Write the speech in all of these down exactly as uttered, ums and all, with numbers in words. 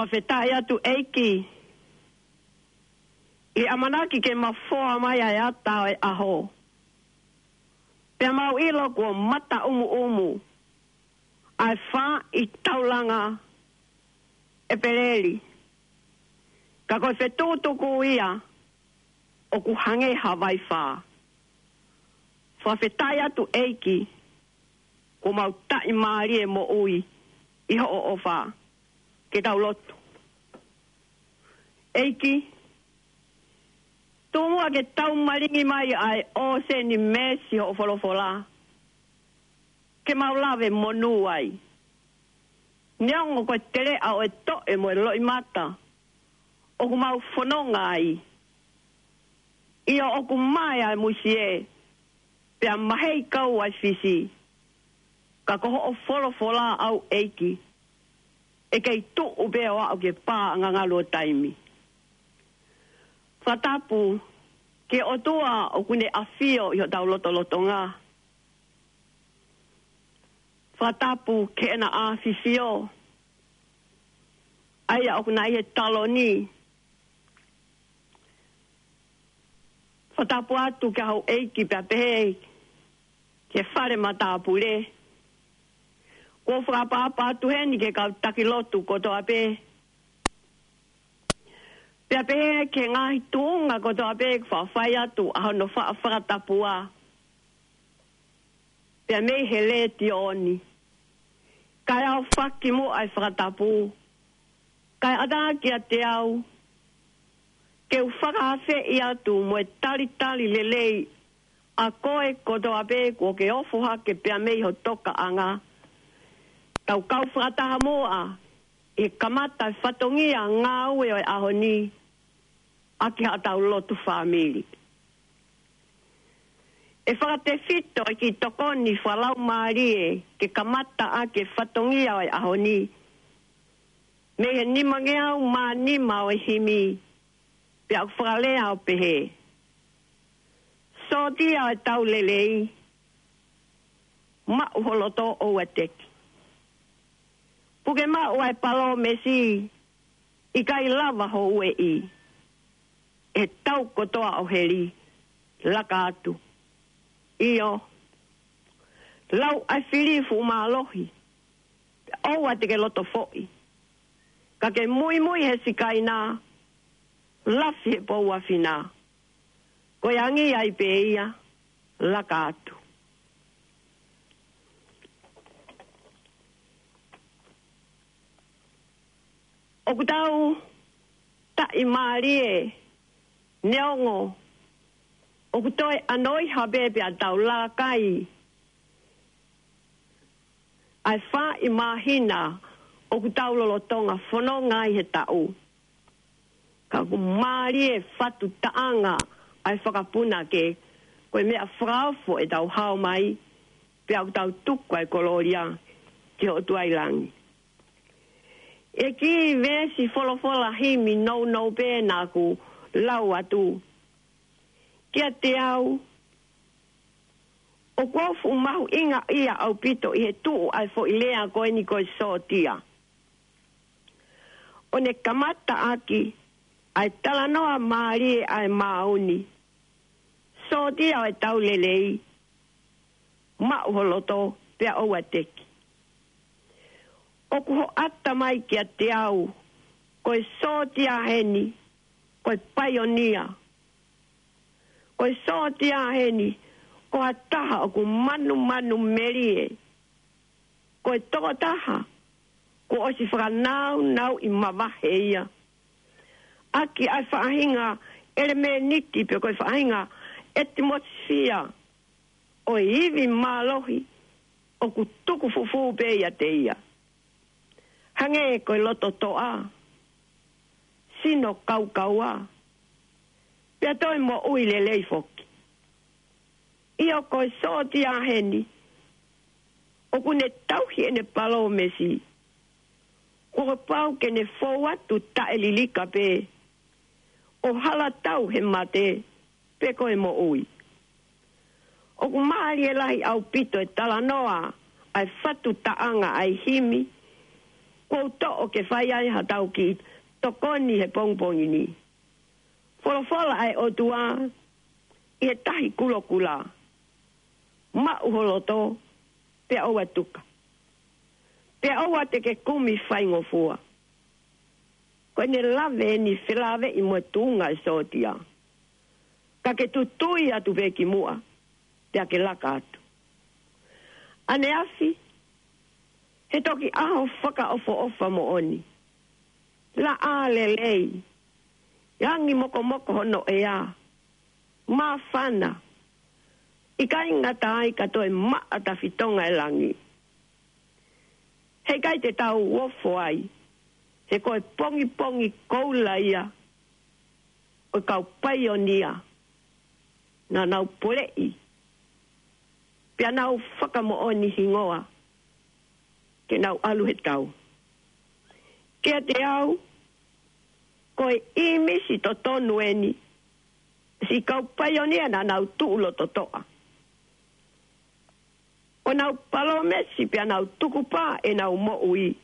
Fakafetaʻi atu ʻEiki, ʻi he ʻamanaki ke mafoa mai ʻa e ata ʻo e ʻaho. Pea mau ʻilo kuo mata ʻumuʻumu ʻa e fā ʻi taulanga ʻEpeleli. Ka ko e fetukutuku ia ʻoku hangē ha vaifā. Fakafetaʻi atu ʻEiki, kuo mau taʻimālie moʻui ʻi hoʻo ʻofa. Ke tau lotu. ʻEiki, tuku muʻa ke tau malingi mai ʻa e ʻōseni meesi hoʻo folofola. Ke mau lave monū ai. Neongo ko e teleʻa ʻo e toʻe mo e loʻimata ʻoku mau fononga ai. ʻIo, ʻoku mae ʻa e musie, pea mahei kau ʻa e fisi. Ka ko hoʻo folofola ʻau ʻEiki, ʻe kei tuʻu pē ʻo aʻu ki he pā ʻangangalu ʻo taimi. Fakatapu ki he ʻOtua ʻoku ne ʻafio ʻi hotau lotolotonga. Fakatapu ki heʻena ʻafifio, ʻa ia ʻoku na ʻi he taloni. Fakatapu atu ki houʻeiki pea pehē ki he fale matāpule. Kuo fakaʻapaʻapa atu heni ki he kau taki lotu kotoa pē. Pea pehē ki he ngaahi tuʻunga kotoa pē kuo faʻa fai atu ʻa hono faʻa fakatapua. Pea mei he letiō ni. Kae ʻofa ki muʻa ʻa e fakatapu. Kae ʻatā kiate au ke u fakaafeʻi atu mo e talitali lelei ʻa koe kotoa pē kuo ke ofo hake pea mei ho tokaʻanga. Tau kau fakataha muʻa ʻi he kamata e fatongia ngāue ʻo e ʻaho ni ʻaki haʻatau lotu fāmili. ʻE fakatefito e kiʻi tokoni fakalaumālie ke kamata ʻaki e fatongia ʻo e ʻaho ni mei he nimangeau mā nima ʻo e himi, pea ʻoku fakalea ʻo pehē: Sōtia ʻo e tau lelei, maʻu ho loto ʻoua te ki. Puke maʻu ʻa e palōmesi, ʻikai lava ho ueʻi ʻe he tau kotoa ʻo heli, laka atu. ʻIo, lau ʻa e fili fuʻu mālohi, ʻoua te ke loto foʻi. Ka ke muimui he sikaina, lafi he pou ʻa fina. Ko e angi ai pē ia, laka atu. ʻOku tau taʻimālie neongo ʻoku toe ʻanoiha pē pea tau lalakai ʻa e fā ʻi māhina ʻoku tau lolotonga fononga ai he taʻu. Ka ʻoku mālie fatu taʻanga ʻa e fakapunake, ko e meʻa fakaofo ʻetau hao mai, pea ʻoku tau tuku ʻa e kolōlia ki he ʻOtua ʻi langi. ʻE kiʻi veesi folofola himi nounou pē naʻa ku lau atu. Kiate au, ʻoku ou fuʻu mahuʻingaʻia ʻaupito ʻi he tuʻu ʻa e foʻi lea ko eni ko e sōtia. ʻO ne kamata ʻaki ʻa e talanoa mālie ʻa e maau ni. Sōtia ʻo e tau lelei, maʻu ho loto pea ʻoua te ki. ʻOku hoʻata mai kiate au, ko e sōtia heni, ko e paionia. Ko e sōtia heni, ko ha taha ʻoku manumanu melie. Ko e tokotaha kuo ʻosi fakanaunauʻi mavahe ia ʻaki ʻa e faʻahinga ʻelemēniti pe ko e faʻahinga ʻetimosifia ʻo e ivi mālohi ʻoku tuku fufū pē ʻiate ia. Hangē ko e loto toʻa, sino kaukaua, pea toe moʻui lelei foki. ʻIo, ko e sōtia heni, ʻoku ne tauhi ʻene palōmesi, kuo pau ke ne fou atu taʻelilika pē, ʻo hala tau he mate, pe ko e moʻui. ʻOku mālie lahi ʻaupito e talanoa ʻa e fatu taʻanga ʻa e himi, Kuo u toʻo ke fai ai haʻatau kiʻi tokoni he pongipongi ni. Folofola ʻa e ʻOtua ʻi he tahi kulokula. Maʻu ho loto, pea ʻoua tuka. Pea ʻoua te ke kumi faingofua. Ko ʻene lave ʻeni felāveʻi mo e tuʻunga ʻo e sōtia. Ka ke tutui atu pē ki muʻa, pea ke laka atu. ʻAneafi, he toki ʻaho fakaʻofoʻofa moʻoni. Laʻā lelei, langi mokomoko hono ʻea, māfana, ʻikai ngata ai ka toe maʻa tafitonga e langi. Heʻikai te tau ofo ai, he ko e pongipongi koula ia ʻo e kau paionia naʻa nau poleʻi, pea nau fakamoʻoni hingoa ke nau ʻalu he tau. Kiate au, ko e ʻīmisi totonu ʻeni, siʻi kau paionia naʻa nau tuʻu lototoʻa. ʻO nau palōmesi pea nau tukupā ʻenau moʻui,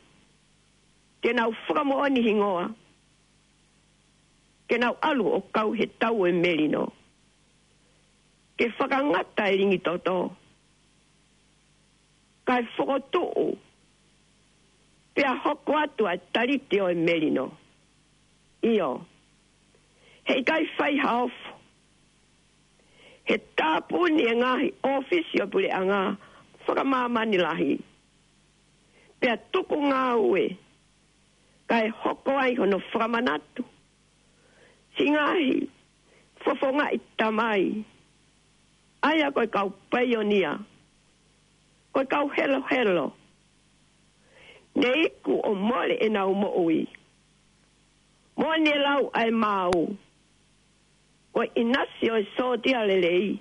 ke nau fakamoʻoni hingoa, ke nau ʻalu ʻo kau he tau ʻo e melino. Ke fakangata e lingi toto, kae fokotuʻu, pea hoko atu ʻa e talite ʻo e melino. ʻIo, heʻikai fai ha ofo. He tāpuni e ngaahi ʻōfisi ʻo e puleʻanga fakamāmani lahi. Pea tuku ngāue, kae hoko ai hono fakamanatu siʻi ngaahi fofongaʻi tamai, ʻa ia ko e kau paionia, ko e kau helohelo, ne iku ʻo mole ʻenau moʻui. Mo ne lau ʻa e maau, ko e ʻinasi ʻo e sōtia lelei,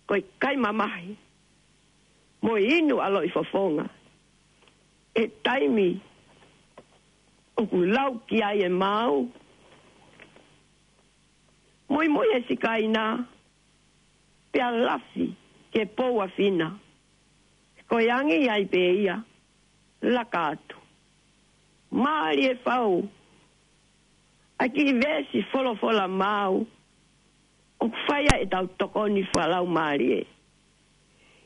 ko e kai mamahi, mo e inu ʻaloʻi fofonga. ʻI he taimi ʻoku lau ki ai e maau, muimui e sikaina, pea lafi ke pou ʻa fina. Ko e angi ai pē ia, laka atu. Mālie fau, ʻa e kiʻi veesi folofola maau, ʻoku fai ai ʻetau tokoni fakalaumālie.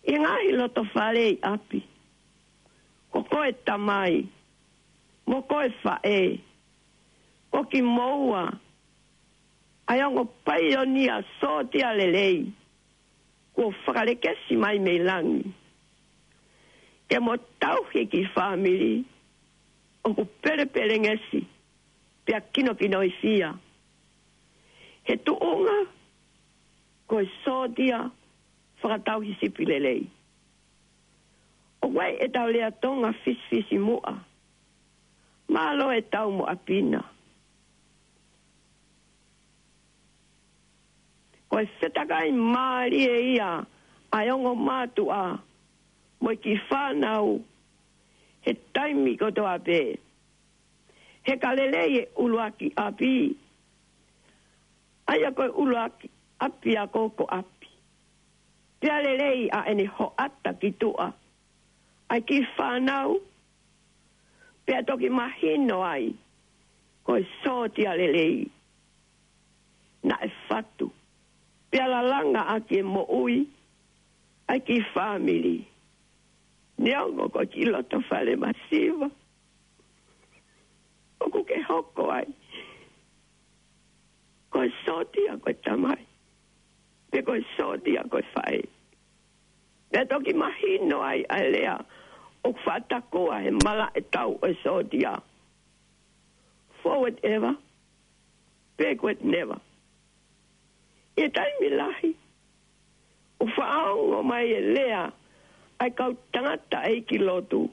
ʻI he ngaahi loto fale ʻi ʻapi, ko koe tamai, mo koe faʻē, ko kimoua, ʻa e ongo paionia sōtia lelei, kuo fakalekesi mai mei langi. Ke mo tauhi e kiʻi fāmili, ʻoku pelepelengesi, pea kinokinoifia. He tuʻunga, ko e sōtia fakatauhi sipi lelei. ʻOku ʻi ai ʻetau lea Tonga fisifisimuʻa. Mālō e tau mo ʻapi na. Ko e fetakai mālie ia ʻa e ongo mātuʻa mo e kiʻi fānau he taimi kotoa pē. He ka lelei e ʻuluaki ʻapi, ʻa ia ko e ʻuluaki ʻapiako ko ʻapi. Pea lelei ʻa ʻene hoʻata ki tuʻa ʻa e kiʻi fānau, pea toki mahino ai ko e sōtia lelei. Naʻe fatu, pea lalanga ʻaki e moʻui ʻa e kiʻi fāmili. Neongo ko e kiʻi loto fale masiva ʻoku ke hoko ai, ko e sōtia ko e tamai, pe ko e sōtia ko e faʻē. Pea toki mahino ai ʻa e lea ʻoku faʻa takua he malaʻe tau ʻo e sōtia: forward ever, backward never. ʻI he taimi lahi, ʻoku faʻa ongo mai e lea ʻa e kau tangataʻeiki lotu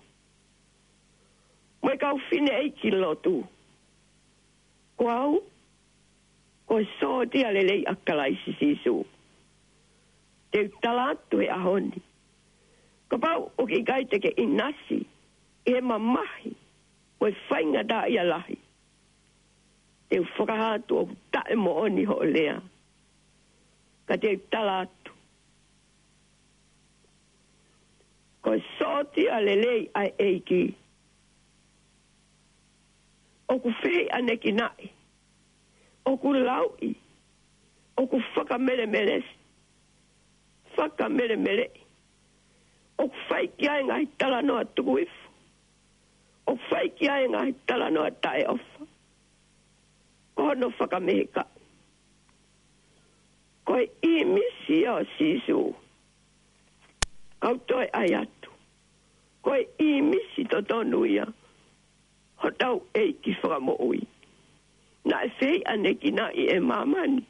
mo e kau fineʻeiki lotu: Ko au, ko e sōtia lelei ʻa Kalaisi Sīsū. Te u tala atu he ʻaho ni, kapau ʻoku ʻikai te ke ʻinasi ʻi he mamahi mo e faingataʻaʻia lahi, te u fakahā atu ʻoku taʻemoʻoni hoʻo lea. Ka te u tala atu, ko e sōtia lelei ʻa e ʻEiki, ʻoku fehiʻanekinaʻi, ʻoku lauʻi, ʻoku fakamelemelesi, fakamelemeleʻi, ʻoku fai ki ai e ngaahi talanoa tuku hifo, ʻoku fai ki ai e ngaahi talanoa taʻeʻofa. Ko hono fakamehekaʻi, ko e ʻīmisi ia ʻo Sīsū. Kau toe ʻai atu, ko e ʻīmisi totonu ia hotau ʻEiki Fakamoʻui. Naʻe fehiʻanekinaʻi ʻe māmani,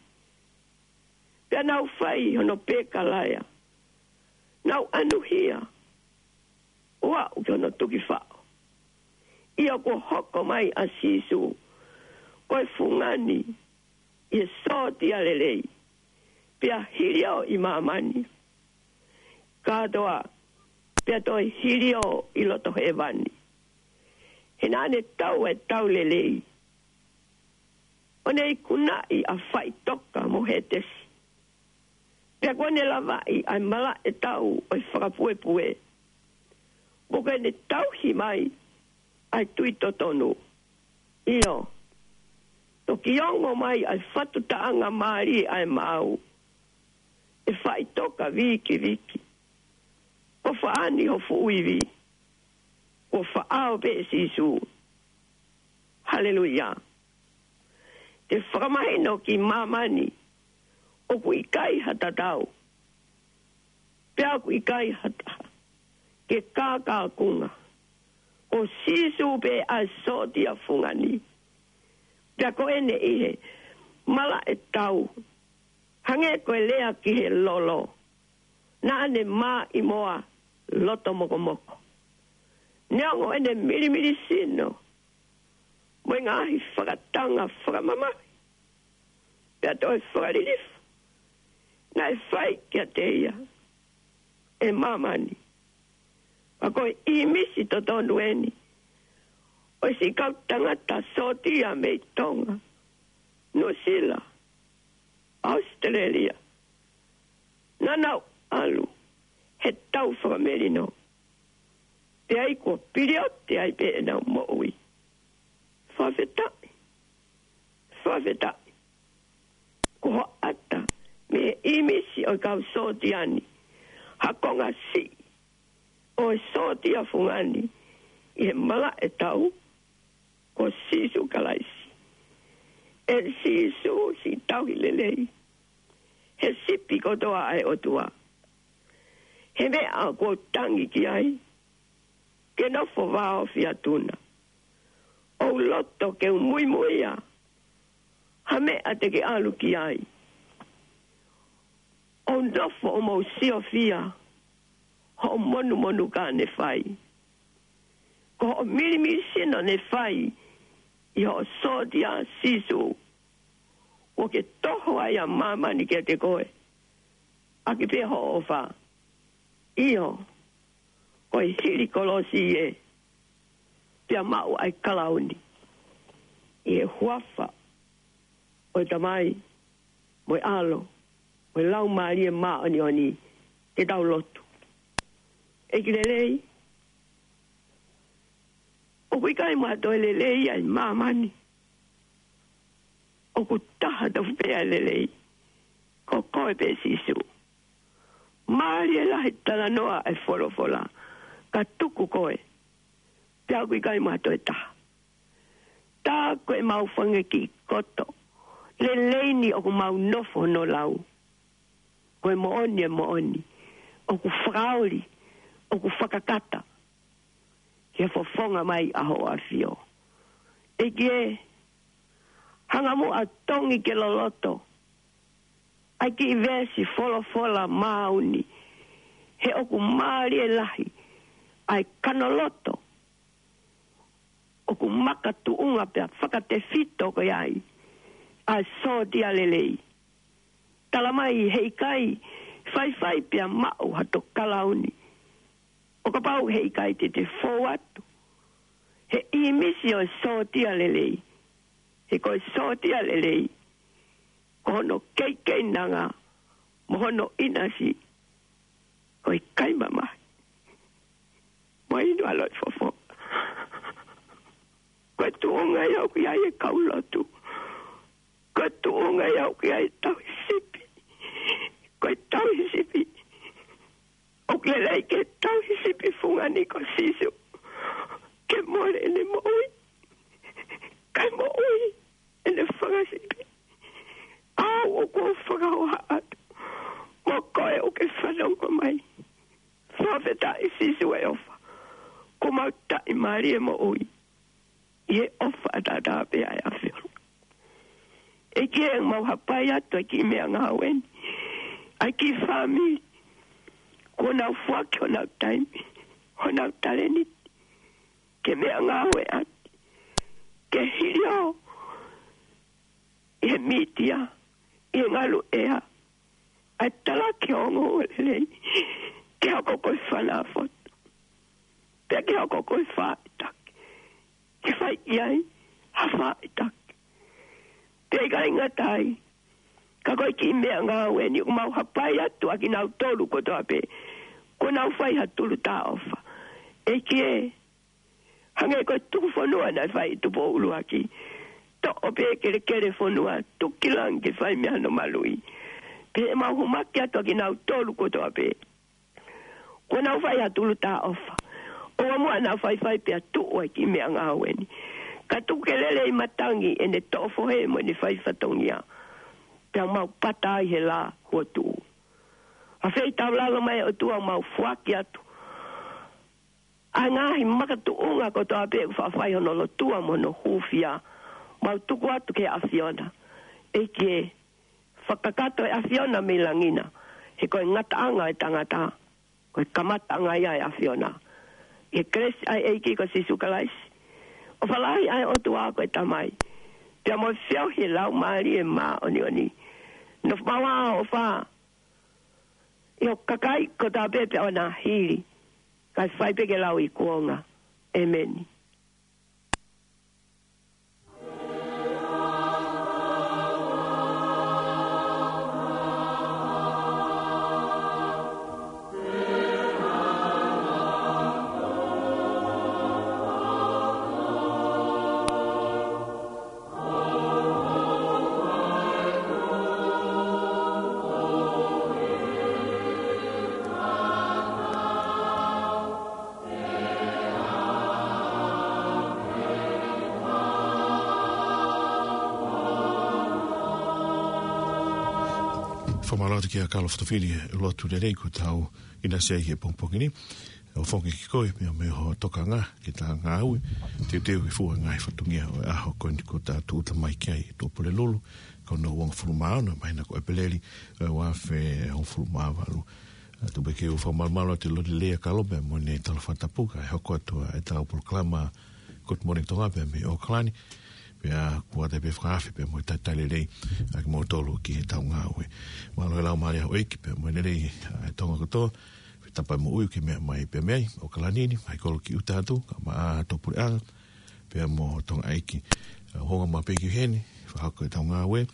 pea nau fai hono pekalaea, nau ʻanuhia ʻo aʻu ki hono tukifaʻo. ʻIo, kuo hoko mai ʻa Sīsū ko e fungani ʻi he sōtia lelei, pea hiliō ʻi māmani kātoa, pea toe hiliō ʻi loto hēvani. He naʻa ne tau e tau lelei, ʻo ne ikunaʻi ʻa Faʻitoka mo Hētesi, pea kuo ne lavaʻi ʻa e malaʻe tau ʻo e fakapuepue. Mo ke ne tauhi mai ʻa e tui totonu. ʻIo, toki ongo mai ʻa e fatu taʻanga mālie ʻa e maau, ʻe Faʻitoka Vikiviki, ko faʻani ho fuʻu ivi, ko faʻao pē ʻe Sīsū. Haleluia. Te fakamahino ki māmani ʻoku ʻikai ha tatau, pea ʻoku ʻikai ha taha ke kākākunga. Ko Sīsū pē ʻa e sōtia fungani. Pea ko ʻene ʻi he malaʻe tau, hangē ko e lea ki he lolo, naʻa ne mā ʻi moa loto mokomoko. Neongo ʻene milimili sino mo e ngaahi fakatanga fakamamahi, pea toe fakalilifu naʻe fai kiate ia ʻe māmani, ka ko e ʻīmisi totonu eni ʻo e siʻi kau tangata sōtia mei Tonga, Nuʻusila, ʻAositelēlia, naʻa nau ʻalu he tau fakamelino, pea ʻi ai kuo piliote ai pē ʻenau moʻui. Fakafetaʻi, fakafetaʻi. Ko hoʻata mei he ʻīmisi ʻo e kau sōtia ni, ha konga siʻi ʻo e sōtia fungani ʻi he malaʻe tau, ko Sīsū Kalaisi. ʻE Sīsū, siʻi tauhi lelei, he sipi kotoa ʻa e ʻOtua. He meʻa kuo u tangi ki ai, ke nofo vāofi atu na. ʻOu loto ke u muimuia ha meʻa te ke ʻalu ki ai. ʻOu nofo ʻo mou siofia hoʻo monumonu ka ne fai. Ko hoʻo milimili sino ne fai ʻi hoʻo sōtia Sīsū, kuo ke toho ai ʻa māmani kiate koe, ʻaki pē hoʻo ʻofa. ʻIo, ko e hili kolosi ē, pea maʻu ai kalauni ʻi he huafa ʻo e Tamai, mo e ʻAlo, mo e Laumālie Māʻoniʻoni. Ke tau lotu. ʻEiki lelei, ʻoku ʻikai mo ha toe lelei ʻi māmani. ʻOku taha tofu pē ʻa e lelei, ko koe pē Sīsū. Mālie lahi talanoa e folofola, ka tuku koe, pea ʻoku ʻikai mo ha toe taha. Tā ko e mau fanga kiʻi koto lelei ni ʻoku mau nofo hono lau. Ko e moʻoni, e moʻoni, ʻoku fakaoli, ʻoku fakakata ki he fofonga mai ʻa hoʻo ʻAfio. ʻEiki ē, hanga muʻa tongi ke loloto ʻa e kiʻi veesi folofola maau ni, he ʻoku mālie lahi ʻa e kanoloto ʻoku makatuʻunga pea fakatefito ko ia ai ʻa e sōtia lelei. Tala mai he ʻikai faifai pea maʻu ha toe kalauni, ʻo kapau he ʻikai te te fou atu he ʻīmisi ʻo e sōtia lelei. He ko e sōtia lelei, ko hono keikeinanga mo hono ʻinasi, ko e kai mamahi mo e inu ʻa e loʻifofonga. Ko e tuʻunga ia ʻoku ʻi ai e kau lotu. Ko e tuʻunga ia ʻoku ʻi ai e tauhi sipi. Ko e tauhi sipi ʻoku lelei ke tauhi sipi fungani ko Sīsū. Ke mole ʻene moʻui. Kae moʻui ʻene fanga sipi. ʻOku ou fakahoha atu. Mo koe ʻoku ke fanongo mai. Fakafetaʻi Sīsū e ʻofa. Kuo mau taʻimālie moʻui ʻi he ʻofa ʻataʻatā pē ʻa e ʻAfiona. ʻEiki ē, mau hapai atu ʻa e kiʻi meʻangāue ni. ʻA e kiʻi fāmili. Kuo nau foaki honau taimi. Honau talēniti. Ke meʻangāue atu. Ke hili ʻo ʻi he mītia, ʻi he ngalu ʻea, ʻa e talaki ongoongolelei, ke hoko ko e fana foto, pea ke hoko ko e faʻitaki, ke fai ki ai ha faʻitaki. Pea ʻikai ngata ai, ka ko e kiʻi meʻangāue ni ʻoku mau hapai atu ʻa kinautolu kotoa pē, kuo nau fai ha tulu taʻofa. ʻEiki ē, hangē ko e tuku fonua naʻe fai ʻe Tupou ʻUluaki. Toʻo pē kelekele fonua, tuku ki langi ke fai mei hano maluʻi. Pea ʻe mau homaki atu ʻa kinautolu kotoa pē. Kuo nau fai ha tulu taʻofa. ʻOua muʻa naʻa faifai pea tuʻu ʻa e kiʻi meʻangāue ni. Ka tuku ke lele ʻi matangi ʻene toʻo fohe mo ʻene fai fatongia. Pea mau pata ai he lā kuo tuʻu. ʻA fei taulalo mai ʻOtua mau foaki atu ʻa e ngaahi makatuʻunga kotoa pē ʻoku faʻa fai hono lotua mo hono hūfia. Mau tuku atu ki he ʻAfiona. ʻEiki ē, fakakakato e ʻAfiona mei langi na. He ko e ngataʻanga e tangata, ko e kamataʻanga ia e ʻAfiona. ʻI he kelesi ʻa e ʻEiki ko Sīsū Kalaisi, ʻofa lahi ʻa e ʻOtua ko e Tamai, pea mo e feohi e Laumālie Māʻoniʻoni, nofo maʻu ʻa e ʻofa ʻi hoku kakai kotoa pē pea ʻoua naʻa hili, kae fai pē ke lau ʻi kuonga. ʻEmeni. Fakamālō atu kia Kalo Fotofili, lotu lelei kuo tau ʻinasi ai he pongipongi ni. ʻOfa ke ke kole pea mo ho tokanga ki heʻeta ngāue, teuteu ke fua ngaahi fatongia ʻo e ʻaho ko eni kuo ta tūʻuta mai ki ai, Tuʻapulelulu, ko hono uongofulu mā ono māhina ko ʻEpeleli, ʻo e ua afe hongofulu mā valu. ʻA, tuku pē ke u fakamalumalu atu e lotu lelei ʻa Kalo pea mo ʻene talafakatapu kae hoko atu ʻa ʻetau polokalama Good Morning Tonga pea mei ʻAokalani. Pea kuo ʻoatu pē fakaafe pea mo e talitali lelei ʻa kimoutolu ki heʻetau ngāue. Mālō e laumālie ʻo e ʻEiki pea mo e lelei ʻa e Tonga kotoa. Pea tapa moʻui ke meʻa mai pea mei ʻAokalani ni, mai kolo ki ʻuta atu, kae ʻumaʻā ʻa e puleʻanga pea mo Tonga ʻEiki. ʻA, hūfanga mai pē ki heni, fakahoko ʻetau ngāue,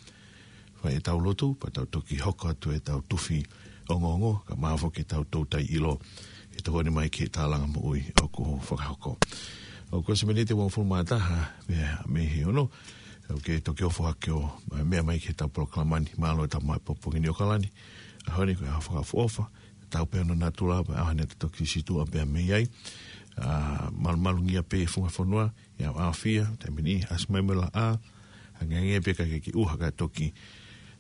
fai ʻetau lotu, pea tau toki hoko atu ʻetau tufi ongoongo, kae ʻumaʻā foki ʻetau toutai ʻilo ʻi he tokoni mai ki he tālanga moʻui ʻoku fakahoko. ʻOku ʻosi e miniti ʻe uofulu mā taha mei he ono, ʻoku ke toki ʻofa hake ʻo meʻa mai ki heʻetau polokalama ni. Mālō e tama pongipongi ni ʻAokalani, ʻaho ni ko e ʻaho fakaʻofoʻofa, tau pē hono natula, pea ʻaho ni te toki situʻa pea mei ai. ʻA, malumalungia pē e funga fonua, ʻi he ʻaoʻaofia, taimi ni, ʻasi mai mo e laʻā, hangehangē pē ka ke kiʻi ʻuha kae toki,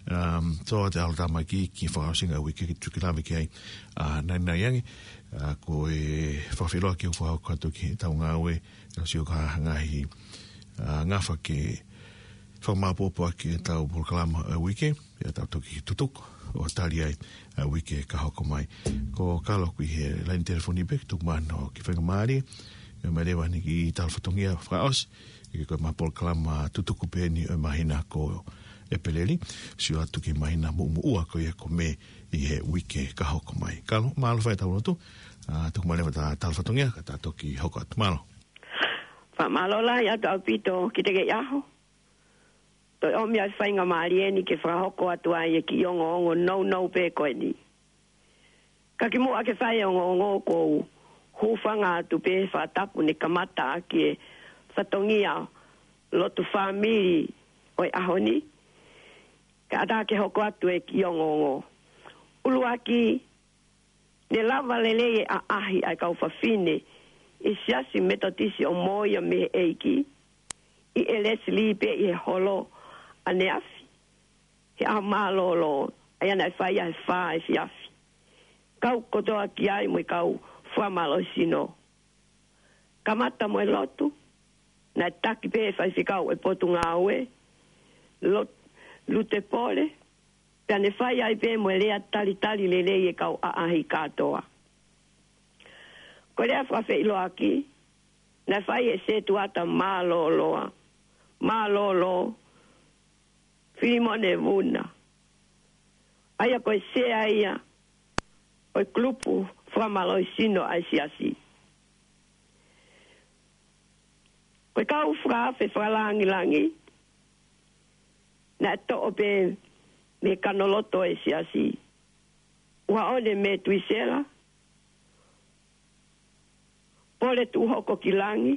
um, tō atu e ʻalotāmaki ki he fakaʻosinga ʻo e uike ke tukulave ki ai, ʻa, nai nai ange, ʻa, ko e fakafeʻiloaki ʻoku fakahoko atu ki heʻetau ngāue, ka sio ki ha ngaahi, ʻa, ngafa ke fakamāopoopo ʻaki ʻetau polokalama ʻo e uike, pea tau toki tutuku ʻo tali ai ʻa e uike ka hoko mai. Ko Kalo ʻoku ʻi he laine telefoni pē, tuku mai hono kiʻi faingamālie, ʻomai leva ʻene kiʻi tala fatongia fakaʻosi, ʻi he ko e ʻemau polokalama tutuku pē eni ʻo e māhina ko ʻEpeleli, sio atu ki he māhina muʻomuʻa ko ia ko Mē ʻi he uike ka hoko mai. Kalo, mālō e fai ʻetau lotu, ʻa, tuku mai leva ʻeta tala fatongia, ka ta toki hoko atu. Mālō. Fakamālō lahi atu ʻaupito ki he teʻeki ʻaho. Toe ʻomi ʻa e faingamālie ni ke fakahoko atu ai e kiʻi ongoongo nounou pē ko eni. Ka kimuʻa ke fai e ongoongo ʻoku ou hūfanga atu pē he fakatapu ne kamata ʻaki e fatongia lotu fāmili ʻo e ʻaho ni, ka ʻatā ke hoko atu e kiʻi ongoongo. ʻUluaki, ne lava lelei e ʻaʻahi ʻa e kau fafine ʻi he Siasi Metotisi ʻo Moʻia mei he ʻEiki, ʻi he Lesili pē ʻi he holo ʻaneafi, he ʻaho mālōlō, ʻa ia naʻe fai ʻi he fā efiafi. Kau kotoa ki ai mo e kau fakamālohisino. Kamata mo e lotu, naʻe taki pē ʻe he faifekau ʻo e Potungāue, Lot-, Lute Pole, pea ne fai ai pē mo e lea talitali lelei e kau ʻaʻahi kātoa. Ko e lea fakafeʻiloaki, naʻe fai ʻe he setuata mālōlō, mālōlō, Filimone Vuna. ʻA ia ko e sea ia ʻo e kulupu fakamālohisino ʻa e Siasi. Ko e kau fakaafe fakalāngilangi, naʻe toʻo pē mei he kanoloto ʻo e Siasi. Uaone Metuisela, Pole Tuʻuhokokilangi,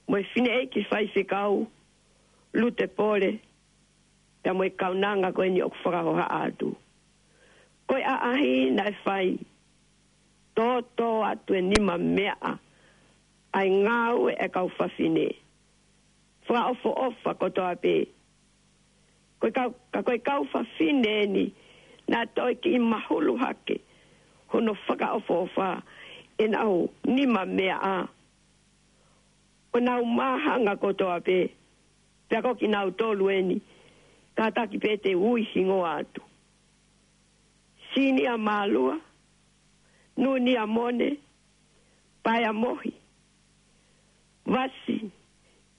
mo e fineʻeiki faifekau, Lute Pole, pea mo e kaunanga ko eni ʻoku fakahohaʻa atu. Ko e ʻaʻahi naʻe fai, tōtōatu e nima meʻa ʻa e ngāue ʻa e kau fafine. Fakaʻofoʻofa kotoa pē. Ko e kau, ka ko e kau fafine eni, naʻe toe kiʻi mahulu hake hono fakaʻofoʻofa ʻenau nima meʻa, ʻo nau māhanga kotoa pē, pea ko kinautolu eni, kātaki pē te u ui hingoa atu. Sinia Mālua, Nunia Mone, Paea Mohi, Vasi,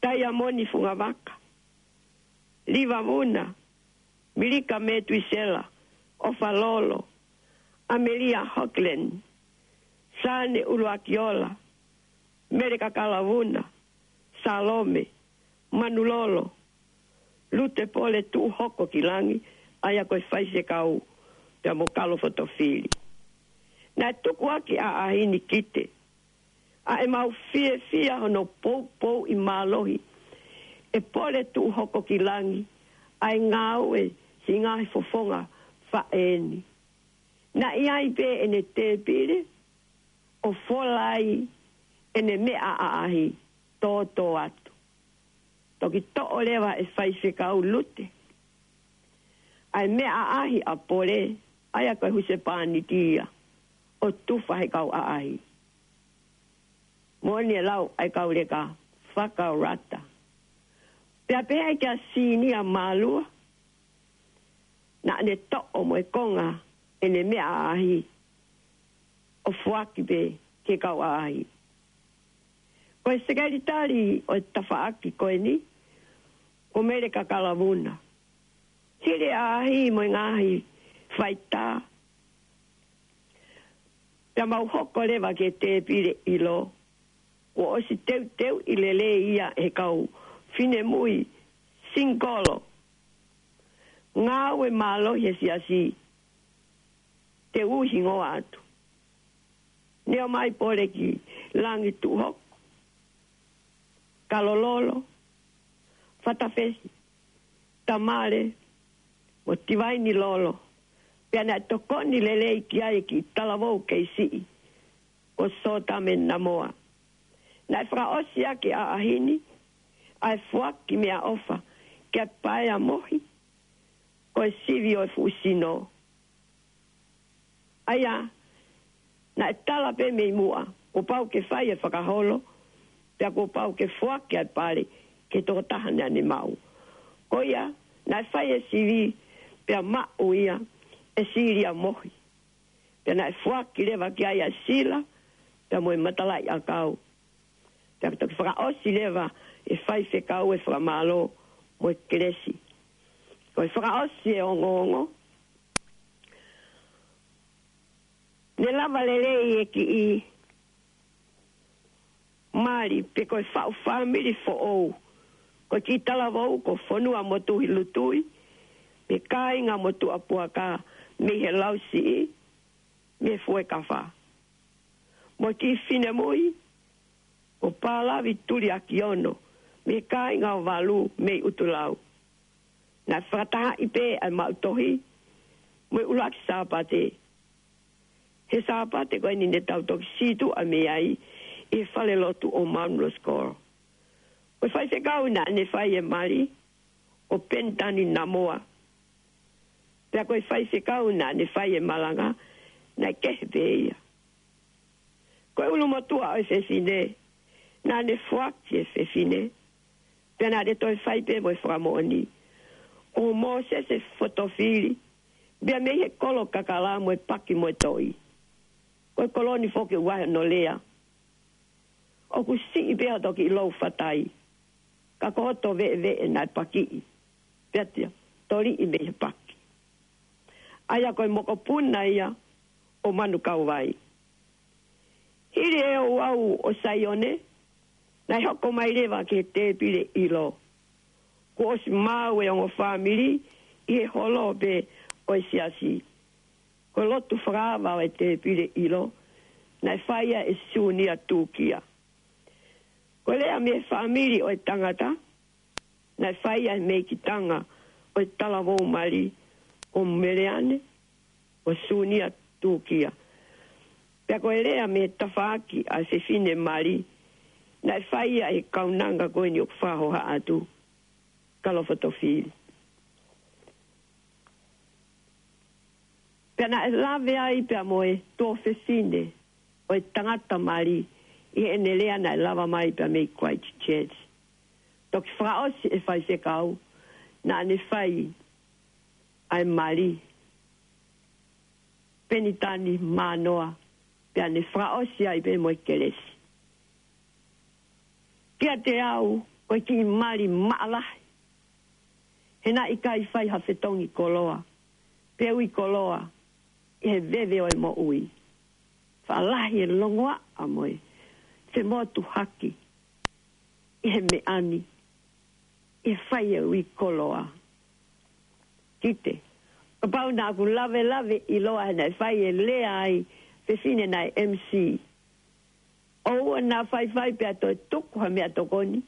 Taiamoni Fungavaka, Liva Vuna, Milika Metuisela, ʻOfa Lolo, ʻAmelia Hockland, Sane ʻUluakiola, Mele Kakala Vuna, Salome, Manulolo, Lute Pole Tuʻuhokokilangi, ʻa ia ko e faifekau, pea mo Kalo Fotofili. Naʻe tuku ʻaki ʻa e ʻaʻahi ni kite ʻa ʻemau fiefia hono poupouʻi mālohi ʻe Pole Tuʻuhokokilangi ʻa e ngāue siʻi ngaahi fofonga faʻē ni. Naʻe ʻi ai pē ʻene tēpile ʻo fola ai ʻene meʻa ʻaʻahi tōtōatu. Toki toʻo leva ʻe Faifekau Lute ʻa e meʻa ʻaʻahi ʻa Pole, ʻa ia ko e husepāniti ia, ʻo tufa he kau ʻaʻahi. Moʻoni e lau ʻa e kau leka fakaolata. Pea pehē kia Sinia Mālua, naʻa ne toʻo mo e konga ʻene meʻa ʻaʻahi ʻo foaki pē ki he kau ʻaʻahi. Ko e sekelitali ʻo e tafaʻaki ko eni, ko Mele Kakala Vuna. Hili e ʻaʻahi mo e ngaahi faitā, pea mau hoko leva ki he tēpile ʻilo, kuo ʻosi teuteuʻi lelei ia ʻe he kau finemui singikolo. Ngāue mālohi he siasi, te u ui hingoa atu. Ne ʻomai Pole ki Langituʻuhoko, Kalololo, Fatafehi, Tamale, mo Tivainilolo, pea naʻe tokoni lelei ki ai e kiʻi talavou kei siʻi, ko Sotame Namoa. Naʻe fakaʻosi ʻaki ʻe he ʻaʻahi ni ʻa e foaki meʻaʻofa kia Paea Mohi, ko e sivi ʻo e fuʻu sino. ʻA ia, naʻe tala pē mei muʻa, kuo pau ke fai e fakaholo, pea kuo pau ke foaki ʻa e pale ki he tokotaha naʻa ne maʻu. Ko ia, naʻe fai e sivi, pea maʻu ia ʻe Silia Mohi. Pea naʻe foaki leva ki ai ʻa Sila, pea mo e matalaʻiʻakau. Pea toki fakaʻosi leva ʻe Faifekau e fakamālō mo e kelesi. Ko e fakaʻosi e ongoongo, ne lava lelei e kiʻi mali pe ko e faʻu fāmili foʻou. Ko e kiʻi talavou ko Fonuamotuhi Lutui, mei he kāinga Motuʻapuaka, mei he Lausiʻi, mei he Fuekafa. Mo e kiʻi finemui ko Palavi Tuliakiono, mei he kāinga ʻo Valu mei ʻUtulau. Naʻe fakatahaʻi pē ʻa e maʻu tohi mo e ʻuluaki Sāpate he Sāpate ko eni ne tau toki sītuʻa mei ai ʻi he falelotu ʻo Mount Roskill. Ko e faifekau naʻa ne fai e mali ko Penitani Namoa. Pea ko e faifekau naʻa ne fai e malanga naʻe kehe pē ia. Ko e ʻulumotuʻa ʻo e fefine, naʻa ne foaki e fefine, pea naʻa ne toe fai pē mo e fakamoʻoni, ko Mōsese Fotofili, pea mei he kolo kakala mo e paki mo e toʻi. Ko e kolo ni foki ʻoku ʻi ai hono lea, ʻoku siʻi pē hoto kiʻi lou fatai, ka ko hoto veʻeveʻe naʻe pakiʻi, pea tia, toliʻi mei he paki. ʻA ia ko e mokopuna ia ʻo Manukauvai. Hili e ouau ʻo Saione, naʻe hoko mai leva ki he tēpile ʻilo. Kuo ʻosi maʻu e ongo fāmili ʻi he holo pē ʻo e siasi. Ko e lotu fakaava ʻo e tēpile ʻilo, naʻe fai ia ʻe Sunia Tūkia. Ko e lea mei he fāmili ʻo e tangata, naʻe fai ia ʻe he meikitanga ʻo e talavou mali ko Meleane, ko Sunia Tūkia. Pea ko e lea mei he tafaʻaki ʻa e fefine mali, naʻe fai ia ʻe he kaunanga ko eni ʻoku fakahoha atu, Kalo Fotofili. Pea naʻe lave ai pea mo e tuofefine ʻo e tangata mali ʻi heʻene lea naʻe lava mai pea mei Christchurch. Toki fakaʻosi e faifekau, naʻa ne fai ʻa e mali Penitani Mānoa, pea ne fakaʻosi ai pē mo e kelesi. Kiate au, ko e kiʻi mali maʻalahi. He naʻe ʻikai fai ha fetongi koloa pe ui koloa ʻi he veve ʻo e moʻui. Faʻa lahi e longoaʻa mo e femotuhaki ʻi he meʻa ni, ʻi he fai e ui koloa. Kite, kapau naʻa ku lavelave ʻiloa he naʻe fai e lea ʻa e fefine naʻe M C. ʻOua naʻa faifai pea toe tuku ha meʻatokoni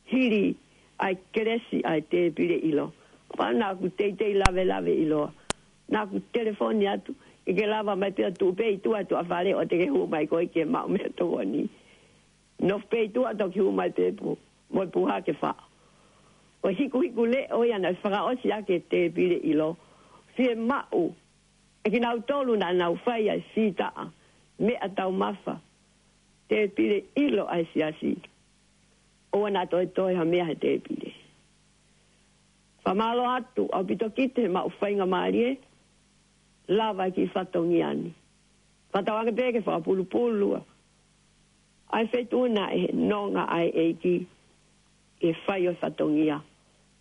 hili ʻa e kelesi ʻa e tēpile ʻilo. Kapau naʻa ku teitei lavelave ʻiloa, naʻa ku telefoni atu, ke ke lava mai pē ʻo tuʻu pē ʻi tuʻa tuʻafale ʻo te ke hū mai koe ke maʻu meʻatokoni. Nofo pē ʻi tuʻa toki hū mai pē pū, mo e puha ke faʻo. Ko e hikuhiku leʻo ia naʻe fakaʻosi ʻaki e tēpile ʻilo. Fiemaʻu ʻe kinautolu naʻa nau fai ʻa e sītaʻa meʻataumafa, tēpile ʻilo ʻa e siasi, ʻoua naʻa toe toe ha meʻa he tēpile. Fakamālō atu ʻaupito Kite he maʻu faingamālie, lava e kiʻi fatongia ni. Fakatauange pē ke fakapulupulu ʻa e feituʻu na ʻe he nonga ʻa e ʻEiki ʻi he fai ʻo e fatongia.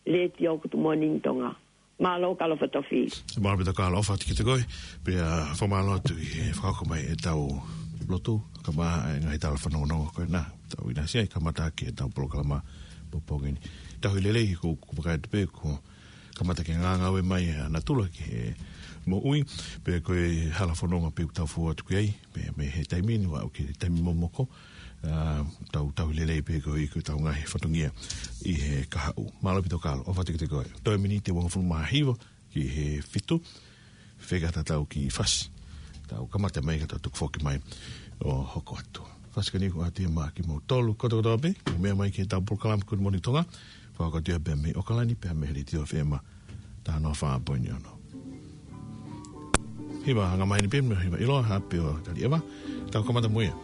Letiō Good Morning Tonga. Mālō Kalo Fotofili. Mālō ʻaupito Kalo, ʻofa atu kiate koe. Pea fakamālō atu ʻi he fakahoko mai ʻetau lotu, kae ʻumaʻā e ngaahi tala fanongonongo ko ena, tau ʻinasi ai, kamata ʻaki ʻetau polokalama pongipongi ni. Tauhi lelei, ko, ko e vakai atu pē, ko e kamata ke ngāngāue mai ʻa natula ki he moʻui, pea ko e hala fononga pē ʻoku tau fou atu ki ai, pea mei he taimi ni ʻo aʻu ki he taimi momoko, ʻa, tau, tauhi lelei pē ko e, ko ʻetau ngaahi fatongia ʻi he kahaʻu. Mālō ʻaupito Kalo, ʻofa atu kiate koe. Toe miniti ʻe uangofulu mā hiva ki he fitu, fekau tatau ki he fasi. Tau kamata mai ka tau tuku foki mai ʻo hoko atu. Fasi ko eni ko ati ma kimoutolu kotoa kotoa pē, mou meʻa mai ki heʻetau polokalama Good Morning Tonga, fakakau atu ia pea mei ʻAokalani, pea mei he Letiō F M taha noa fā poini ono. Hiva anga mai ni pē, mei hiva ʻiloa, hape ʻo Taliʻeva, tau kamata mo ia.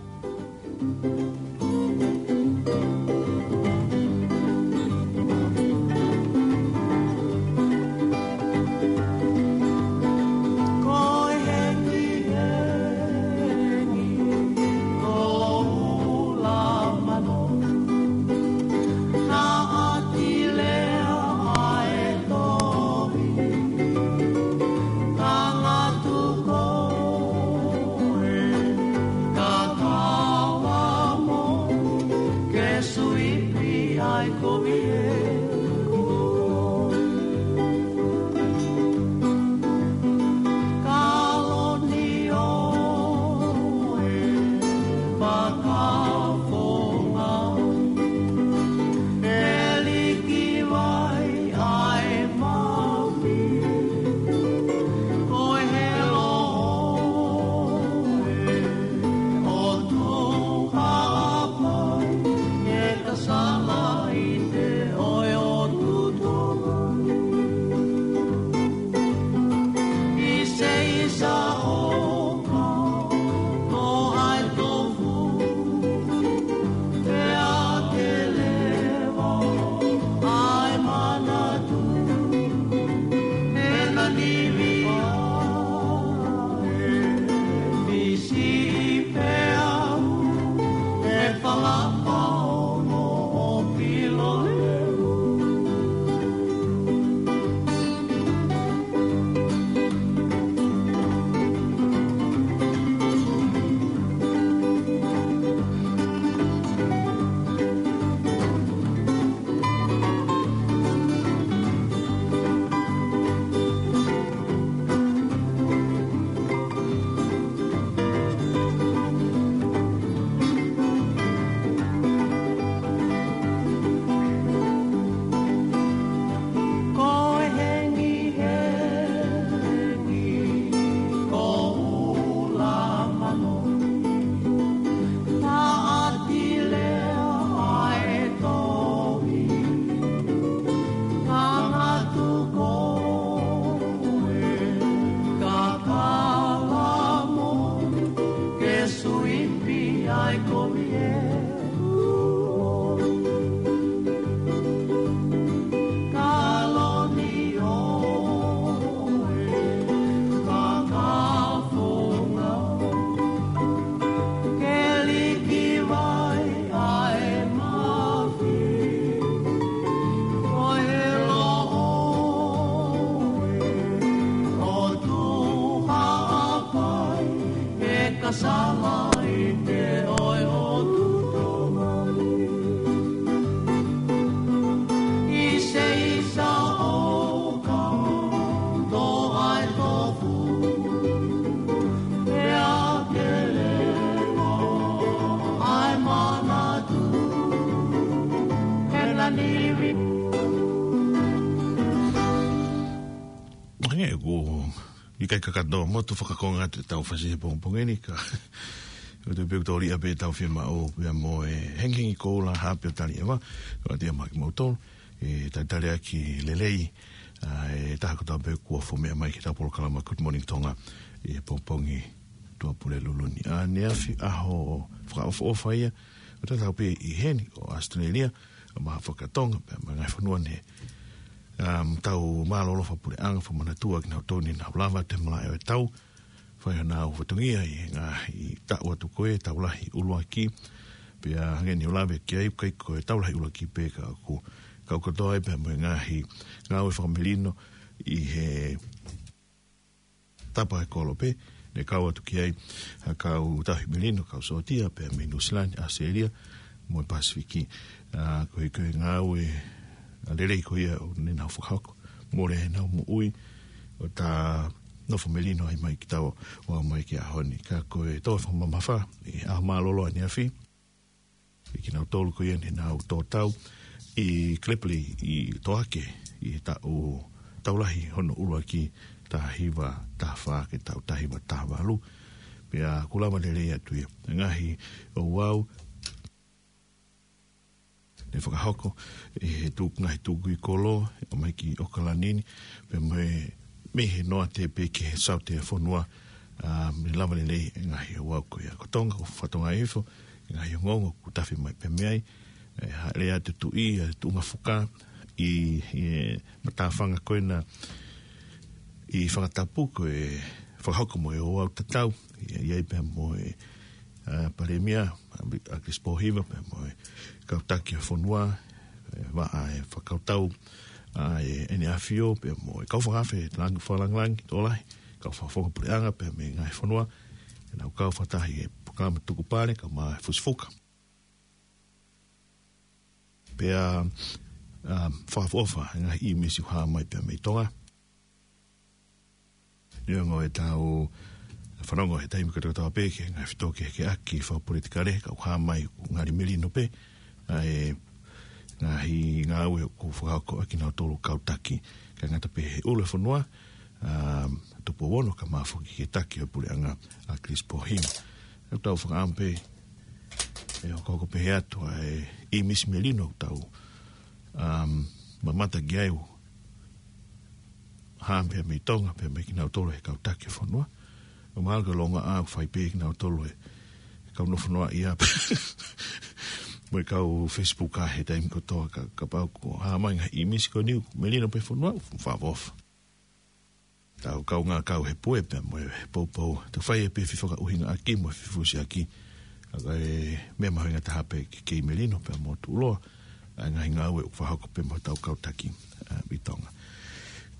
ʻE, ʻoku ʻikai kakato motu fakakonga atu ʻetau fasi he pongipongi ni ka. ʻOku tau pehē ʻoku tau liʻa pē ʻetau fiemaʻu pea mo e hengihengi koula hape ʻo Taliʻeva. Ko ati a maki mautolu. ʻE talitali ʻaki lelei. ʻA, ʻe taha kotoa pē kuo fomeʻa mai ki heʻetau polokalama Good Morning Tonga. ʻI he pongipongi Tuʻapulelulu ni. ʻA, ʻaneafi ʻaho fakaʻofoʻofa ia. ʻOku tau pē ʻi heni ʻo Australia. ʻA, mo e fakatonga, pea mo e ngaahi fonua ni. Um, tau mālōlō fakapuleʻanga, fakamanatua kinautolu ne nau lava atu he malaʻe ʻo e tau. Fai hanau fatongia ʻi he ngaahi taʻu atu ko ē, tau lahi ʻuluaki. Pea hangē ne u lave ki ai ʻoku ʻikai ko e tau lahi ʻuluaki pē ka ʻoku kau kotoa ai pea mo e ngaahi ngāue fakamelino ʻi he tapa ʻe kolope, ne kau atu ki ai, ʻa, kau tauhi melino, kau sōtia, pea mei Nuʻusila ni, ʻAositelēlia, mo e Pasifiki. ʻA, ko e, ko e ngāue, ʻa, lelei ko ia ʻoku ne nau fakahoko. Mole ʻenau moʻui, ʻo ta nofo melino ai mai ki tau, ʻo aʻu mai ki he ʻaho ni. Ka ko e toe fakamamafa, ʻi he ʻaho mālōlō ʻaneafi, ʻi kinautolu ko ia ne nau tō tau ʻi Klepeli ʻi Toake ʻi he taʻu tau lahi hono ʻuluaki taha hiva taha fā ki he taʻu taha hiva taha valu. Pea ʻoku lava lelei atu ia. Ngaahi ouau ne fakahoko ʻi he tuku, ngaahi tukui kolo, ʻo mai ki ʻOkalani ni, pea mo e mei he noate pē ki he saute ʻo e fonua, ʻa, ne lava lelei e ngaahi ouau ko ia. Ko Tonga, ko Fatonga ifo, ngaahi ongoongo ʻoku tafe mai pē mei ai, ʻe, hāʻele atu Tuʻi, ʻa, Tuʻungafuka, ʻi, ʻi he matāfanga ko ena, ʻi Fangatapu ko e fakahoko mo e ouau tatau, ʻi, ʻi ai pea mo e, ʻa, Palēmia, ʻa, ʻAkilisi Pōhiva, pea mo e kau taki ʻo e fonua, ʻe, vaʻa e fakakautau, ʻa, ʻe, ʻEne ʻAfio, pea mo e kau fakaafe, langi, fakalāngilangi, tokolahi, kau fakafofonga puleʻanga, pea mei he ngaahi fonua, ʻenau kau fakataha ʻi he polokalama Tukupale, kae ʻumaʻā e Fusifuka. Pea, um, fakaʻofoʻofa, ngaahi ʻīmisi ʻoku hā mai pea mei Tonga. Neongo ʻetau fanongo he taimi kotoa pē ki he ngaahi fetōkehekeʻaki fakapolitikale, ka ʻoku hā mai ʻoku ngali melino pē, ʻa e ngaahi ngāue ʻoku fakahoko ʻaki kinautolu kau taki. Kae ngata pē he ʻulu ʻo e fonua, um, Tupou Ono kae ʻumaʻā foki e taki ʻo e puleʻanga ʻAkilisi Pōhiva. ʻOku tau fakaʻamu pē, ʻe hokohoko pē atu ʻa e ʻīmisi melino ʻoku tau, um, mamata ki ai ʻoku hā pē mei Tonga, pea mei kinautolu he kau taki ʻo e fonua. ʻOku mahalo ko e longaʻā ʻoku fai pē kinautolu he kau nofo noaʻia pē mo e kau Facebook ʻa he taimi kotoa ka, kapau ʻoku hā mai ngaahi ʻīmisi ko eni ʻoku melino pē fonua, ʻoku fakaʻofoʻofa. Tau kaungā kau he pue pea mo e poupou. Tau fai e pē fefakaʻuhingaʻaki mo e fefusiʻaki. ʻA, ko e meʻa mahuʻinga taha pē ke kei melino pea mo tuʻuloa ʻa e ngaahi ngāue ʻoku fakahoko pē mo hotau kau taki, ʻa, ʻi Tonga.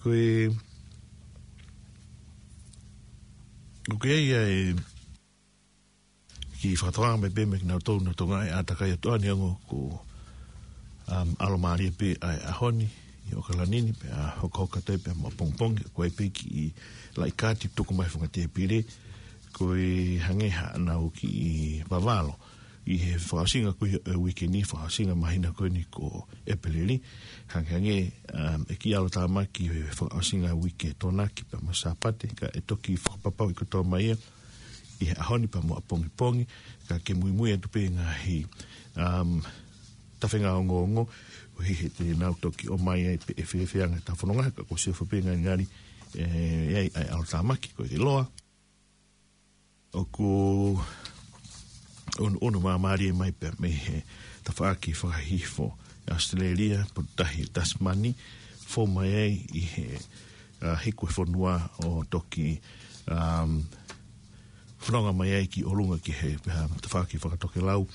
Ko e, ʻoku ʻi ai ʻa e kiʻi fakatokanga mai pē mei kinautolu naʻa nau tokangaʻi ʻātakai atu ʻa, neongo ko, um, ʻalomālie pē ʻa e ʻaho ni ʻi ʻOkalani ni, pea hokohoko atu ai pē mo ʻapongipongi, ko e pē kiʻi laʻi kaati tuku mai he funga tēpile, ko e hangē haʻanau kiʻi vavalo ʻi he fakaʻosinga ko ia ʻo e uike ni, fakaʻosinga māhina ko eni ko ʻEpeleli, hangehangē, um, ʻe kiʻi ʻalotāmaki he fakaʻosinga uike Tokonaki pea mo Sāpate, kae toki fakapapauʻi kotoa mai ia ʻi he ʻaho ni pea mo ʻapongipongi, ka ke muimui atu pē ngaahi, um, tafenga ongoongo, ʻo hangē te nau toki ʻomai ai pē e fefeanga ʻetau fononga, ka ko e sio fakapenga ngali, ʻe, ʻe ʻi ai ʻa e ʻalotāmaki, ko e ke loa. ʻOku ʻunuʻunu māmālie mai pē mei he tafaʻaki fakahihifo ʻAositelēlia, Potutahi Tasimani, fou mai ai ʻi he, ʻa, hiku e fonua ʻo toki, um, fononga mai ai ki ʻolunga ki he, um, tafaʻaki fakatokelau,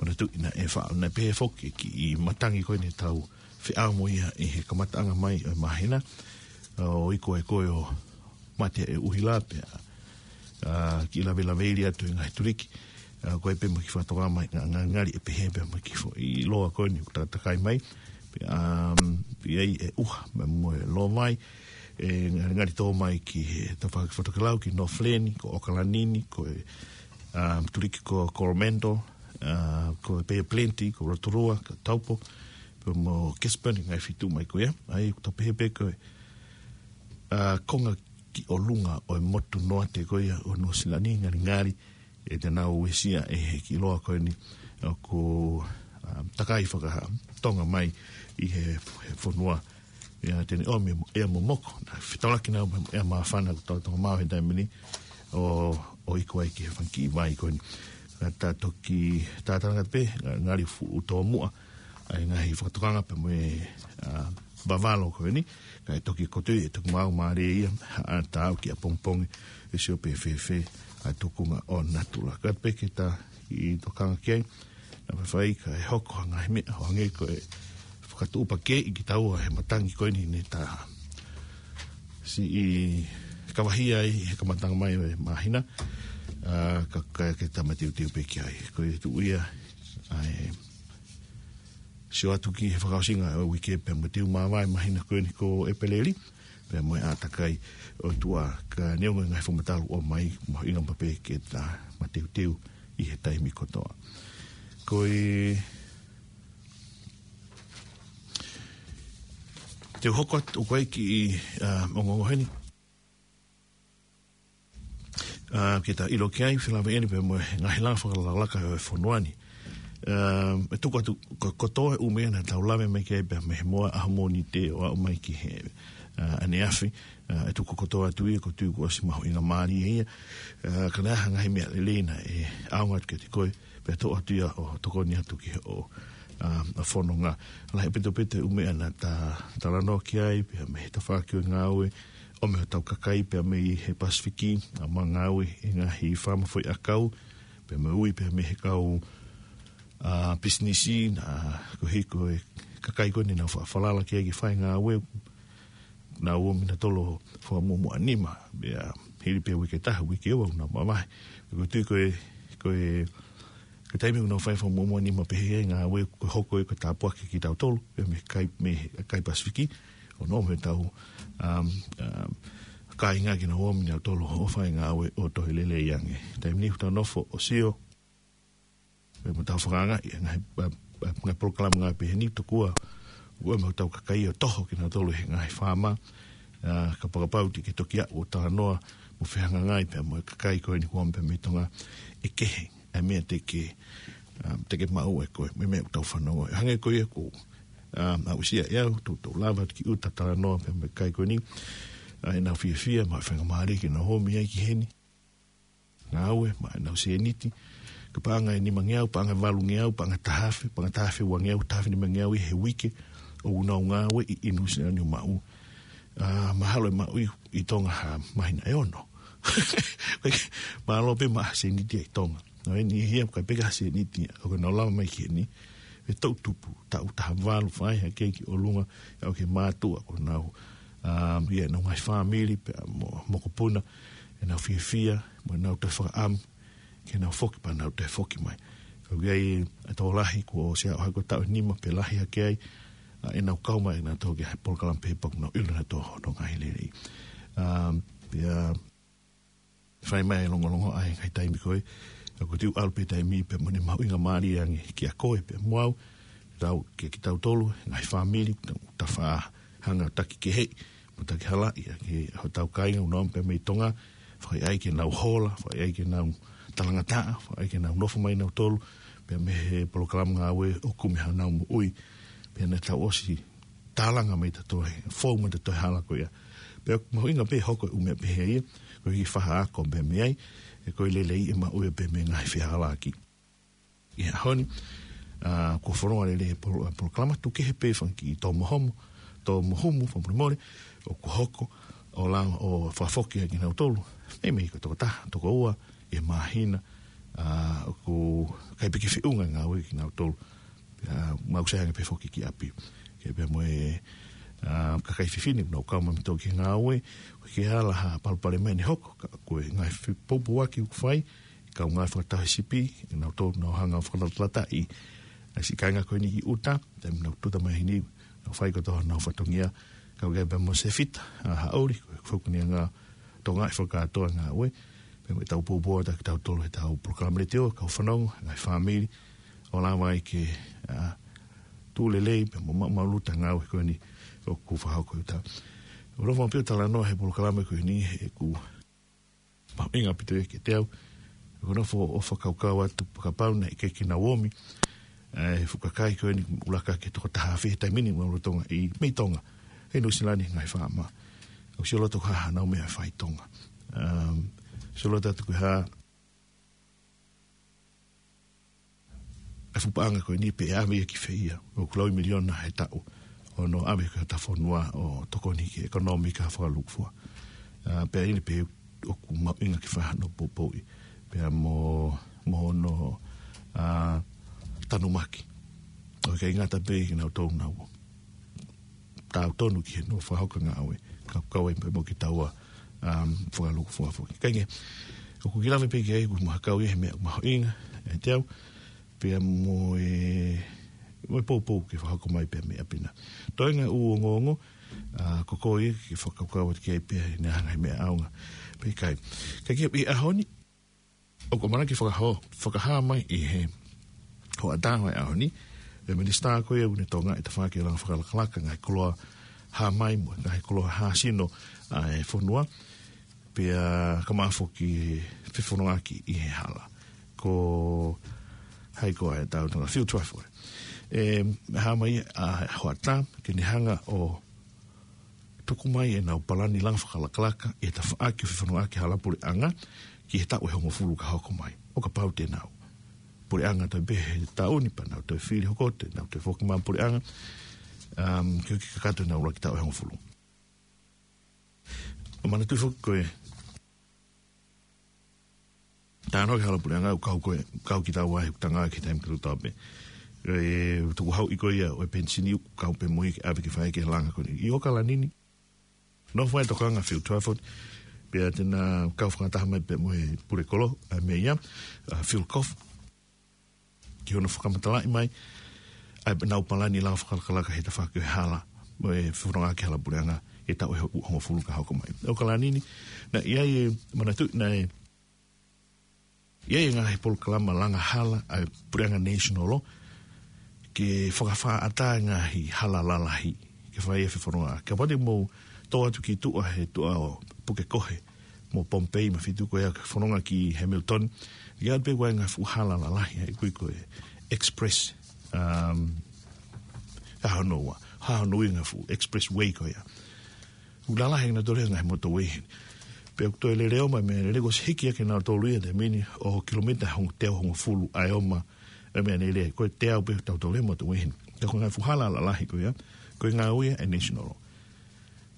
manatuʻi naʻe fa-, naʻe pehē foki kiʻi matangi ko eni ʻetau feʻao mo ia ʻi he kamataʻanga mai ʻo e māhina, ʻo ʻikai ko e ʻo mate e ʻuhila pea, ʻa, kiʻi lavelaveili atu e ngaahi tuliki, ʻa, ko e pē mo e kiʻi fakatokanga mai, nga-, nga-, ngali ʻe pehē pē mo e kiʻi foʻi loa ko eni ʻoku takatakai mai, pea, um, ʻi ai e ʻuha, mo e loa mai, ʻe ngali, ngali tō mai ki he tafaʻaki fakatokelau, ki Northland, ko ʻOkalani ni, ko e, um, tuliki ko Coromandel, ʻa, ko e Bay of Plenty, ko Rotorua, ko Taupo, pea mo Gisborne, ngaahi feituʻu mai ko ia, ʻa ia ʻoku tau pehē pē ko e, ʻa, konga ki ʻolunga ʻo e motu noa te ko ia ʻo Nuʻusila ni, ngalingali ʻe te nau uesia ʻe he kiʻi loa ko eni ʻoku, ʻa, takai fakatonga mai ʻi he, he fonua. ʻIa, te ne ʻomi ʻea momoko, naʻe fetolaki naʻa mo ʻea māfana ʻoku tau tonga mau he taimi ni, ʻo, ʻo iku ai ki he fanga kiʻi vai ko eni. Ka ta toki, ta talanga pē, nga-, ngali fuʻu tōmuʻa ʻa e ngaahi fakatokanga pea mo e, ʻa, vavalo ko eni, kae toki kotoa, ʻe toki maau mālie ia, ʻa, ta au ki ʻapongipongi, ʻe sio pē fēfē ʻa e tuʻunga ʻo natula. Ka pē ke ta kiʻi tokanga ki ai, naʻa faifai kae hoko ha ngaahi meʻa, ʻo hangē ko e fakatuʻupakē ʻi kitaua he matangi ko eni ne ta siʻi kavahia ai he kamataʻanga mai ʻo e māhina, ʻa, ka, ka ke ta mateuteu pē ki ai. Ko e tuʻu ia, ʻa e sio atu ki he fakaʻosinga ʻo e uike pea mo e teu māvae māhina ko eni ko ʻEpeleli, pea mo e ʻātakai ʻo e ʻOtua, ka neongo e ngaahi fakamatalu ʻoku ʻomai, mahuʻinga maʻu pē ke ta mateuteu ʻi he taimi kotoa. Ko e te u hoko atu ko e kiʻi, ʻa, ongoongo heni. ʻA, ke ta ʻilo ki ai, felāveʻi eni pea mo e ngaahi langa fakalakalaka ʻo e fonua ni. ʻA, ʻe tuku atu, ko, kotoa e ʻū meʻa naʻa tau lave mai ki ai pea mei he moa ʻaho Mōnite ʻo aʻu mai ki he, ʻa, ʻaneafi, ʻa, ʻe tuku kotoa atu ia, ʻoku ou tui kuo ʻosi mahuʻinga mālie ia. ʻA, ka naʻe ʻi ai ha ngaahi meʻa lelei naʻe ʻaonga atu kiate koe, pea toʻo atu ia ʻo tokoni atu ki hoʻo, ʻa, ʻa fononga. Lahi ʻaupito pē ʻū meʻa naʻa ta talanoa ki ai, pea mei he tafaʻaki ʻo e ngāue, ʻo mei hotau kakai pea mei he Pasifiki, ʻa, ʻoku ngāue ʻi he ngaahi faama foʻiʻakau, pea mei ui, pea mei he kau, ʻa, pisinisi, naʻa ko e hiko e kakai ko eni naʻa nau fa-, falala ki ai ke fai e ngāue, naʻa nau ō mai nautolu ʻo fakamuʻomuʻa nima, pea hili pē uike ʻe taha, uike ʻe ua, naʻa nau mavahe. ʻOku ou tui ko e, ko e, ko e taimi ʻoku nau fai fakamuʻomuʻa nima pehē ai e ngāue, ko e hoko ia ko e tāpuaki kiate kitautolu, pea mei he kai, mei he kai Pasifiki, ʻo nau ō mai ʻo tau, um, um, kāinga ke nau ō mai nautolu ʻo fai e ngāue ʻo toe lelei ange. Taimi ni ʻoku tau nofo ʻo sio, pea mo tau fakaangaʻi e ngaahi, ʻa, ʻa, ngaahi polokalama ngāue pehē ni tokua ʻoku ʻi ai mo hotau kakai ʻo toho kinautolu he ngaahi faama, ʻa, kapau te ke toki aʻu ʻo talanoa mo fehangahangai pea mo e kakai ko eni kuo ō mai pea mei Tonga, ʻe kehe ʻa e meʻa te ke, ʻa, te ke maʻu ʻe koe, mo e meʻa ʻoku tau fanongo. Hangē ko ia ʻoku, ʻa, aʻusia ʻe au, tou, tou lava atu ki ʻuta talanoa pea mo e kakai ko eni, ʻa, ʻenau fiefia, mo e faingamālie ke nau ō mai ai ki heni. Ngāue, maʻa ʻenau sēniti, ka paʻanga ʻe nimangeau, paʻanga ʻe valungeau, paʻanga ʻe taha afe, paʻanga ʻe taha afe uangeau, taha afe nimangeau ʻi he uike, ʻoku nau ngāue ʻi, ʻi Nuʻusila ni ʻo maʻu. ʻA, mahalo ʻe maʻu ʻi, ʻi Tonga ha māhina ʻe ono. Mālō pē maʻa ha sēniti ʻi Tonga. Naʻe ʻi heni ia, ʻikai pē ke ha sēniti, ʻoku nau lava mai ki heni, ʻe toʻu tupu, taʻu taha valu fai hake ki ʻolunga, ʻa, ʻoku mātuʻa ko ʻenau, ʻa, ia ʻenau ngaahi fāmili, pea mo, mokopuna, ʻenau fiefia, mo ʻenau toe fakaʻamu, ke nau foki pea nau toe foki mai. Ka ʻoku ʻi ai e tokolahi kuo ʻosi ʻaʻu hake ʻo taʻu ʻe nima pe lahi hake ai, ʻa, ʻenau kau mai nautolu ki he polokalama pehē pea ʻoku nau ʻilo nautolu hono ngaahi lelei. ʻA, pea fai mai e longolongo ʻa e ngaahi taimi ko ē, ʻoku ou tui ʻalu pē taimi pea mo ʻene mahuʻinga mālie ange kiate koe pea mo au, tau, kia kitautolu, ngaahi fāmili, tau, tau faʻa hanga ʻo taki keheʻi, mo taki halaʻi ʻa e, hotau kāinga ʻoku nau ō mai pea mei Tonga, fakaʻaiʻai ke nau hola, fakaʻaiʻai ke nau talangataʻa, fakaʻaiʻai ke nau nofo mai nautolu, pea mei he polokalama ngāue ʻo kumi hanau moʻui, pea naʻa tau ʻosi tālanga mai tautolu he, fou mai tautolu he hala ko ia. Pea mahuʻinga pē hoko e ʻū meʻa pehē ia, ko e kiʻi faʻa ako pē mei ai, ʻe ko e lelei ʻe maʻu ia pē mei he ngaahi fehālaaki. ʻI he ʻaho ni, ʻa, kuo fononga lelei e polo-, e polokalama, tuku kehe pē fanga kiʻi tō mo homo, tō mo humu, fakamolemole, ʻoku hoko, ʻo lava ʻo fakafoki ai kinautolu. Meimei ko e toko taha, toko ua, ʻi he māhina, ʻa, ʻoku ʻikai pē ke feʻunga e ngāue kinautolu. ʻA, mau sio ange pē foki ki ʻapi. Ke pea mo e, ʻa, kakai fefine, nau kau mai nautolu ki he ngāue, ʻoku ʻikai ke ala ha palopalema ʻi heʻene hoko, ka ko e ngaahi fe-, poupouaki ʻoku fai, kaungā fakataha sipi, nautolu nau hanga ʻo fakalatalataʻi ʻa e siʻi kāinga ko eni ki ʻuta, taimi nau tuta mai heni, nau fai kotoa honau fatongia, kau ki ai pea mo Sefita, ʻa, Haʻoli, ko e fokoniʻanga Tonga ʻi he fakakātoa ngāue, pea mo ʻetau poupou atu kitautolu heʻetau polokalama letiō, kau fanongo, ngaahi fāmili, ʻo lava ai ke, ʻa, tuʻu lelei, pea mo maʻumaʻuluta e ngāue ko eni ʻoku fakahoko ʻi ʻuta. ʻOku ou ʻofa pē ʻo talanoa he polokalama ko eni he ʻoku mahuʻinga ʻaupito ia kiate au. Ko e nofo ʻo fakakaukau atu kapau naʻe ʻikai ke nau omi e fuʻu kakai ko eni ʻoku ʻuluaki ke toko taha afe he taimi ni ʻoku nau lolotonga ʻi mei Tonga, ʻi Nuʻu Sila ni he ngaahi faama. ʻOku sio loto ko e hā haʻanau meʻa fai Tonga. Um, sio loto atu ko e hā e fuʻu paʻanga ko eni pe ʻe ʻave ia ki fē ia. ʻOku lau ʻi miliona he taʻu. ʻO nau ʻave ki hota fonua ʻo tokoni ki he ʻekonōmika fakalukufua. Ah, pea ʻi ai pē ʻoku mahuʻinga ke fai hano poupouʻi. Pea mo, mo hono, ah, tanumaki. ʻOku ʻikai ngata pē ke nau tau nau tautonu ki he nofo fakahoko ngāue, ka ʻoku kau ai pē mo kitaua, um, fakalukufua foki. Kae kehe, ʻoku ou lave pē ki ai, ʻoku mahakau ia he meʻa mahuʻinga ʻiate au, pea mo e, mo e poupou ke fakahoko mai pē meʻa pē ena. Toenga ʻū ongoongo, ah, ko koe ia ke fakakaukau atu ki ai pē ʻe ne hanga he meʻa ʻaonga pe ʻikai. Kae kehe ʻi he ʻaho ni, ʻoku ʻamanaki fakahā, fakahā mai ʻi he hoʻatā ʻo e ʻaho ni, e minisitā ko ia ʻoku ne tokangaʻi e tafaʻaki langa fakalakalaka, ngaahi koloa hā mai mo e ngaahi koloa hā sino ʻa e fonua, pea ka maʻa foki e fefonongaʻaki ʻi he hala. Ko hai ko ā ʻetau tangata Phil Twyford. E, hā mai ʻa e hoʻatā, ke ne hanga ʻo tuku mai ʻenau palani langa fakalakalaka ʻi he tafaʻaki ʻo e fefonongaʻaki hala puleʻanga ki he taʻu ʻe hongofulu ka hoko mai. ʻO kapau te nau puleʻanga toe pē he taʻu ni pea nau toe fili hoko atu, nau toe foki mai puleʻanga, um, ke, ke kakato ʻenau ʻuluaki taʻu ʻe hongofulu. ʻO manatuʻi foki ko e talanoa ki he hala puleʻanga ʻoku kau ko ē, kau kitaua he ʻoku tangata ki he taimi kotoa pē. E tukuhauʻi ko ia ʻo e penisini ʻoku kau pē mo ia ke ʻave ke fai ki he langa ko eni. ʻI ʻAokalani ni, nofo ai e tokanga Phil Twyford, pea te na kau fakataha mai pē mo e pule kolo, ʻa e meʻa ia, ʻa Phil Goff. Ki hono fakamatalaʻi mai ʻa ʻenau palani langa fakalakalaka he tafaʻaki ʻo e hala, mo e fefonongaʻaki hala puleʻanga, he taʻu ʻe hongofulu ka hoko mai. ʻAokalani ni, naʻe ʻi ai e manatuʻi naʻe ʻi ai e ngaahi polokalama langa hala ʻa e puleʻanga national law, ke fakafaʻataʻa e ngaahi hala lalahi, ke fai e fefonongaʻaki. Kapau te mou tō atu ki tuʻa he tuʻa ʻo Pukekohe mo Pohnpei mo e feituʻu ko ia ke fononga ki Hamilton, ʻi ai pē ko e ngaahi fuʻu hala lalahi, ʻa ia ʻoku ui ko e express, um, hā hono ua, hā hono ua e ngaahi fuʻu expressway ko ia. ʻOku lalahi ʻa kinautolu he ngaahi motorway heni. Pea ʻoku toe lele ʻo mai meʻalele, kuo ʻosi hiki ʻa kinautolu ia he taimi ni ʻo kilomita hong-, teau hongofulu ʻa e ʻomai e meʻalele. Ko e teau pē ʻoku tau tau lele motorway heni. Ka ko e ngaahi fuʻu hala lalahi ko ia, ko e ngāue ia ʻa e national law.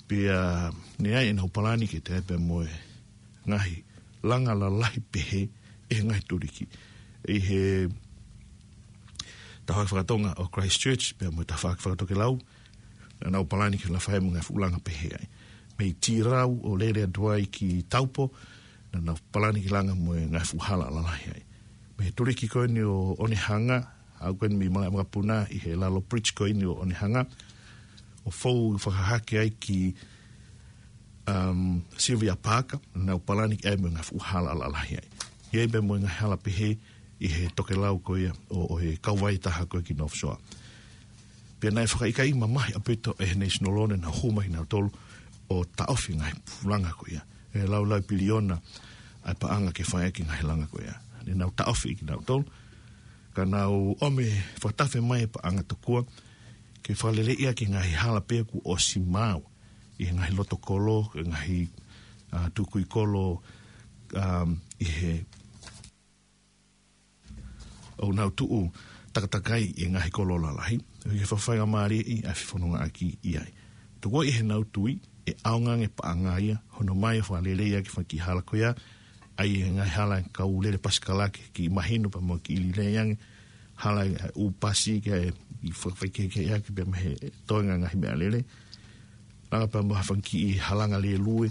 Pea naʻe ʻi ai ʻenau palani ke teʻeki pea mo e ngaahi langa lalahi pehē ʻi he ngaahi tuliki. ʻI he tafaʻaki fakatonga ʻo Christchurch, pea mo e tafaʻaki fakatokelau, naʻa nau palani ke langa fai mo e ngaahi fuʻu langa pehē ai. Mei Tirau ʻo lele atu ai ki Taupo, naʻa nau palani ke langa mo e ngaahi fuʻu hala lalahi ai. Mei he tuliki ko eni ʻo Onehunga, ʻa ia ko eni mei malaʻe vakapuna ʻi he lalo bridge ko eni ʻo Onehunga, ʻo fou fakahahake ai ki, um, Sylvia Parker, naʻa nau palani ke ʻai mo e ngaahi fuʻu hala lalahi ai. ʻI ai pē mo e ngaahi hala pehē ʻi he tokelau ko ia ʻo, ʻo e kauvai taha ko ē ki North Shore. Pea naʻe fakaʻikaiʻi mamahi ʻaupito ʻe he national law ne nau hū mai kinautolu ʻo taʻofi e ngaahi fuʻu langa ko ia. ʻE laulau piliona ʻa e paʻanga ke fai ʻaki e ngaahi langa ko ia. Ne nau taʻofi kinautolu, ka nau ʻomi fakatafe mai e paʻanga tokua, ke fakaleleiʻi ʻaki e ngaahi hala pē kuo ʻosi maau ʻi he ngaahi loto kolo, e ngaahi, ah, tukui kolo, um, ʻi he ʻoku nau tuʻu takatakai ʻi he ngaahi kolo lalahi, ʻo ʻikai ke fakafaingamālieʻi ʻa e fefonongaʻaki ʻi ai. Tokua ʻi heʻenau tui, ʻe ʻaonga ange e paʻanga ia, hono ʻomai ʻo fakaleleiʻi ʻaki e fanga kiʻi hala ko ia, ʻa ia e ngaahi hala e kau lele pasikala ke kiʻi mahino pea mo kiʻi lelei ange, hala e ʻū pasi ke ʻai ke fakafaikehekeheʻi ʻaki pea mei he toenga e ngaahi meʻalele. Langa pea mo ha fanga kiʻi halanga lēlue,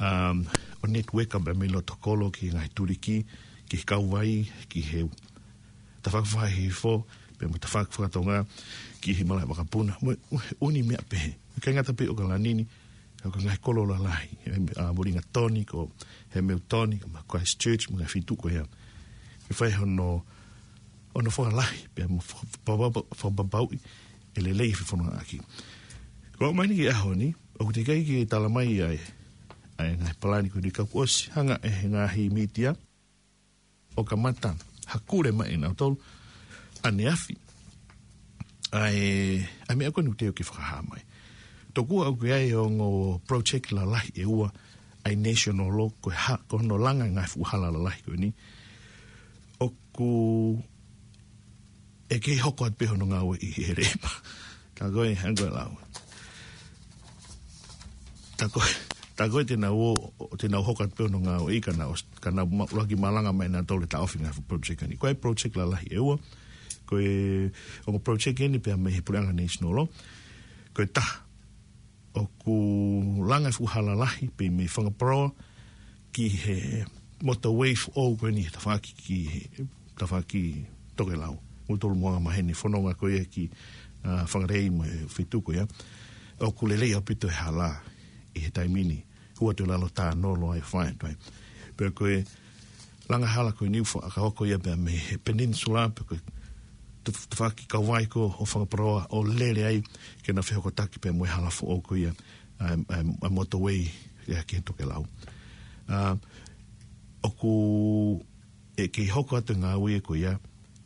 um, ʻo network pea mei loto kolo ki he ngaahi tuliki, ki he kauvai, ki he tafaʻaki fakafaifo, pea mo e tafaʻaki fakatonga, ki he malaʻe vakapuna, mo e ʻū meʻa pehē. ʻIkai ngata pē ʻi ʻAokalani ni, ka ko e ngaahi kolo lalahi, ʻa Wellington, ko Hamilton, ko Christchurch, mo e ngaahi feituʻu ko ia. Ke fai hono, hono fakalahi, pea mo faka-, fakapapau-, fakapapauʻi e lelei e fefonongaʻaki. Ko e ʻomai ni ki he ʻaho ni, ʻOku teʻeki ke tala mai ʻa e, ʻa e ngaahi palani ko eni ka kuo ʻosi hanga ʻe he ngaahi mītia ʻo kamata hakule mai ʻe nautolu ʻaneafi ʻa e, ʻa e meʻa ko eni ʻoku teʻeki ke fakahā mai. Tokua ʻoku ʻi ai e ongo project lalahi ʻe ua ʻa e national law, ko e hā, ko hono langa e ngaahi fuʻu hala lalahi ko eni. ʻOku ʻe kei hoko atu pē hono ngāueʻi ʻe he Leipa. Ka ko e, hangē ko e lau. Tā ko e, tā ko e te nau ō, te nau hoko atu pē hono ngāueʻi ka nau, ka nau ma-, ʻuluaki malanga mai ʻe nautolu e taʻofi e ngaahi fuʻu project ni. Ko e project lalahi ʻe ua, ko e ongo project eni pea mei he puleʻanga national law. Ko e taha, ʻoku langa e fuʻu hala lahi pē mei Whangaparāoa ki he motorway foʻou ko eni he tafaʻaki ki he tafaʻaki tokelau. Mo tolu mo e anga maheni fononga ko ia ki, ā, Whangarei mo e feituʻu ko ia. ʻOku lelei ʻaupito e hala ʻi he taimi ni. Hua atu e lalo tā nolo ai fai atu ai. Pea ko e langa hala ko eni ʻoku fakahoko ia pea mei he peninsula, pea ko e taf-, tafaʻaki kauvai ko ē ʻo Whangaparāoa ʻo lele ai ke na fehokotaki pea mo e hala foʻou ko ia, ā, ā, ā motorway ia ki he tokelau. Ā, ʻoku ʻe kei hoko atu e ngāue ko ia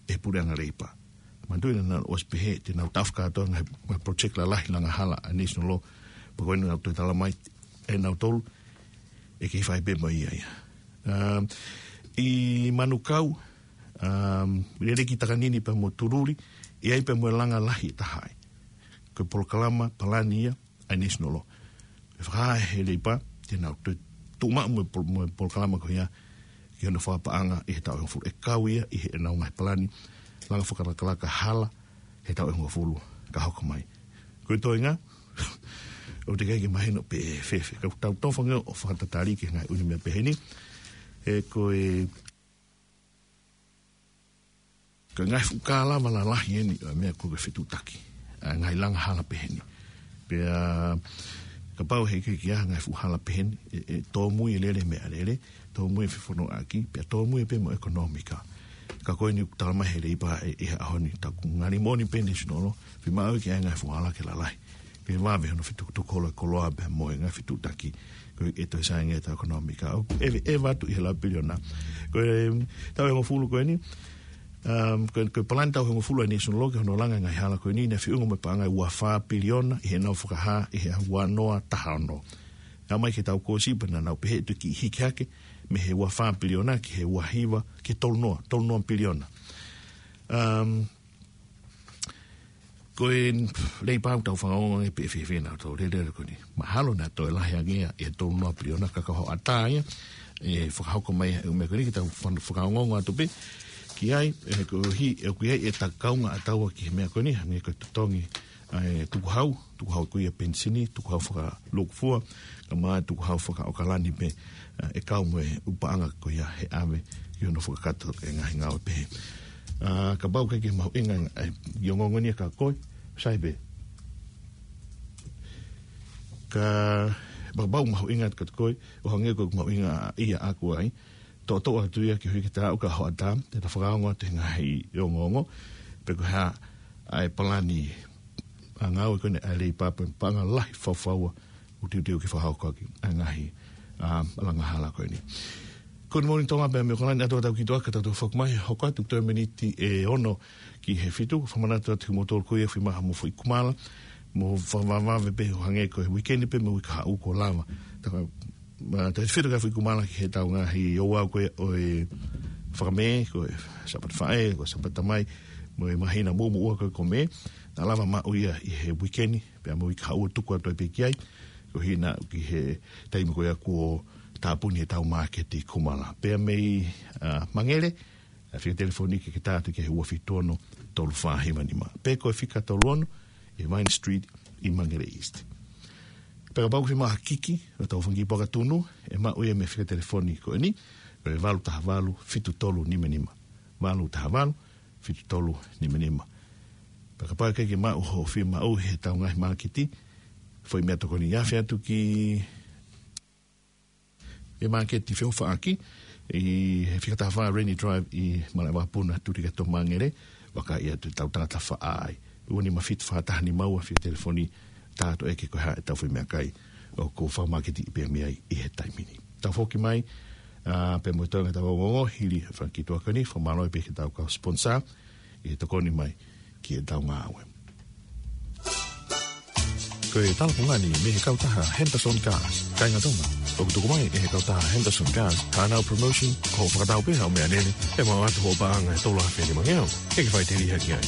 ʻe he puleʻanga Leipa. Manatuʻi naʻa nau ʻosi pehē te nau taʻofi kātoa e ngaahi, ngaahi project lalahi langa hala ʻa e national law, pea ko eni naʻa nau toe tala mai ʻe nautolu ʻe kei fai pē mo ia ia. Um, ʻi Manukau, um, lele ki Takanini pea mo Tululi, ʻi ai pē mo e langa lahi ʻe taha ai. Ko e polokalama palani ia ʻa e national law. ʻE fakahā ʻe he Leipa te nau toe tuʻu maʻu mo e pol-, mo e polokalama ko ia ki hono fakapaʻanga ʻi he taʻu ʻe hongofulu. ʻE kau ia ʻi heʻenau ngaahi palani langa fakalakalaka hala he taʻu ʻe hongofulu ka hoko mai. Ko e toenga, ʻoku teʻeki ke mahino pe ʻe fēfē. Ka ʻoku tau tofa ange ʻo fakatatali ki he ngaahi ʻū meʻa pehē ni. ʻE ko e, ko e ngaahi fuʻu kā lava lalahi eni ʻo e meʻa ko e fetuʻutaki ʻa e ngaahi langa hala pehē ni. Pea kapau he ʻikai ke ʻi ai ha ngaahi fuʻu hala pehē ni, ʻe, ʻe tōmui e lele meʻalele, tōmui e fefonongaʻaki, pea tōmui pē mo e ʻekonōmika. Ka ko eni ʻoku tala mai ʻe he Leipa ʻi, ʻi he ʻaho ni, tā ʻoku ngali moʻoni pē national law, fiemaʻu ke ʻi ai e ngaahi fuʻu hala ke lalahi. Ke vave hono fetukutuku holo e koloa pea mo e ngaahi fetuʻutaki. Ko e toe sai ange e taʻu ʻekonōmika. ʻOku ʻeveʻeva atu ʻi he lau piliona. Ko e taʻu ʻe hongofulu ko eni, um, ko e, ko e palani taʻu ʻe hongofulu ʻa e national law ki hono langa e ngaahi hala ko eni, naʻe feʻunga mo e paʻanga ʻe ua fā piliona ʻi heʻenau fakahā ʻi he ua noa taha ono. Aʻu mai ki he taʻu kuo ʻosi pea naʻa nau pehē ʻe toki hiki hake mei he ua fā piliona ki he ua hiva, ki he tolu noa, tolu noa piliona. Um, Ko e Leipa ʻoku tau fakaongo ange pe ʻe fēfē ʻenau toe lele ko eni. Mahalo naʻa toe lahi ange ia ʻe tolu noa piliona ka ko e hoʻatā ia ʻe fakahoko mai e ʻū meʻa ko eni ke tau fan-, fakaongoongo atu pē ki ai, ʻe koeʻuhi ʻoku ʻi ai e takaunga ʻataua ki he meʻa ko eni, hangē ko e totongi ʻa e tukuhau, tukuhau ko ia penisini, tukuhau fakalūkufua, kae ʻumaʻā e tukuhau fakaʻokalani pē, ā, ʻe kau mo e ʻū paʻanga ko ia he ʻave ki hono fakakakato e ngaahi ngāue pehē. Ā, kapau ʻoku ʻikai ke mahuʻinga ʻa e ongoongo ni kia koe, sai pē. Ka, kapau ʻoku mahuʻinga kiate koe, ʻo hangē ko ʻeku mahuʻinga ia ʻaʻaku ai, toʻotoʻo atu ia koeʻuhi ke ta aʻu ki he hoʻatā, te ta fakaongo atu he ngaahi ongoongo, pe ko e hā ʻa e palani ʻa e ngāue ko eni ʻa e Leipa pe paʻanga lahi faufaua ʻoku teuteu ke fakahoko ʻaki ʻa e ngaahi, ā, langa hala ko eni. Ko eni Moʻoni Tonga pea mo e ʻOkalani, ʻoatu ʻetau kiʻi toʻa ka tau toe foki mai, hoko atu toe miniti ʻe ono ki he fitu, fakamanatu atu kimoutolu ko ia ʻoku fiemaʻu mo foʻi kumala, mo fakavavevave pē ʻo hangē ko e weekend pē mo e uike kahaʻu kuo lava. Tā ko e, ā, tau fito ka foʻi kumala ki heʻetau ngaahi ouau ko ē ʻo e Fakamē, ko e Sāpate Faʻē, ko e Sāpate Tamai, mo e māhina muʻomuʻa ko ē ko Mē, naʻa lava maʻu ia ʻi he weekend, pea mo e uike kahaʻu ʻo tuku atu ai pē ki ai, koeʻuhi naʻa ki he taimi ko ia kuo tāpuni ʻetau māketi kumala. Pea mei, ā, Mangere, ʻa e fika telefoni ke ke tā atu ki he ua fitu ono tolu fā hiva nima. Pe ko e fika tolu ono ʻi Vine Street ʻi Mangere East. Pea kapau ʻoku fiemaʻu ha kiki ʻo ʻetau fanga kiʻi poaka tunu, ʻe maʻu ia mei he fika telefoni ko eni, ko e valu taha valu fitu tolu nima nima. Valu taha valu fitu tolu nima nima. Pea kapau ʻoku ʻikai ke maʻu hoʻo fiemaʻu heʻetau ngaahi māketi, foʻi meʻatokoni, afe atu ki he māketi feʻofaʻaki ʻi he fika taha fā Rainy Drive ʻi Malaʻevakapuna, Tulikatito, Mangere, vakai atu ʻetau tangata faʻa ai. Ua nima fitu fā taha nima ua, fika telefoni tātoʻo ʻe ke ko e hā ʻetau foʻi meʻakai ʻoku fakamāketiʻi pē mei ai ʻi he taimi ni. Tau foki mai, ā, pea mo e toenga ʻetau ongoongo, hili e fanga kiʻi tuʻa ko eni, fakamālō pē ki heʻetau kau sponsor, ʻi he tokoni mai ki heʻetau ngāue. Ko e talapungani mei he kautaha Henderson Cars, kāinga Tonga. ʻOku tuku mai ʻe he kautaha Henderson Cars haʻanau promotion, ko hoʻo fakatau pē haʻo meʻalele, ʻe maʻu atu hoʻo paʻanga ʻe tolu afe nima ngeau, ʻe ke fai teli hake ai.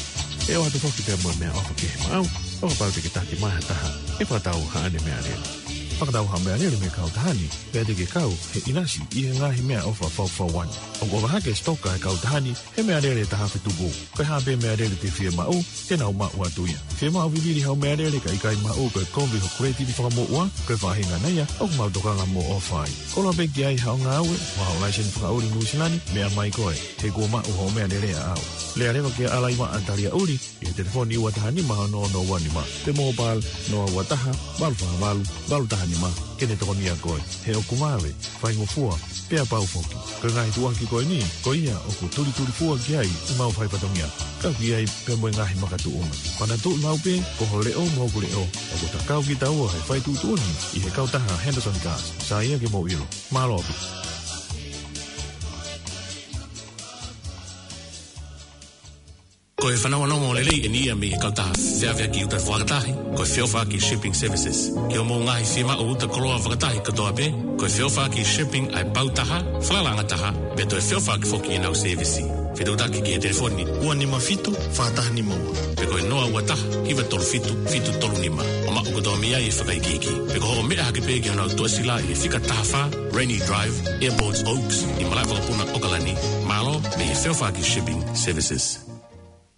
ʻE ʻoatu foki pea mo e meʻaʻofa kehe maʻau, ʻo kapau te ke taki mai ha taha ʻe fakatau haʻane meʻalele. Fakatau haʻo meʻalele mei he kautaha ni, pea te ke kau he ʻinasi ʻi he ngaahi meʻaʻofa faufaua ni. ʻOku ʻofa hake e sitoka ʻa e kautaha ni he meʻalele ʻe taha afe tupu. Ko e hā pē meʻalele te ke fiemaʻu, te nau maʻu atu ia. Fiemaʻu vivili haʻo meʻalele kae ʻikai maʻu, ko e kovi ho creative fakamoʻua, ko e faʻahinga ia ʻoku mau tokanga mo ʻofa ai. Koloa pē ki ai haʻo ngāue, mo haʻo laiseni fakaʻuli Nuʻu Sila ni, meʻa mai koe, he kuo maʻu hoʻo meʻalele ʻaʻau. Lea leva kia Alaiva ʻa Talia ʻUli, ʻi he telefoni ua taha nima ono ono ua nima, pe mobile noa ua taha, valu fā valu, valu taha nima, ke ne tokonia koe. He ʻoku vave, faingofua, pea pau foki. Ko e ngaahi tuʻuaki ko eni, ko ia ʻoku tulitulifua ki ai ʻemau faifatongia. Kau ki ai pea mo e ngaahi makatuʻunga. Panatuʻi maʻu pē, ko ho leʻo mo hoku leʻo, ʻoku ta kau kitaua he fai tuʻutuʻuni ʻi he kautaha Henderson Cars. Sai ia ke mou ʻilo. Mālō ʻaupito. Ko e fanongonongo lelei eni ia mei he kautaha feʻaveʻaki uta fakatahi, ko e Feʻofaʻaki Shipping Services. Ki hoʻomou ngaahi fiemaʻu uta koloa fakatahi kotoa pē, ko e Feʻofaʻaki Shipping ʻa e pau taha, falalaʻanga taha, pea toe feʻofaʻaki foki ʻenau sēvisi. Fetuʻutaki ki he telefoni ua nima fitu, fā taha nima ua. Pe ko e noa ua taha, hiva tolu fitu, fitu tolu nima. ʻO maʻu kotoa mei ai e fakaikiiki. Pe ko hoʻo meʻa hake pē ki honau tuʻasila ʻi he fika taha fā, Rainy Drive, Airport Oaks, ʻi Malaʻe Vakapuna, ʻAokalani. Mālō, mei he Feʻofaʻaki Shipping Services.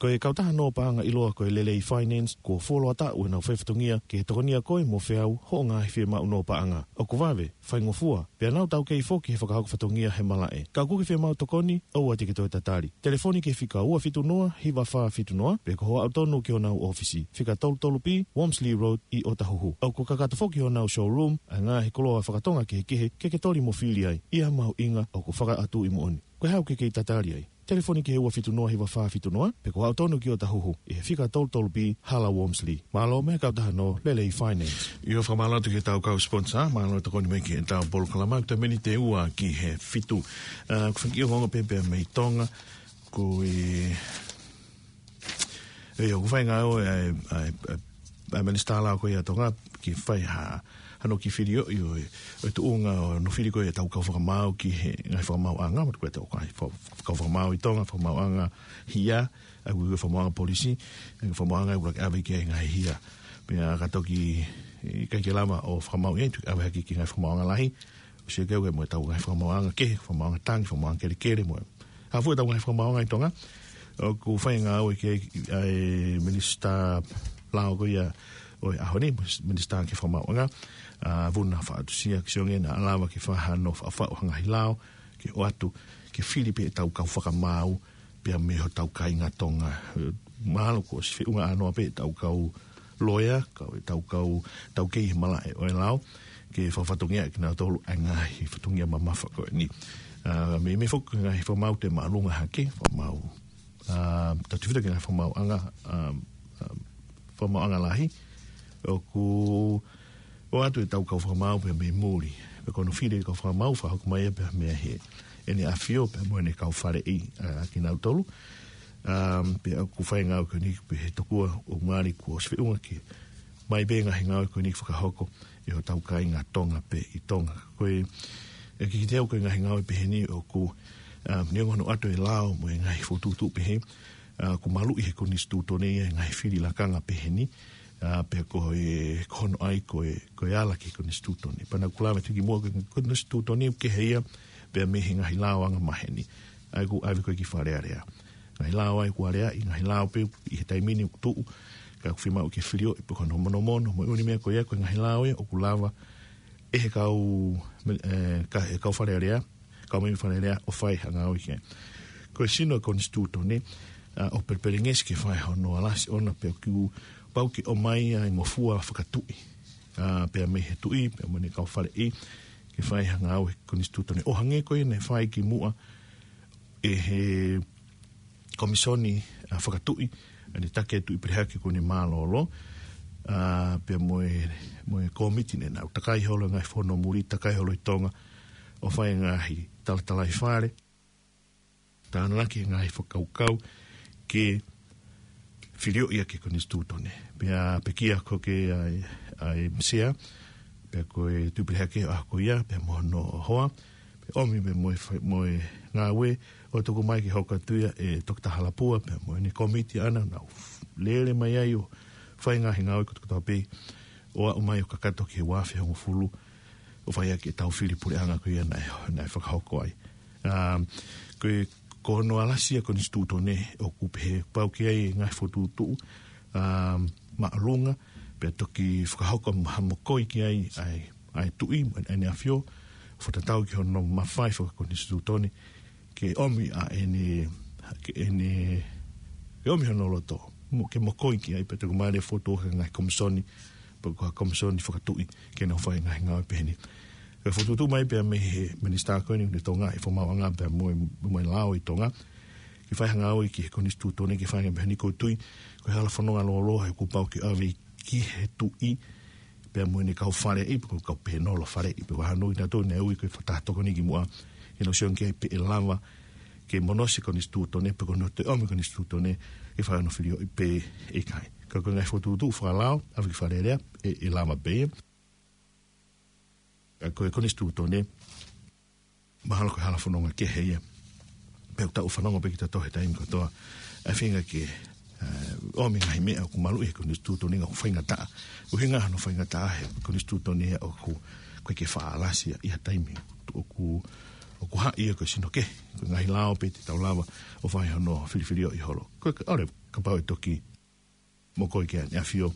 Ko e kautaha nō paʻanga ʻiloa ko e Lelei Finance, kuo fuoloa taʻu ʻenau faifatongia ke tokonia koe mo feau hoʻo ngaahi fiemaʻu nō paʻanga. ʻOku vave, faingofua, pea nau taukei foki he fakahoko fatongia he malaʻe. Ka ʻoku ke fiemaʻu tokoni, ʻoua te ke toe tatali. Telefoni ki he fika ua fitu noa, hiva fā fitu noa, pe ko hoʻo aʻu tonu ki honau ʻōfisi, fika tolu tolu B, Wormsley Road, ʻi ʻOtahuhu. ʻOku kakato foki honau showroom ʻa e ngaahi koloa fakatonga kehekehe ke ke toli mo fili ai, ʻi ha mahuʻinga ʻoku fakaʻatu ʻi moʻoni. Ko e hā ʻoku ke kei tatali ai? Telefoni ki he ua fitu noa hiva fā fitu noa, pe ko hoʻo aʻu tonu ki ʻOtahuhu, ʻi he fika tolu tolu B, Hala Wormsley. Mālō mei he kautaha nō Lelei Finance. ʻIo, fakamālō atu ki heʻetau kau sponsor, mālō e tokoni mai ki heʻetau polokalama, ko e miniti ʻe ua ki he fitu. Ā, ko e fanga kiʻi ongoongo pē pea mei Tonga, ko e ʻIo, ʻoku fai ngāue ʻa e, ʻa e, ʻa e, ʻa e Minisitā Lao ko ia ʻa Tonga ke fai ha, hano kiʻi filioʻi ʻo e, ʻo e tuʻunga ʻo hono fili ko ia ʻetau kau fakamaau ki he ngaahi fakamaauʻanga, mo e ko ʻetau ngaahi fa-, kau fakamaau ʻi Tonga, fakamaauʻanga hia, ʻa ia ko e fakamaauʻanga polisi, ʻa ia ko e fakamaauʻanga ʻoku ʻikai ke ʻave ki ai e ngaahi hia. Pea ka toki, ʻikai ke lava ʻo fakamaau ia, toki ʻave hake ki he ngaahi fakamaauʻanga lahi, ʻo sio ki ai mo ʻetau ngaahi fakamaauʻanga kehe, fakamaauʻanga tangi, fakamaauʻanga kelekele, mo e hā fua ʻetau ngaahi fakamaauʻanga ʻi Tonga. ʻOku fai ngāue ki ai ʻa e Minisitā Lao ko ia ʻo e ʻaho ni, Minisitā ki he Fakamaauʻanga, ʻa Vuna Faʻatusia, ke sio ange naʻa lava ke fai hano faʻufaʻu ha ngaahi lao, ke ʻoatu, ke fili pē ʻetau kau fakamaau, pea mei hotau kāinga Tonga. Mahalo kuo ʻosi feʻunga ʻānoa pē ʻetau kau loea, kau, ʻetau kau taukei he malaʻe ʻo e lao, ke fakafatongia kinautolu ʻa e ngaahi fatongia mamafa ko eni. Ā, meimei foki ngaahi fakamaau te māʻolunga hake, fakamaau, ā, tatau pē ki he ngaahi fakamaauʻanga, ā, ā, fakamaauʻanga lahi, ʻoku ʻoatu ʻetau kau fakamaau pea mei muli. Pea ko hono fili e kau fakamaau, fakahoko mai ia pea mei he ʻEne ʻAfio pea mo ʻene kau faleʻi, ā, kinautolu. Ā, pea ʻoku fai ngāue ko eni pē he tokua ʻoku ngali kuo ʻosi feʻunga ke mai pē ngaahi ngāue ko eni fakahoko ʻe hotau kāinga Tonga pē ʻi Tonga. Ko e, ʻe kikite au ko e ngaahi ngāue pehē ni ʻoku, ā, neongo hono ʻoatu e lao mo e ngaahi fokotuʻutuʻu pehē, ā, ʻoku maluʻi he konisitūtone ia e ngaahi fili lakanga pehē ni, ā, pea ko e, ko hono ʻai ko e, ko e ala ki he konisitūtone. Pea naʻa ku lave atu kimuʻa ko e konisitūtone ʻoku kehe ia pea mei he ngaahi lao angamaheni. ʻA ia ʻoku ʻave ko ē ki Fale Alea. Ngaahi lao ʻa ia ʻoku aleaʻi, ngaahi lao pē ʻi he taimi ni ʻoku tuʻu, ka ʻoku fiemaʻu ke filioʻi pē ko hono monomono, mo e ʻū meʻa ko ia ko e ngaahi lao ia ʻoku lava ʻe he kau, ē, ka, ʻe he kau Fale Alea, kau mei Fale Alea ʻo fai ha ngāue ki ai. Ko e sino e konisitūtone, ā, ʻoku pelepelengesi ke fai hono alasi ʻona pea ʻoku pau ke ʻomai ʻa e ngofua fakatuʻi, ā, pea mei he tuʻi, pea mei he kau faleʻi, ke fai ha ngāue he konisitūtone. ʻO hangē ko ia naʻe fai kimuʻa ʻe he Komisoni, ā, Fakatuʻi, ʻa ʻene taki e Tuʻi Pelehake ko eni mālōlō, ʻA, pea mo e, mo e kōmiti naʻa nau takai holo e ngaahi fono muli, takai holo ʻi Tonga, ʻo fai e ngaahi talatalaifale, tānaki e ngaahi fakakaukau ke filioʻi ʻaki e konisitūtone. Pea pekia ko ē ʻa e, ʻa e sea, pea ko e Tuʻipelehake ʻo e ʻaho ko ia, pea mo hono hoa, pea ʻomi pea mo e fai-, mo e ngāue ʻo tuku mai ke hoko atu ia ʻe Toketā Halapua, pea mo ʻene kōmiti ʻaʻana, nau lele mai ai ʻo fai e ngaahi ngāue kotoa pē, ʻo aʻu mai ʻo kakato ki he ua afe hongofulu, ʻo fai ʻaki ʻetau fili puleʻanga ko ia naʻe, naʻe fakahoko ai. Um, ko e, ko hono ʻalasi ʻa e konisitūtone ʻoku pehē pau ki ai e ngaahi fokotuʻutuʻu, um, māʻolunga, pea toki fakahoko mo ha mokoi ki ai ʻa e, ʻa e tuʻi, mo ʻene ʻAfio, fakatatau ki hono mafai fakakonisitūtone, ke ʻomi ʻa ʻene, ke ʻene, ke ʻomi hono loto, mo, ke mokoi ki ai, pea toki mālie fokotuʻu e ngaahi komisoni, pe ko ha komisoni fakatuʻi, ke nau fai e ngaahi ngāue pehē ni. Ke fokotuʻu mai pea mei he minisitā ko eni ʻo Tonga ʻi he fakamaauʻanga pea mo e, mo e lao ʻi Tonga, ke fai ha ngāue ki he konisitūtone, ke fai e ngāue pehē ni. ʻOku ou tui, ko e hala fononga lōloa he kuo pau ke ʻave ki he tuʻi, pea mo ʻene kau faleʻi, pe ko e kau pēnolo faleʻi, pe ko e hā nui naʻa nau ui ko e fakataha tokoni ki muʻa, ʻenau sio ange ki ai pe ʻe lava ke monosi e konisitūtone, pe ko hono toe ʻomi e konisitūtone, ke fai hono filioʻi pe ʻikai. Ka ko e ngaahi fokotuʻutuʻu fakalao, ʻave ki Fale Alea, ʻe, ʻe lava pē ia. Ka ko e konisitūtone, mahalo ko e hala fononga kehe ia. Pea ʻoku tau fanongo pē kitautolu he taimi kotoa ʻa e feinga ke, ē, ʻomi e ngaahi meʻa ʻoku maluʻi he konisitūtone ka ʻoku faingataʻa. ʻUhinga hono faingataʻa he konisitūtone ia ʻoku, ʻoku ʻikai ke faʻa ʻalasi ia ʻi ha taimi. ʻOku, ʻoku haʻi ia ko e sino kehe. Ko e ngaahi lao pē te tau lava ʻo fai hono filifilioʻi holo. Ko e, ʻalu, kapau ʻe toki mokoi ki ai ʻEne ʻAfio,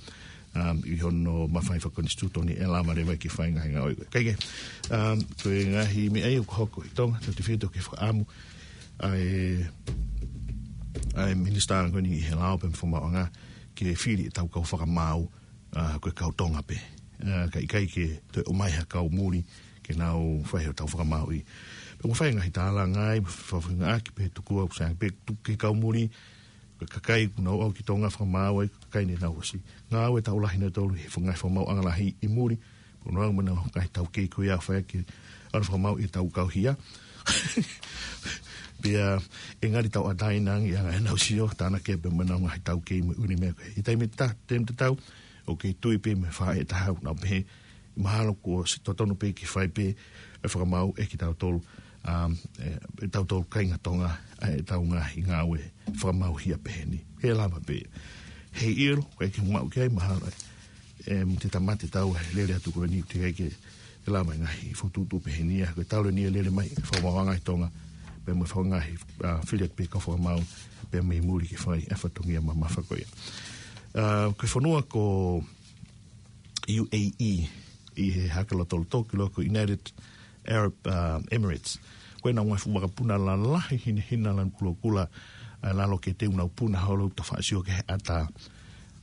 um, ʻi hono mafai fakakonisitūtone, ʻe lava leva ke fai e ngaahi ngāue ko ē. Kae kehe, um, ko e ngaahi meʻa ia ʻoku hoko ʻi Tonga, tau tefito ke fakaʻamu ʻa e, ʻa e minisitā ko eni ʻi he lao pea mo e fakamaauʻanga ke fili ʻetau kau fakamaau, ʻa, ko e kau Tonga pē. ʻA, kae ʻikai ke toe ʻomai ha kau muli ke nau fai hotau fakamaauʻi. Pea mo fai e ngaahi tālanga ai, mo fakafofongaʻaki pē tuku au sai pē tuku ki he kau muli, ko e kakai ʻoku nau ō ki Tonga fakamaau ai, ko e kakai ne nau ʻosi ngāue taʻu lahi nautolu he ngaahi fakamaauʻanga lahi ʻi muli, pea nau ō mo nau ngaahi taukei ko ia ʻo fai ʻaki ʻenau fakamaau ʻi he taʻu kau hia. Pea ʻe ngali tauʻatāina ange ʻa e anga ʻenau sio, tānaki pē mo ʻenau ngaahi taukei mo e ʻū meʻa ko ē. ʻI he taimi ta-, taimi tatau, ʻoku kei tui pē mo e faʻē taha ʻoku nau pehē, mahalo kuo ʻosi totonu pē ke fai pē e fakamaau ʻe kitautolu, um, ē, ʻe tautolu kāinga Tonga, ʻa ʻetau ngaahi ngāue fakamaau hia pehē ni. ʻE lava pē. Heiʻilo, ʻoku ʻikai ke maʻu ki ai mahalo, ē, mo e tamate tau ʻe lele atu ko eni, ʻoku teʻeki ai ke lava e ngaahi fokotuʻutuʻu pehē ni, ʻa, ko e talu eni e lele mai e fakamaauʻanga ʻi Tonga, pea mo e faʻahinga ngaahi, ʻa, fili atu pē kau fakamaau, pea mei muli ke fai e fatongia mamafa ko ia. ʻA, ko e fonua ko U A E, ʻi he haka lotoloto ki loa ko United Arab, uh, Emirates. Ko ʻenau ngaahi fuʻu vakapuna lalahi hinehina lanu kulokula, uh, lalo ke teu nau puna holo ʻo tafaʻaki sio ki he ʻatā,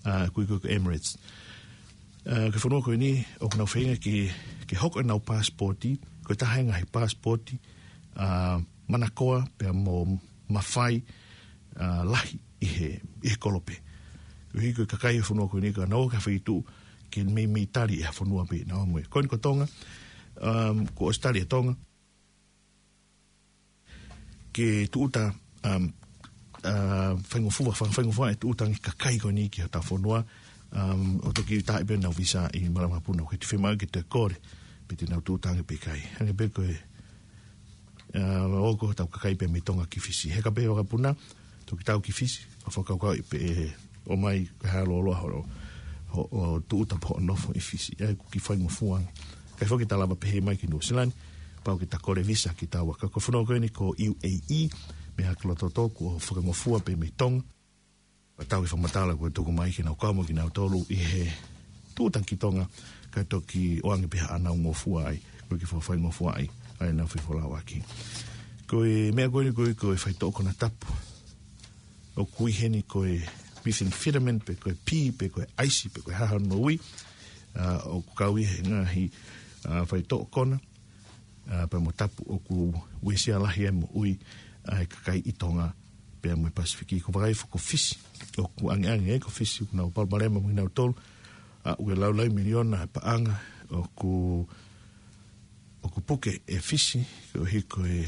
uh, ko e, ko e Emirates. Uh, ko e fonua ko eni, ʻoku nau feinga ke, ke hoko ʻenau pasipoti, ko e taha e ngaahi pasipoti, uh, manakoa pea mo mafai, ʻa, lahi ʻi he, ʻi he kolope. Koeʻuhi ko e kakai e fonua ko eni ka nau ō ki ha feituʻu ke meimei tali ʻe ha fonua pē naʻa nau ō mo ia. Ko eni ko Tonga, um, kuo ʻosi tali ʻe Tonga ke tūʻuta, um, ʻa, faingofua, fa-, faingofua e tūʻuta ange e kakai ko eni ki hotau fonua, um, ʻo toki taaʻi pē ʻenau visa ʻi he malaʻe vakapuna, ʻoku ʻikai te fiemaʻu ke toe kole pe te nau tūʻuta ange pe ʻikai. Hangē pē ko e ʻa, ʻoku hotau kakai pē mei Tonga ki Fisi. Heka pē vakapuna, toki tau ki Fisi, ʻo fakakaukauʻi pe ʻe ō mai ko e hā e lōloa hoʻo, hoʻo, hoʻo tūʻuta pe hoʻo nofo ʻi Fisi. ʻA ia ʻoku kiʻi faingofua ange. ʻIkai foki te ta lava pehē mai ki Nuʻu Sila ni, pau ke ta kole visa kitaua. Ka ko e fonua ko eni ko U A E, mei he haka lotoloto kuo fakangofua pē mei Tonga. Pea tau ʻi he fakamatala kuo tuku mai ke nau kau mo kinautolu ʻi he tūʻuta ki Tonga, kae toki ʻoange pē haʻanau ngofua ai, ko e kiʻi fakafaingofua ai, ʻa ʻenau fefolauʻaki. Ko e meʻa ko eni ko e, ko e faitoʻo konatapu ʻoku ui heni ko e methamphetamine, pe ko e pī, pe ko e ʻaisi, pe ko e hā hono ui, ʻa, ʻoku kau ʻi he ngaahi, ʻa, faitoʻo kona, ʻa, pea mo tapu ʻoku uesia lahi ai moʻui ʻa e kakai ʻi Tonga pea mo e Pasifiki. Ko e vakai foki ko Fisi, ʻoku ʻangeʻange ai ko Fisi, ʻoku nau palopalema mo kinautolu, ʻa ʻoku laulai miliona e paʻanga ʻoku, ʻoku puke ʻe Fisi, koeʻuhi ko e,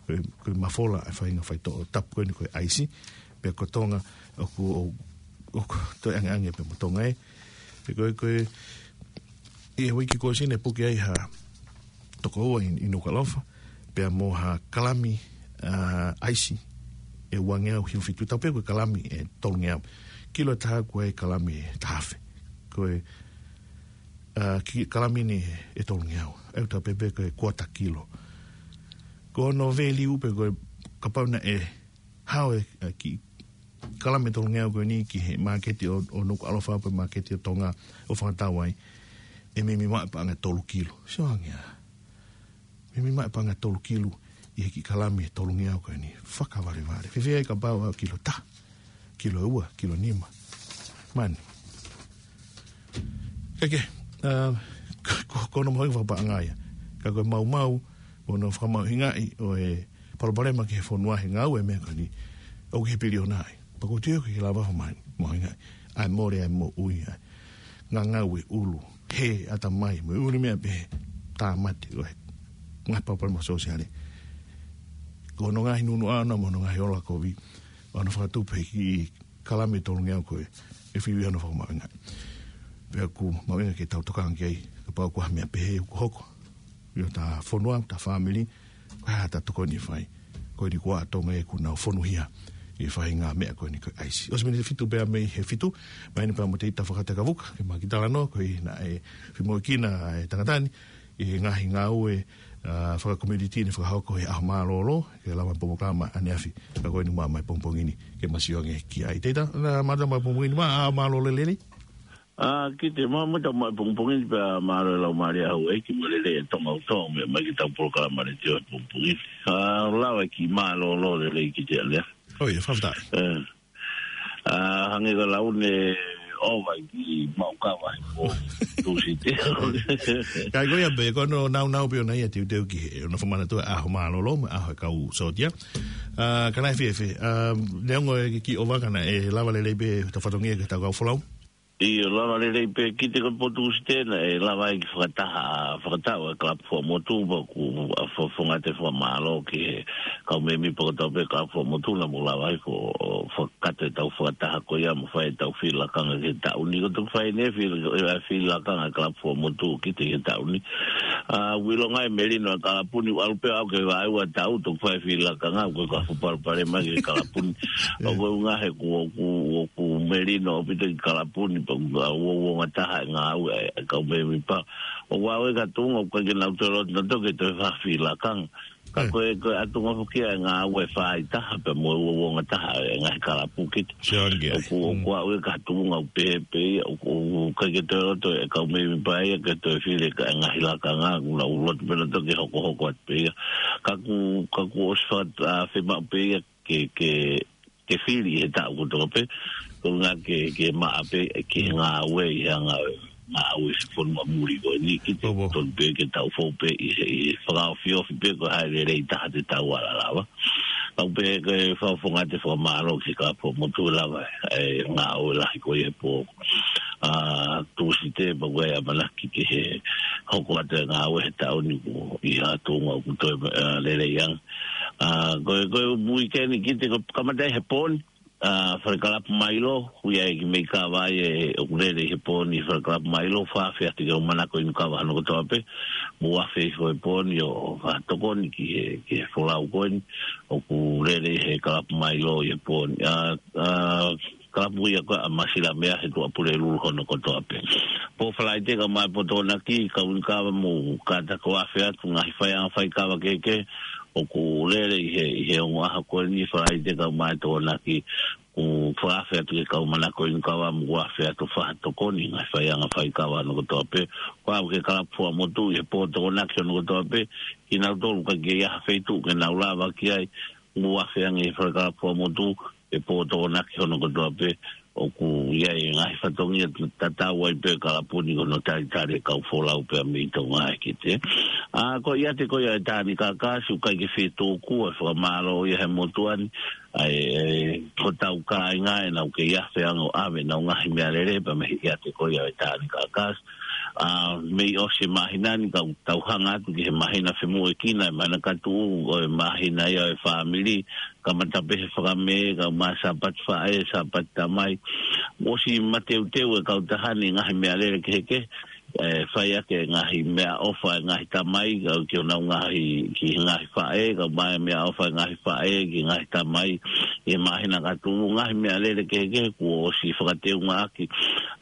ko e, ko e mafola e faʻahinga faitoʻo tapu ko eni ko e ʻaisi, pea ko Tonga ʻoku, ʻo, ʻoku toe angeange pē mo Tonga ē. Pea ko e, ko e, ʻi he uike kuo ʻosi naʻe puke ai ha toko ua ʻi, ʻi Nukuʻalofa, pea mo ha kalami, ʻa, ʻaisi ʻe uangeau hiva fitu, tau pehē ko e kalami ʻe tolungeau. Kilo ʻe taha ʻoku ʻi ai e kalami ʻe taha afe. Ko e, ʻa, ki-, kalami ni ʻe tolungeau. ʻE tau pehē pē ko e kuata kilo. Ko hono value pē ko e kapau naʻe hao e, ʻa, kiʻi kalami ʻe tolungeau ko eni ki he māketi ʻo, ʻo Nukuʻalofa pe māketi ʻo Tonga ʻo fakatau ai, ʻe meimei maʻu e paʻanga ʻe tolu kilo. Sio ange ā. Meimei maʻu e paʻanga ʻe tolu kilo ʻi he kiʻi kalami ʻe tolungeau ko eni. Fakavalevale. Fēfē ai kapau ʻe kilo taha, kilo ua, kilo nima. Mani. Kae kehe, ʻa, ko, ko, ko hono mahuʻinga fakapaʻanga ia. Ka ko e maumau, mo hono fakamahuʻingaʻi ʻo e palopalema ki he fonua he ngāue e meʻa ko eni. ʻOku ʻi he piliona ai. Pea ʻoku ou tui ʻoku ʻikai lava fakamahuʻingaʻi. ʻA e mole ʻa e moʻui ʻa e ngangau e ʻulu. Hē ʻatamai mo e ʻuli meʻa pehē, tāmate ʻo e ngaahi palopalema sōsiale. Ko hono ngaahi nunuʻa ʻana mo hono ngaahi ola kovi. ʻO hono fakatupu he kiʻi kalami ʻe tolungeau ko ē, ʻe fiu ia hono fakamahuʻingaʻi. Pea ʻoku mahuʻinga ke tau tokanga ki ai, kapau ko ha meʻa pehē ʻoku hoko ʻi hota fonua, hota fāmili, ko e hā haʻata tokoni ʻe fai. Ko eni ko ā Tonga ē kuo nau fonuhia ʻi he faʻahinga meʻa ko eni ko e ʻaisi. ʻOsi miniti ʻe fitu pē mei he fitu, mai eni pea mo Teita Fakatakavuka, ke ma kiʻi talanoa, koeʻuhi naʻe fai mo e kina e tangata ni, ʻi he ngaahi ngāue, ʻa, fakakomiunitī naʻe fakahoko he ʻaho mālōlō, ke lava polokalama ʻaneafi, ka ko eni ma mai pongipongi ni, ke ma sio ange ki ai. Teita, naʻa ma mai pongipongi ni ma, ʻaho mālōlō lelei. ʻA, kiʻi te ma, ma tau mai pongipongi ni pea mālō e lau mālie ʻa Hauʻeiki mo e lelei ʻa Tonga ʻoku tau meʻa mai ki heʻetau polokalama letiō he pongipongi ni. ʻA, lava e kiʻi mālōlō lelei kiʻi te ʻaneafi. ʻOi, fakafetaʻi. ʻE. ʻA, hangē ko e lau ne ʻova ki maʻu kava he pō Tūsite. Ka ko ia pē, ko hono naunau pē ʻona ia teuteu ki he, ʻona fakamanatua e ʻaho mālōlō, mo e ʻaho e kau sōtia. ʻA, ka naʻe fēfē, ʻa, neongo e kiʻi ʻova ka naʻe lava lelei pē ʻetau fatongia ki heʻetau kau folau. ʻIo, lava lelei pē kiʻi te ko e pō Tūsite naʻe lava ai ke fakataha, fakataha e kalapu fua motu, pea ʻoku, ʻa, fa-, fakafofonga atu e fakamālō ki he kau mēmipa kotoa pē kalapu fua motu naʻa mou lava ai ko, ʻo fakakakato ʻetau fakataha ko ia mo fai ʻetau fili lakanga ki he taʻu ni. Ko e toki fai eni e fili, ʻa e fili lakanga e kalapu fua motu kiʻi te ki he taʻu ni. ʻA, ʻoku ʻilonga e melino e kalapu ni, ʻalu pē ʻo aʻu ki he vaeua taʻu, toki fai e fili lakanga, ko e kau fakapalopalema ki he kalapu ni. ʻOku ʻuhinga he kuo, kuo, kuo melino ʻaupito e kalapu ni, pea ʻoku uouongataha e ngāue e kau mēmipa. ʻOku ʻi ai e kau tuʻunga ʻoku ʻikai ke nau toe loto nautolu ke toe fai ha fili lakanga. Ka ko e, ko e ʻatuʻunga foki ia e ngāue faaitaha pea mo e uouongataha e ngaahi kalapu kiʻi te. Sio ange ki ai. ʻOku, ʻoku ʻi ai e kau tuʻunga ʻoku pehē pē ia, ʻoku, ʻoku ʻikai ke toe loto e kau mēmipa ia ke toe fili e ngaahi lakanga, ʻoku nau loto pē nautolu ke hokohoko atu pē ia. Ka ʻoku, ka ʻoku ʻosi faka-, ʻa, fiemaʻu pē ia ke, ke, ke fili he taʻu kotoa pē, ko e ʻuhinga ke, ke maʻa pē, ke ngāue ʻi he ngāue, ngāue he fonua muli ko eni kiʻi te tonu pē ke tau fou pē ʻi he, ʻi he fakaofiofi pē ko e hā e lelei taha te tau ala lava. Ka ʻoku pehē ko e fakafofonga atu e fakamālō ki he kalapu fua motu lava e ngāue lahi ko ia he pō, ʻa, Tūsite pea ʻoku ʻi ai e ʻamanaki ki he hoko atu e ngāue he taʻu ni kuo ʻi ha tuʻunga ʻoku toe, ʻa, lelei ange. ʻA, ko e, ko e uike ni kiʻi te ko e kamata ai he pō ni, ʻa, Falekalapu Mailo, ʻoku ʻi ai e kiʻi meʻi kava ʻe, ʻoku lele ʻi he pō ni Falekalapu Mailo, fakaafeʻi atu ke u manako inu kava hono kotoa pē, mou afe hifo he pō ni ʻo, ʻo fakatokoni ki he, ki he folau ko eni, ʻoku lele ʻi he Kalapu Mailo ʻi he pō ni. ʻA, ʻa, kalapu ia ko ē ʻa Masilamea he Tuʻapulelulu hono kotoa pē. Pō Falaite kae ʻumaʻā e pō Tokonaki, kau inu kava mou kātaki ʻo afe atu ngaahi faiʻanga faikava kehekehe, ʻoku lele ʻi he, ʻi he ongo ʻaho ko eni Falaite kae ʻumaʻā e Tokonaki, ʻoku fakaafe atu ke kau manako inu kava mo afe atu fakatokoni ngaahi faiʻanga faikava hono kotoa pē. Ko au ki he kalapu fua motu ʻi he pō Tokonaki hono kotoa pē, kinautolu ʻoku ʻikai ke ʻi ai ha feituʻu ke nau lava ki ai, ʻoku afe ange he Falekalapu fua motu, he pō Tokonaki hono kotoa pē, ʻoku ʻi ai e ngaahi fatongia tatau ai pē kalapu ni ko hono talitali e kau folau pē mei Tonga ē kiʻi te. ʻA, ko e ʻiate ko ia ʻo e Tānikakas, ʻoku ʻikai ke fie tōkua, fakamālō ia he motuʻa ni, ʻa e, e, ko hotau kāinga ʻenau kei afe ange ʻo ʻave ʻenau ngaahi meʻalele pea mei he ʻiate ko ia ʻo e Tānikakas. ʻA, mei ʻosi e māhina ni, ka ʻoku tau hanga atu ki he māhina femuʻekina, e māhina ka tuʻu, ʻo e māhina ia ʻo e fāmili, kamata pē he Fakamē, kae ʻumaʻā Sāpate Faʻē, Sāpate Tamai. ʻOsi mateuteu e kautaha ni ngaahi meʻalele kehekehe, ʻe fai ʻaki e ngaahi meʻaʻofa e ngaahi tamai, kae ki honau ngaahi, ki he ngaahi faʻē, kae ʻumaʻā e meʻaʻofa e ngaahi faʻē, ki he ngaahi tamai, ʻi he māhina ka tuʻu, ngaahi meʻalele kehekehe kuo ʻosi fakateungaʻaki.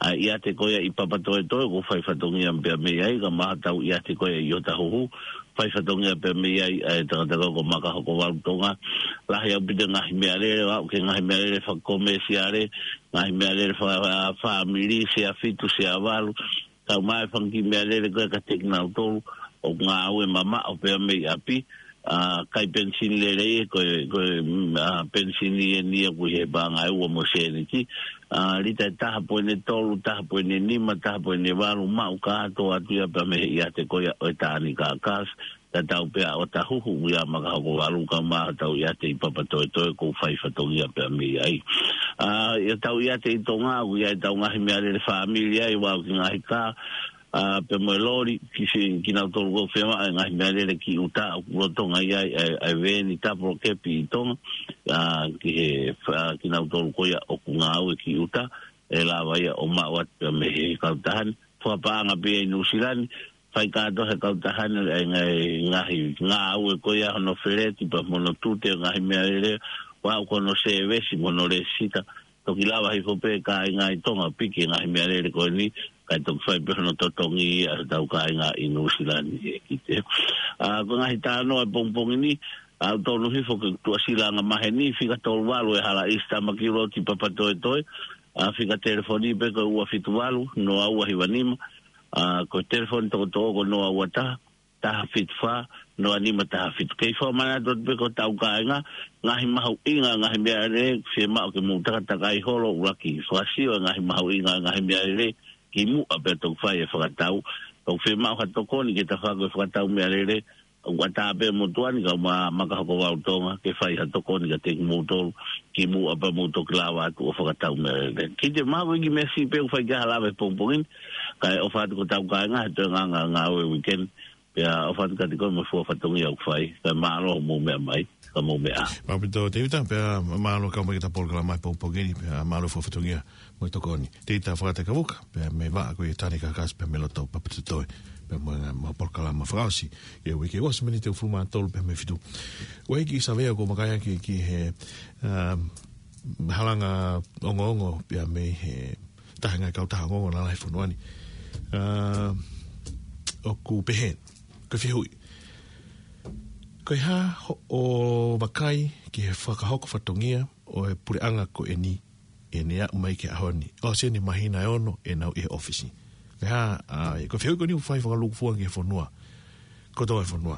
ʻA e ʻiate ko ia ʻi Papatoetoe, ʻoku fai fatongia pea mei ai, kae ʻumaʻā hotau ʻiate ko ia ʻi Otahuhu, fai fatongia pea mei ai, ʻa e tangata ko Makahokovalu Tonga. Lahi ʻaupito e ngaahi meʻalele, ʻo aʻu ki he ngaahi meʻalele fakakomēsiale, ngaahi meʻalele faka-, fāmili, sea fitu, sea valu, kae ʻumaʻā e fanga kiʻi meʻalele ko ē kiate kinautolu ʻoku ngāue mamaʻo pea mei ʻapi, ʻa, ʻikai penisini lelei, ko e, ko e, mm, ʻa, penisini eni ia ʻoku ʻi he paʻanga ʻe ua mo e sēniti, ʻa, lita ʻe taha poini tolu, taha poini nima, taha poini valu, maʻu kātoa atu ia pea mei he ʻiate ko ia ʻo e Tānikakas, tatau pē ʻa Otahuhu ia Makahokovalu kae ʻumaʻā hotau ʻiate ʻi Papatoetoe ʻoku fai fatongia pea mei ai. ʻA, ʻi hotau ʻiate ʻi Tonga, ʻoku ʻi ai ʻetau ngaahi meʻalele fāmili ai, ʻo aʻu ki he ngaahi kā, ʻa, pea mo e loli, ki si-, kinautolu ʻoku fiemaʻu e ngaahi meʻalele ki ʻuta, ʻoku lolotonga ʻi ai, ʻa e, ʻa e veeni tapolo kepi ʻi Tonga, ʻa, ki he, ʻa, kinautolu ko ia ʻoku ngāue ki ʻuta, ʻe lava ia ʻo maʻu atu pea mei he kautaha ni, fakapaʻanga pē ia ʻi Nuʻusila ni, fai kātoa he kautaha ni, ʻa e ngaahi, ngaahi ngāue ko ia hono feleti, pea mo hono tute, ngaahi meʻalele, ʻo aʻu ki hono sēvesi, mo hono lēsisita, toki lava hifo pē kāinga ʻi Tonga ʻo piki e ngaahi meʻalele ko eni, kae toki fai pē hono totongi ʻa hotau kāinga ʻi Nuʻusila ni ʻe kite. ʻA, ko e ngaahi talanoa e pongipongi ni, ʻa, ʻoku tonu hifo ke tuʻasila anga maheni, fika tolu valu e hala ʻi Sitamaki Loti Papatoetoe, ʻa, fika telefoni pē ko e ua fitu valu, noa ua hiva nima, ʻa, ko e telefoni tokotaha ko e noa ua taha, taha fitu fā, noa nima taha fitu. Kei fakamanatu atu pē ki hotau kāinga, ngaahi mahuʻinga, ngaahi meʻalele, fiemaʻu ke mou takatakai holo ʻuluaki fakasio e ngaahi mahuʻinga, ngaahi meʻalele, kimuʻa pea toki fai e fakatau. Toki fiemaʻu ha tokoni ke tafaʻaki e fakatau meʻalele, ʻoku ʻatā pē motuʻa ni kae ʻumaʻā Makahokovalu Tonga, ke fai ha tokoni kiate kimoutolu, kimuʻa pea mou toki lava atu ʻo fakatau meʻalele. Kiate maha ko e kiʻi meʻa siʻi pē ʻoku fai ki ai ha lave he pongipongi ni, kae ʻofa atu ki hotau kāinga, he toe nganga ngāue weekend, pea ʻofa atu kiate koe mo e fua fatongia ʻoku fai, kae mālō hoʻomou meʻa mai, ka mou meʻa. Mālō ʻaupito Tevita, pea mālō kau mai ki heʻeta polokalama he pongipongi ni, pea mālō fua fatongia mo e tokoni. Tevita Fakatākavuka, pea mei he vaʻa ko ia Tānikakas, pea mei loto Papatoetoe, pea mo e, mo e polokalama fakaʻosi, ʻi he uike ʻosi miniti ʻe hongofulu mā tolu pea mei he fitu. ʻOku ʻi ai e kiʻi savea ʻoku ou vakai ʻaki ki he, um, halanga ongoongo, pea mei he taha e ngaahi kautaha ongoongo lalahi he fonua ni. Um, ʻoku pehē, ko e fehuʻi. Ko e hā hoʻo vakai ki he fakahoko fatongia ʻo e puleʻanga ko eni, ʻi heʻene aʻu mai ki he ʻaho ni. ʻOsi eni e māhina ʻe ono ʻenau ʻi he ʻōfisi. Ko e hā, ʻa, ko e fehuʻi ko eni ʻoku fai fakalūkufua ki he fonua kotoa e fonua.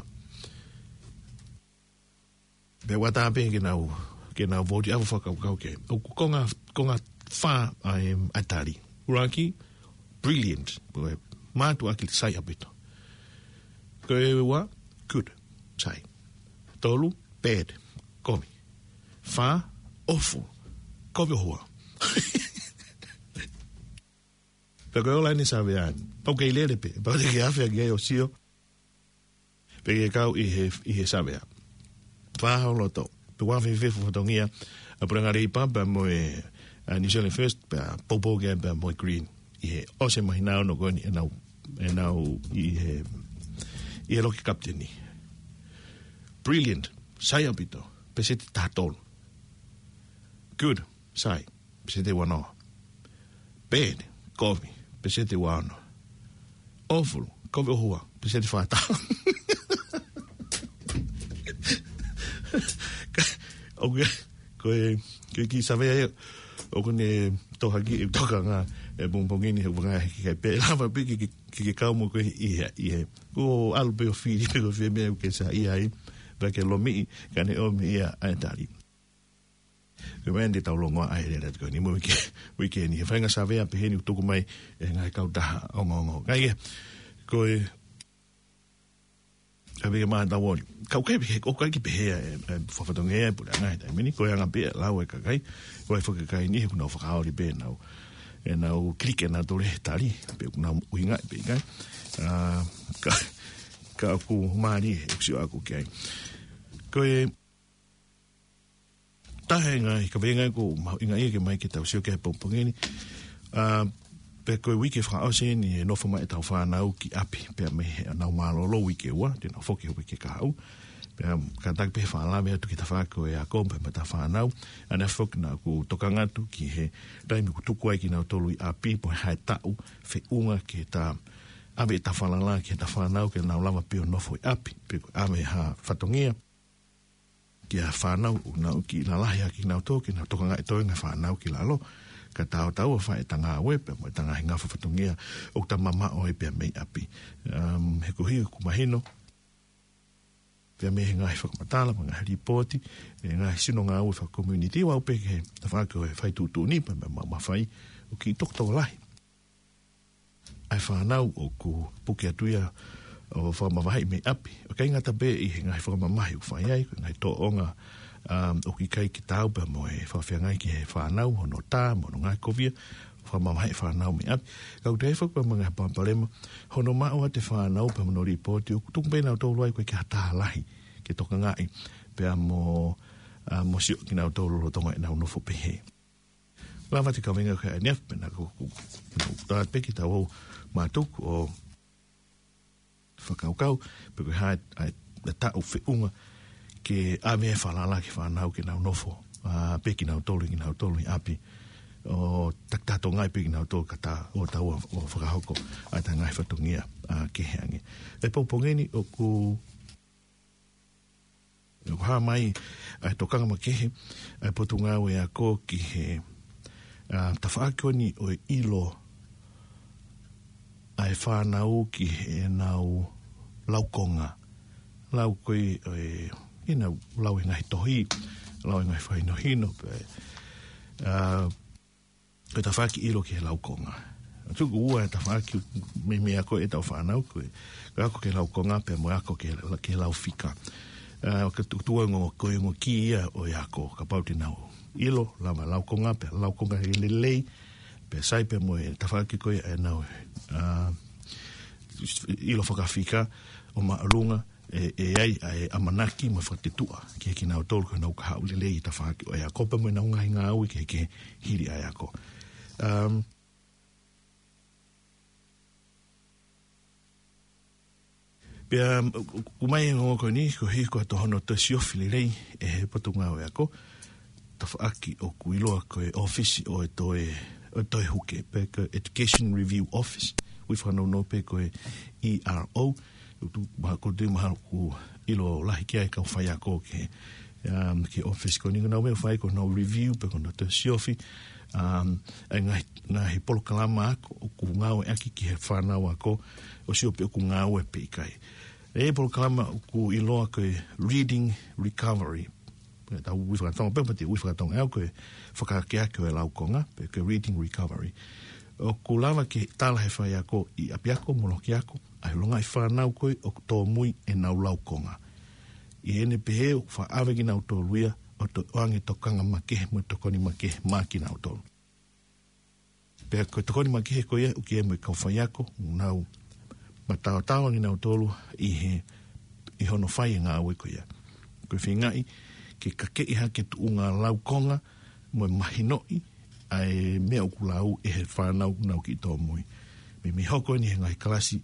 Pea ʻoku ʻatā pē ke nau, ke nau vouti ʻave fakakaukau ki ai. ʻOku konga, konga fā ʻa e, ʻa e tali. ʻUluaki, brilliant. Ko e mātuʻaki sai ʻaupito. Ko e ua, good, sai. Tolu, bad, kovi. Fā, awful, kovi ʻohua. Pea ko e ola eni e savea ni. Pau kei lele pē, pau te ke afe ʻaki ai ʻo sio. Pea ke kau ʻi he, ʻi he savea. Fakaholo atu. Pea ʻoku fēfē e fatongia ʻa e Puleʻanga Leipa pea mo e, ʻa, New Zealand First, pea poupou ki ai pea mo e Green. ʻI he ʻosi e māhina ʻe ono ko eni ʻenau, ʻenau ʻi he, ʻi he loki kapiteni. Brilliant, sai ʻaupito, peseti taha tolu. Good, sai, peseti ua noa. Bad, kovi, peseti ua ono. Awful, kovi ʻohua, peseti fā taha. ʻOku, ko e, ko e kiʻi savea ia, ʻoku ne tohaki, e tokanga, e pongipongi ni, he ʻoku vakai ki ai pē, lava pē ke, ke, ke, ke kau mo koe ʻi he, ʻi he. ʻO ʻalu pē ʻo fili pē ko fē meʻa ʻoku ke saiʻia ai, pea ke lomiʻi, kae ne ʻomi ia ʻa e tali. Ko e meʻa eni te tau longoaʻa ai he lele atu ko eni mo e uike, uike ni. He feinga savea pehē ni ʻoku tuku mai ʻe he ngaahi kautaha ongoongo. Kae kehe, ko e Ka pehē mai tau ʻoli. Ka ʻoku ʻikai pehē, ʻoku ʻikai ke pehē ʻe, ʻe, fakatongia ʻe Puleʻanga he taimi ni, ko e anga pē ʻa e lau ʻa e kakai, ko e fakakai ni he ʻoku nau fakaoli pē ʻenau, ʻenau kiliki ʻenau tole he tali, pe ʻoku nau ʻuhinga pē ʻikai. ʻA, ka, ka ʻoku mālie ʻeku sio ʻaku ki ai. Ko e taha e ngaahi kaveinga ʻoku mahuʻinga ia ke ʻomai ke tau sio ki ai he pongipongi ni. ʻA, pea ko e uike fakaʻosi eni ʻe nofo mai ʻetau fānau ki ʻapi, pea mei heʻenau mālōlō uike ua, te nau foki he uike kahaʻu. Pea kātaki pē he fakalave atu ki he tafaʻaki ʻo e ako, pea mo ʻetau fānau. ʻA ia foki naʻá ku tokanga atu ki he taimi ʻoku tuku ai kinautolu ʻi ʻapi, pe ko e hā e taʻu, feʻunga ke ta ʻave ʻetau falala ki heʻetau fānau ke nau lava pē ʻo nofo ʻi ʻapi, pe ko e ʻave ha fatongia ki he fānau, ʻoku nau kiʻi lalahi ʻaki kinautolu, ke nau tokangaʻi e toenga e fānau ki lalo, ka tau tau ʻo fai ʻeta ngāue, pea mo ʻeta ngaahi ngafa fatongia, ʻoku ta mamaʻo ai pē mei ʻapi. Um, he ko e hā ʻoku mahino, pea mei he ngaahi fakamatala, mo e ngaahi lipooti, e ngaahi sino ngāue fakakomiunitī, ʻo aʻu pē ki he tafaʻaki ʻo e fai tuʻutuʻuni, pea mo e maʻu mafai, ʻoku kiʻi tokotokolahi ʻa e fānau ʻoku puke atu ia ʻo fakamavaheʻi mei ʻapi. ʻOku ʻikai ngata pē ʻi he ngaahi fakamamahi ʻoku fai ai, ko e ngaahi tōʻonga, um, ʻoku ʻikai ke taau pea mo e fakafeangai ki he fānau, hono tā, mo hono ngaohikovia, fakamavaheʻi e fānau mei ʻapi. Ka ʻoku toe foki pea mo e ngaahi palopalema, hono maʻu ʻa e fānau pea mo hono lipooti, ʻoku tuku pē nautolu ai ʻoku ʻikai ke ʻi ai ha taha lahi ke tokangaʻi, pea mo, uh, mo sio kinautolu lolotonga ʻenau nofo pehē. Lava ʻa e kaveinga ko eni ʻa e F P, pea naʻá ku, ku, ku tā pē ke tau ō mātuku ʻo fakakaukau, pe ko e hā e, e, e taʻu feʻunga ke ʻave e falala ki he fānau ke nau nofo, ʻa, pē kinautolu, kinautolu ʻi ʻapi, ʻo takitaha tokangaʻi pē kinautolu ka ta ō tau ʻo, ʻo fakahoko ʻa e ngaahi fatongia, ʻa, kehe ange. He pongipongi ni ʻoku ʻoku hā mai ʻa e tokanga makehe ʻa e Potungāue Ako ki he, ʻa, tafaʻaki ko eni ʻo e ʻilo ʻa e fānau ki heʻenau laukonga. Lau ko ē, ʻo e, ʻenau lau e ngaahi tohi, lau e ngaahi fakahinohino, pea, ʻa, ko e tafaʻaki ʻilo ki he laukonga. Tuku ua e tafaʻaki mei, mei he ako ʻetau fānau, ko e, ko e ako ki he laukonga, pea mo e ako ki he, ki he lau fika. ʻA, ka tu-, tuku ua e ongo, ko e ongo kī ia ʻo e ako, kapau te nau ʻilo, lava laukonga, pea laukonga he lelei, pea sai pea mo e tafaʻaki ko ē ʻenau, ʻa, ʻilo fakafika, ʻo māʻolunga, ʻe, ʻe ʻi ai ʻa e ʻamanaki mo e fakatetuʻa ki he kinautolu ko ē ʻoku nau kahaʻu lelei ʻi he tafaʻaki ʻo e ako pea mo ʻenau ngaahi ngāue kehekehe hili ʻa e ako. Um, pea, um, ʻoku ʻomai e ongo ko eni, ko e hā ko e tohono toe siofi lelei ʻe he Potungāue Ako, tafaʻaki ʻoku ʻiloa ko e ʻōfisi ʻo e toe, ʻo e toe huke, pe ko e Education Review Office, ui fakanounou pē ko e E R O, ʻoku tuʻu maha-, ʻoku tuʻu mahalo ʻoku ʻilo lahi ki ai e kau faiako ki he, um, ki he ʻōfisi ko eni, ko ʻenau meʻa ʻoku fai ko ʻenau review pe ko ʻenau toe siofi, um, ʻa e ngaahi, ngaahi polokalama ako ʻoku ngāueʻaki ki he fānau ako, ʻo sio pe ʻoku ngāue pe ʻikai. ʻA e polokalama ʻoku ʻiloa ko e Reading Recovery. Pea tau ui fakatonga, pea mate ui fakatonga ʻe au ko e fakaakeake ʻo e laukonga, pe ko e Reading Recovery. ʻOku lava ke tala ʻe he faiako ʻi ʻapiako mo lokiako ʻa e longaʻi fānau ko ē ʻoku tōmui ʻenau laukonga. ʻI heʻene pehē ʻoku faʻa ʻave kinautolu ia ʻo toe ʻoange tokanga makehe mo e tokoni makehe maʻa kinautolu. Pea ko e tokoni makehe ko ia ʻoku ʻi ai mo e kau faiako, ʻoku nau mataotao kinautolu ʻi he, ʻi hono fai e ngāue ko ia. Ko e feingaʻi ke kakeʻi hake e tuʻunga laukonga mo e mahinoʻi ʻa e meʻa ʻoku lau ʻe he fānau ʻoku nau kiʻi tōmui. Meimei hoko eni he ngaahi kalasi,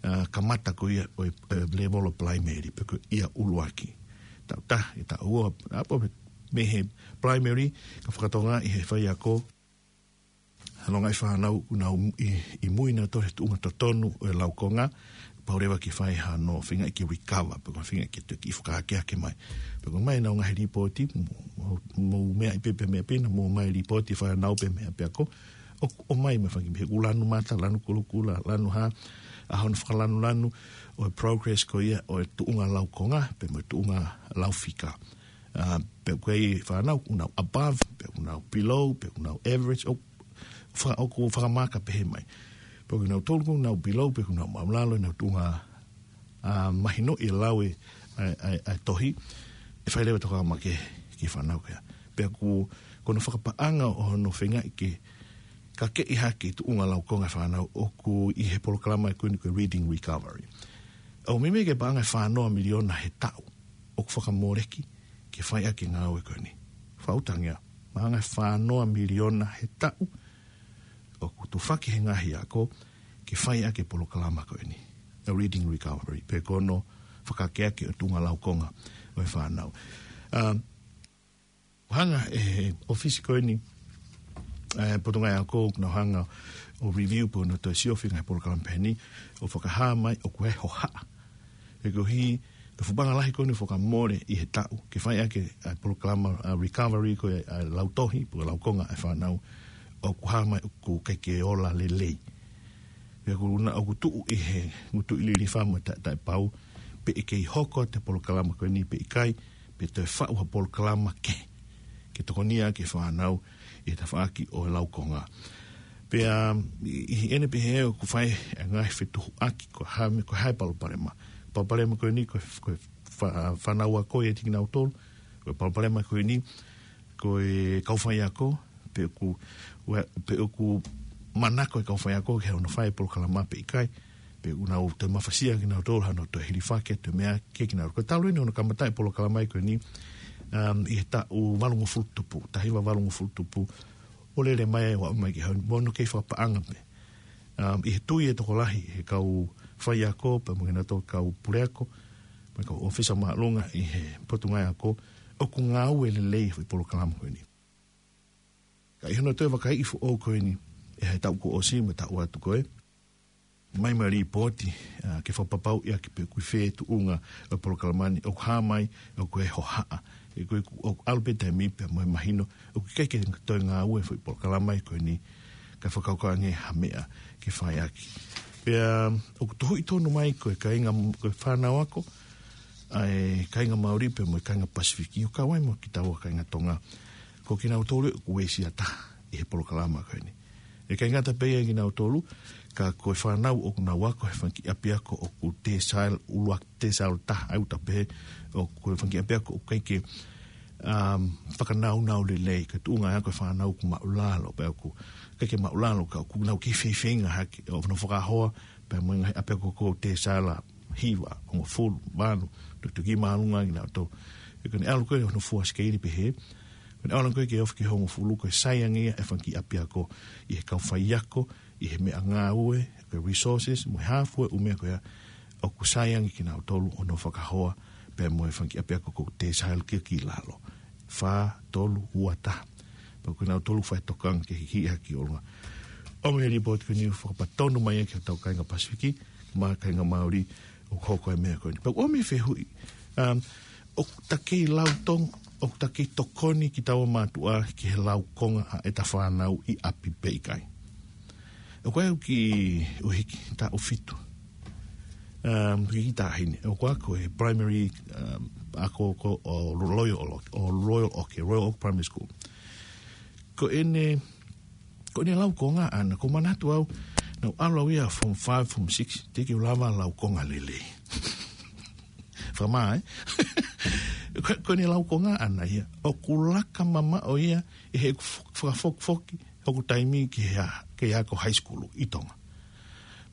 ʻa, kamata ko ia ʻo e, ʻo e lēvolo Palaimeli, pe ko ia ʻuluaki. Taʻu taha, ʻi he taʻu ua, ʻa, pea mei he Palaimeli, ka fakatokangaʻi ʻe he faiako, ha longaʻi fānau ʻoku nau ʻi, ʻi mui nautolu he tuʻunga totonu ʻo e laukonga, pau leva ke fai hano feingaʻi ke recover, pe ko e feingaʻi ke toe kiʻi fakaakeake mai. Pea ko e ʻomai ʻenau ngaahi lipooti, mo, mo, mo meʻa ʻi pē, pē meʻa pē, naʻa mou ʻomai lipooti fānau pē meʻa pē ako, ʻo, ʻomai mo e fanga kiʻi meʻa, ʻoku lanu mata, lanu kulokula, lanu hā, ʻa hono fakalanulanu ʻo e progress ko ia ʻo e tuʻunga laukonga, pea mo e tuʻunga lau fika. ʻA, pe ko e fānau ʻoku nau above, pe ʻoku nau below, pe ʻoku nau average, ʻo fa-, ʻoku fakamaka pehē mai. Pe ko kinautolu ʻoku nau below, pe ʻoku nau māʻulalo ʻenau tuʻunga ʻa, mahino ʻi he lau ʻa e, ʻa e, ʻa e, ʻa e tohi, ʻe fai leva e tokanga makehe ki he fānau ko ia. Pea ʻoku, ko hono fakapaʻanga ʻo hono feingaʻi ke kakeʻi hake e tuʻunga laukonga e fānau ʻoku ʻi he polokalama ko eni ko e Reading Recovery. ʻOku meimei ke paʻanga ʻe fā noa miliona he taʻu ʻoku fakamoleki ke fai ʻaki e ngāue ko eni. Fakaʻutangia, paʻanga ʻe fā noa miliona he taʻu ʻoku tufaki he ngaahi ako ke fai ʻaki e polokalama ko eni, ʻa e Reading Recovery, pe ko hono fakaakeake ʻo e tuʻunga laukonga ʻo e fānau. Um, hanga ʻe he ʻōfisi ko eni, ʻa e Potungāue Ako, ʻoku nau hanga ʻo review pe ʻoku nau toe siofi e ngaahi polokalama pehē ni, ʻo fakahā mai ʻoku ʻi ai e hohaʻa. He koeʻuhi, ko e fuʻu paʻanga lahi ko eni ʻoku fakamole ʻi he taʻu ke fai ʻaki e, ʻa e polokalama, ʻa e recovery ko e, ʻa e lautohi, pe ko e laukonga e fānau, ʻoku hā mai ʻoku ʻikai ke ola lelei. Pea ʻoku na, ʻoku tuʻu ʻi he ngutu ʻi lilifa mo e taʻe, taʻepau, pe ʻe kei hoko atu e polokalama ko eni pe ʻikai, pe toe faʻu ha polokalama kehe ke tokonia ʻaki e fānau ʻi he tafaʻaki ʻo e laukonga. Pea ʻi, ʻi heʻene pehē ʻoku fai e ngaahi fetuhuʻaki ko e hā e meʻa, ko e hā e palopalema. Palopalema ko eni ko e, ko e fā-, fānau ako ʻiate kinautolu, ko e palopalema ko eni ko e kau faiako, pe ʻoku, ua-, pe ʻoku manako e kau faiako ke nau fai e polokalama pe ʻikai, pe ʻoku nau toe mafasia kinautolu, hano toe hilifaki atu e meʻa kia kinautolu. Ko e talu eni hono kamata e polokalama ko eni, um, ʻi he taʻu valungofulu tupu, taha hiva valungofulu tupu, ʻo lele mai ai ʻo aʻu mai ki he ʻaho ni, mo hono kei fakapaʻanga pē. Um, ʻi he tui e tokolahi he kau faiako, pea mo kinautolu kau puleako, mo e kau ʻōfisa māʻolunga ʻi he Potungāue Ako, ʻoku ngāue lelei e foʻi polokalama ko eni. Ka ʻi hono toe vakaiʻi foʻou ko eni, ʻi he taʻu kuo ʻosi mo e taʻu atu ko ē, mai mai lipooti, ʻa, ke fakapapauʻi ʻaki pe ʻoku ʻi fē e tuʻunga ʻo e polokalama ni, ʻoku hā mai ʻoku ʻi ai e hohaʻa. He ko e ʻoku ʻalu pē taimi pea mo e mahino ʻoku ʻikai ke toe ngāue e foʻi polokalama ko eni, ka fakakaukau ange ha meʻa ke fai ʻaki. Pea ʻoku tohuʻi tonu mai ko e kāinga, ko e fānau ako, ʻa e kāinga Māori pea mo e kāinga Pasifiki, ʻo kau ai mo kitaua kāinga Tonga, ko kinautolu ʻoku uesia taha ʻi he polokalama ko eni. ʻIkai ngata pē ia kinautolu, ka ko e fānau ʻoku nau ako he fanga kiʻi ʻapiako ʻoku decile, ʻuluaki decile taha ʻa e uta pē, ʻoku, ko e fanga kiʻi ʻapiako ʻoku ʻikai ke, um, fakanaunau lelei, ko e tuʻunga ako e fānau ʻoku māʻulalo, pea ʻoku ʻikai ke māʻulalo, ka ʻoku nau kei feifeinga hake, ʻo nau fakahoa, pea mo e ngaahi ʻapiako ko e decile hiva, hongofulu, valu, tutuki māʻolunga kinautolu. He ko ʻene ʻalu ko ē hono fua sikeili pehē, ko ʻene ʻalu ko ē ke ofi ki he hongofulu, ko e sai ange ia e fanga kiʻi ʻapiako ʻi he kau faiako, ʻi he meʻangāue, ko e resources, mo e hā fua e ʻū meʻa ko ia, ʻoku sai ange kinautolu hono fakahoa, pea mo e fanga kiʻi ʻapiako ko e decile ki, ki lalo. Fā, tolu, ua, taha. Pea ko kinautolu fai tokanga ke hikiʻi hake ki ʻolunga. ʻOmi e lipooti ko eni ʻo fakapatonu mai ki hotau kāinga Pasifiki, mo e kāinga Māori, ʻoku hoko e meʻa ko eni. Pea ʻoku ʻomi e fehuʻi, um, ʻoku ta kei lau Tonga, ʻoku ta kei tokoni kitaua mātuʻa ki he laukonga ʻa ʻeta fānau ʻi ʻapi pe ʻikai? ʻOku ʻi ai e kiʻi ʻuhiki taʻu fitu. Um, kiʻi taʻahine. ʻOku ako he primary, um, ako ko ē ʻo Royal Oak, ʻo Royal Oak, Royal Oak Primary School. Ko ʻene, ko ʻene laukonga ʻaʻana, ʻoku ou manatu au, naʻá ku ʻalu au ia form five, form six, teʻeki ke u lava laukonga lelei. Fakamā, ē? Ko, ko ʻene laukonga ʻaʻana ia, ʻoku laka mamaʻo ia ʻi heʻeku fo-, fakafokifoki hoku taimi ki he a-, ki he ako high school ʻi Tonga.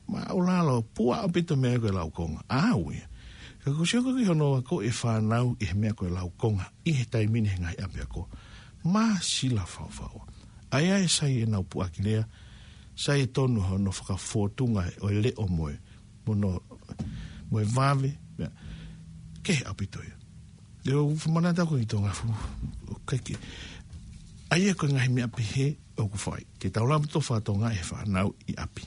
Māʻulalo, puʻa ʻaupito e meʻa ko e laukonga. ʻAʻau ia. Ka ʻoku ou sio ko ē ki hono akoʻi e fānau ʻi he meʻa ko e laukonga ʻi he taimi ni he ngaahi ʻapiako, māsila faufau. ʻA ia ʻe sai ʻenau puʻaki lea, sai e tonu hono fakafōtunga ʻo e leʻo mo e, mo hono, mo e vave, meʻa, kehe ʻaupito ia. ʻOku ou manatu au ko ē ʻi Tonga fu, ʻoku ʻikai ke. ʻA ia ko e ngaahi meʻa pehē ʻoku fai. Ke tau lava ʻo fakatokangaʻi e fānau ʻi ʻapi.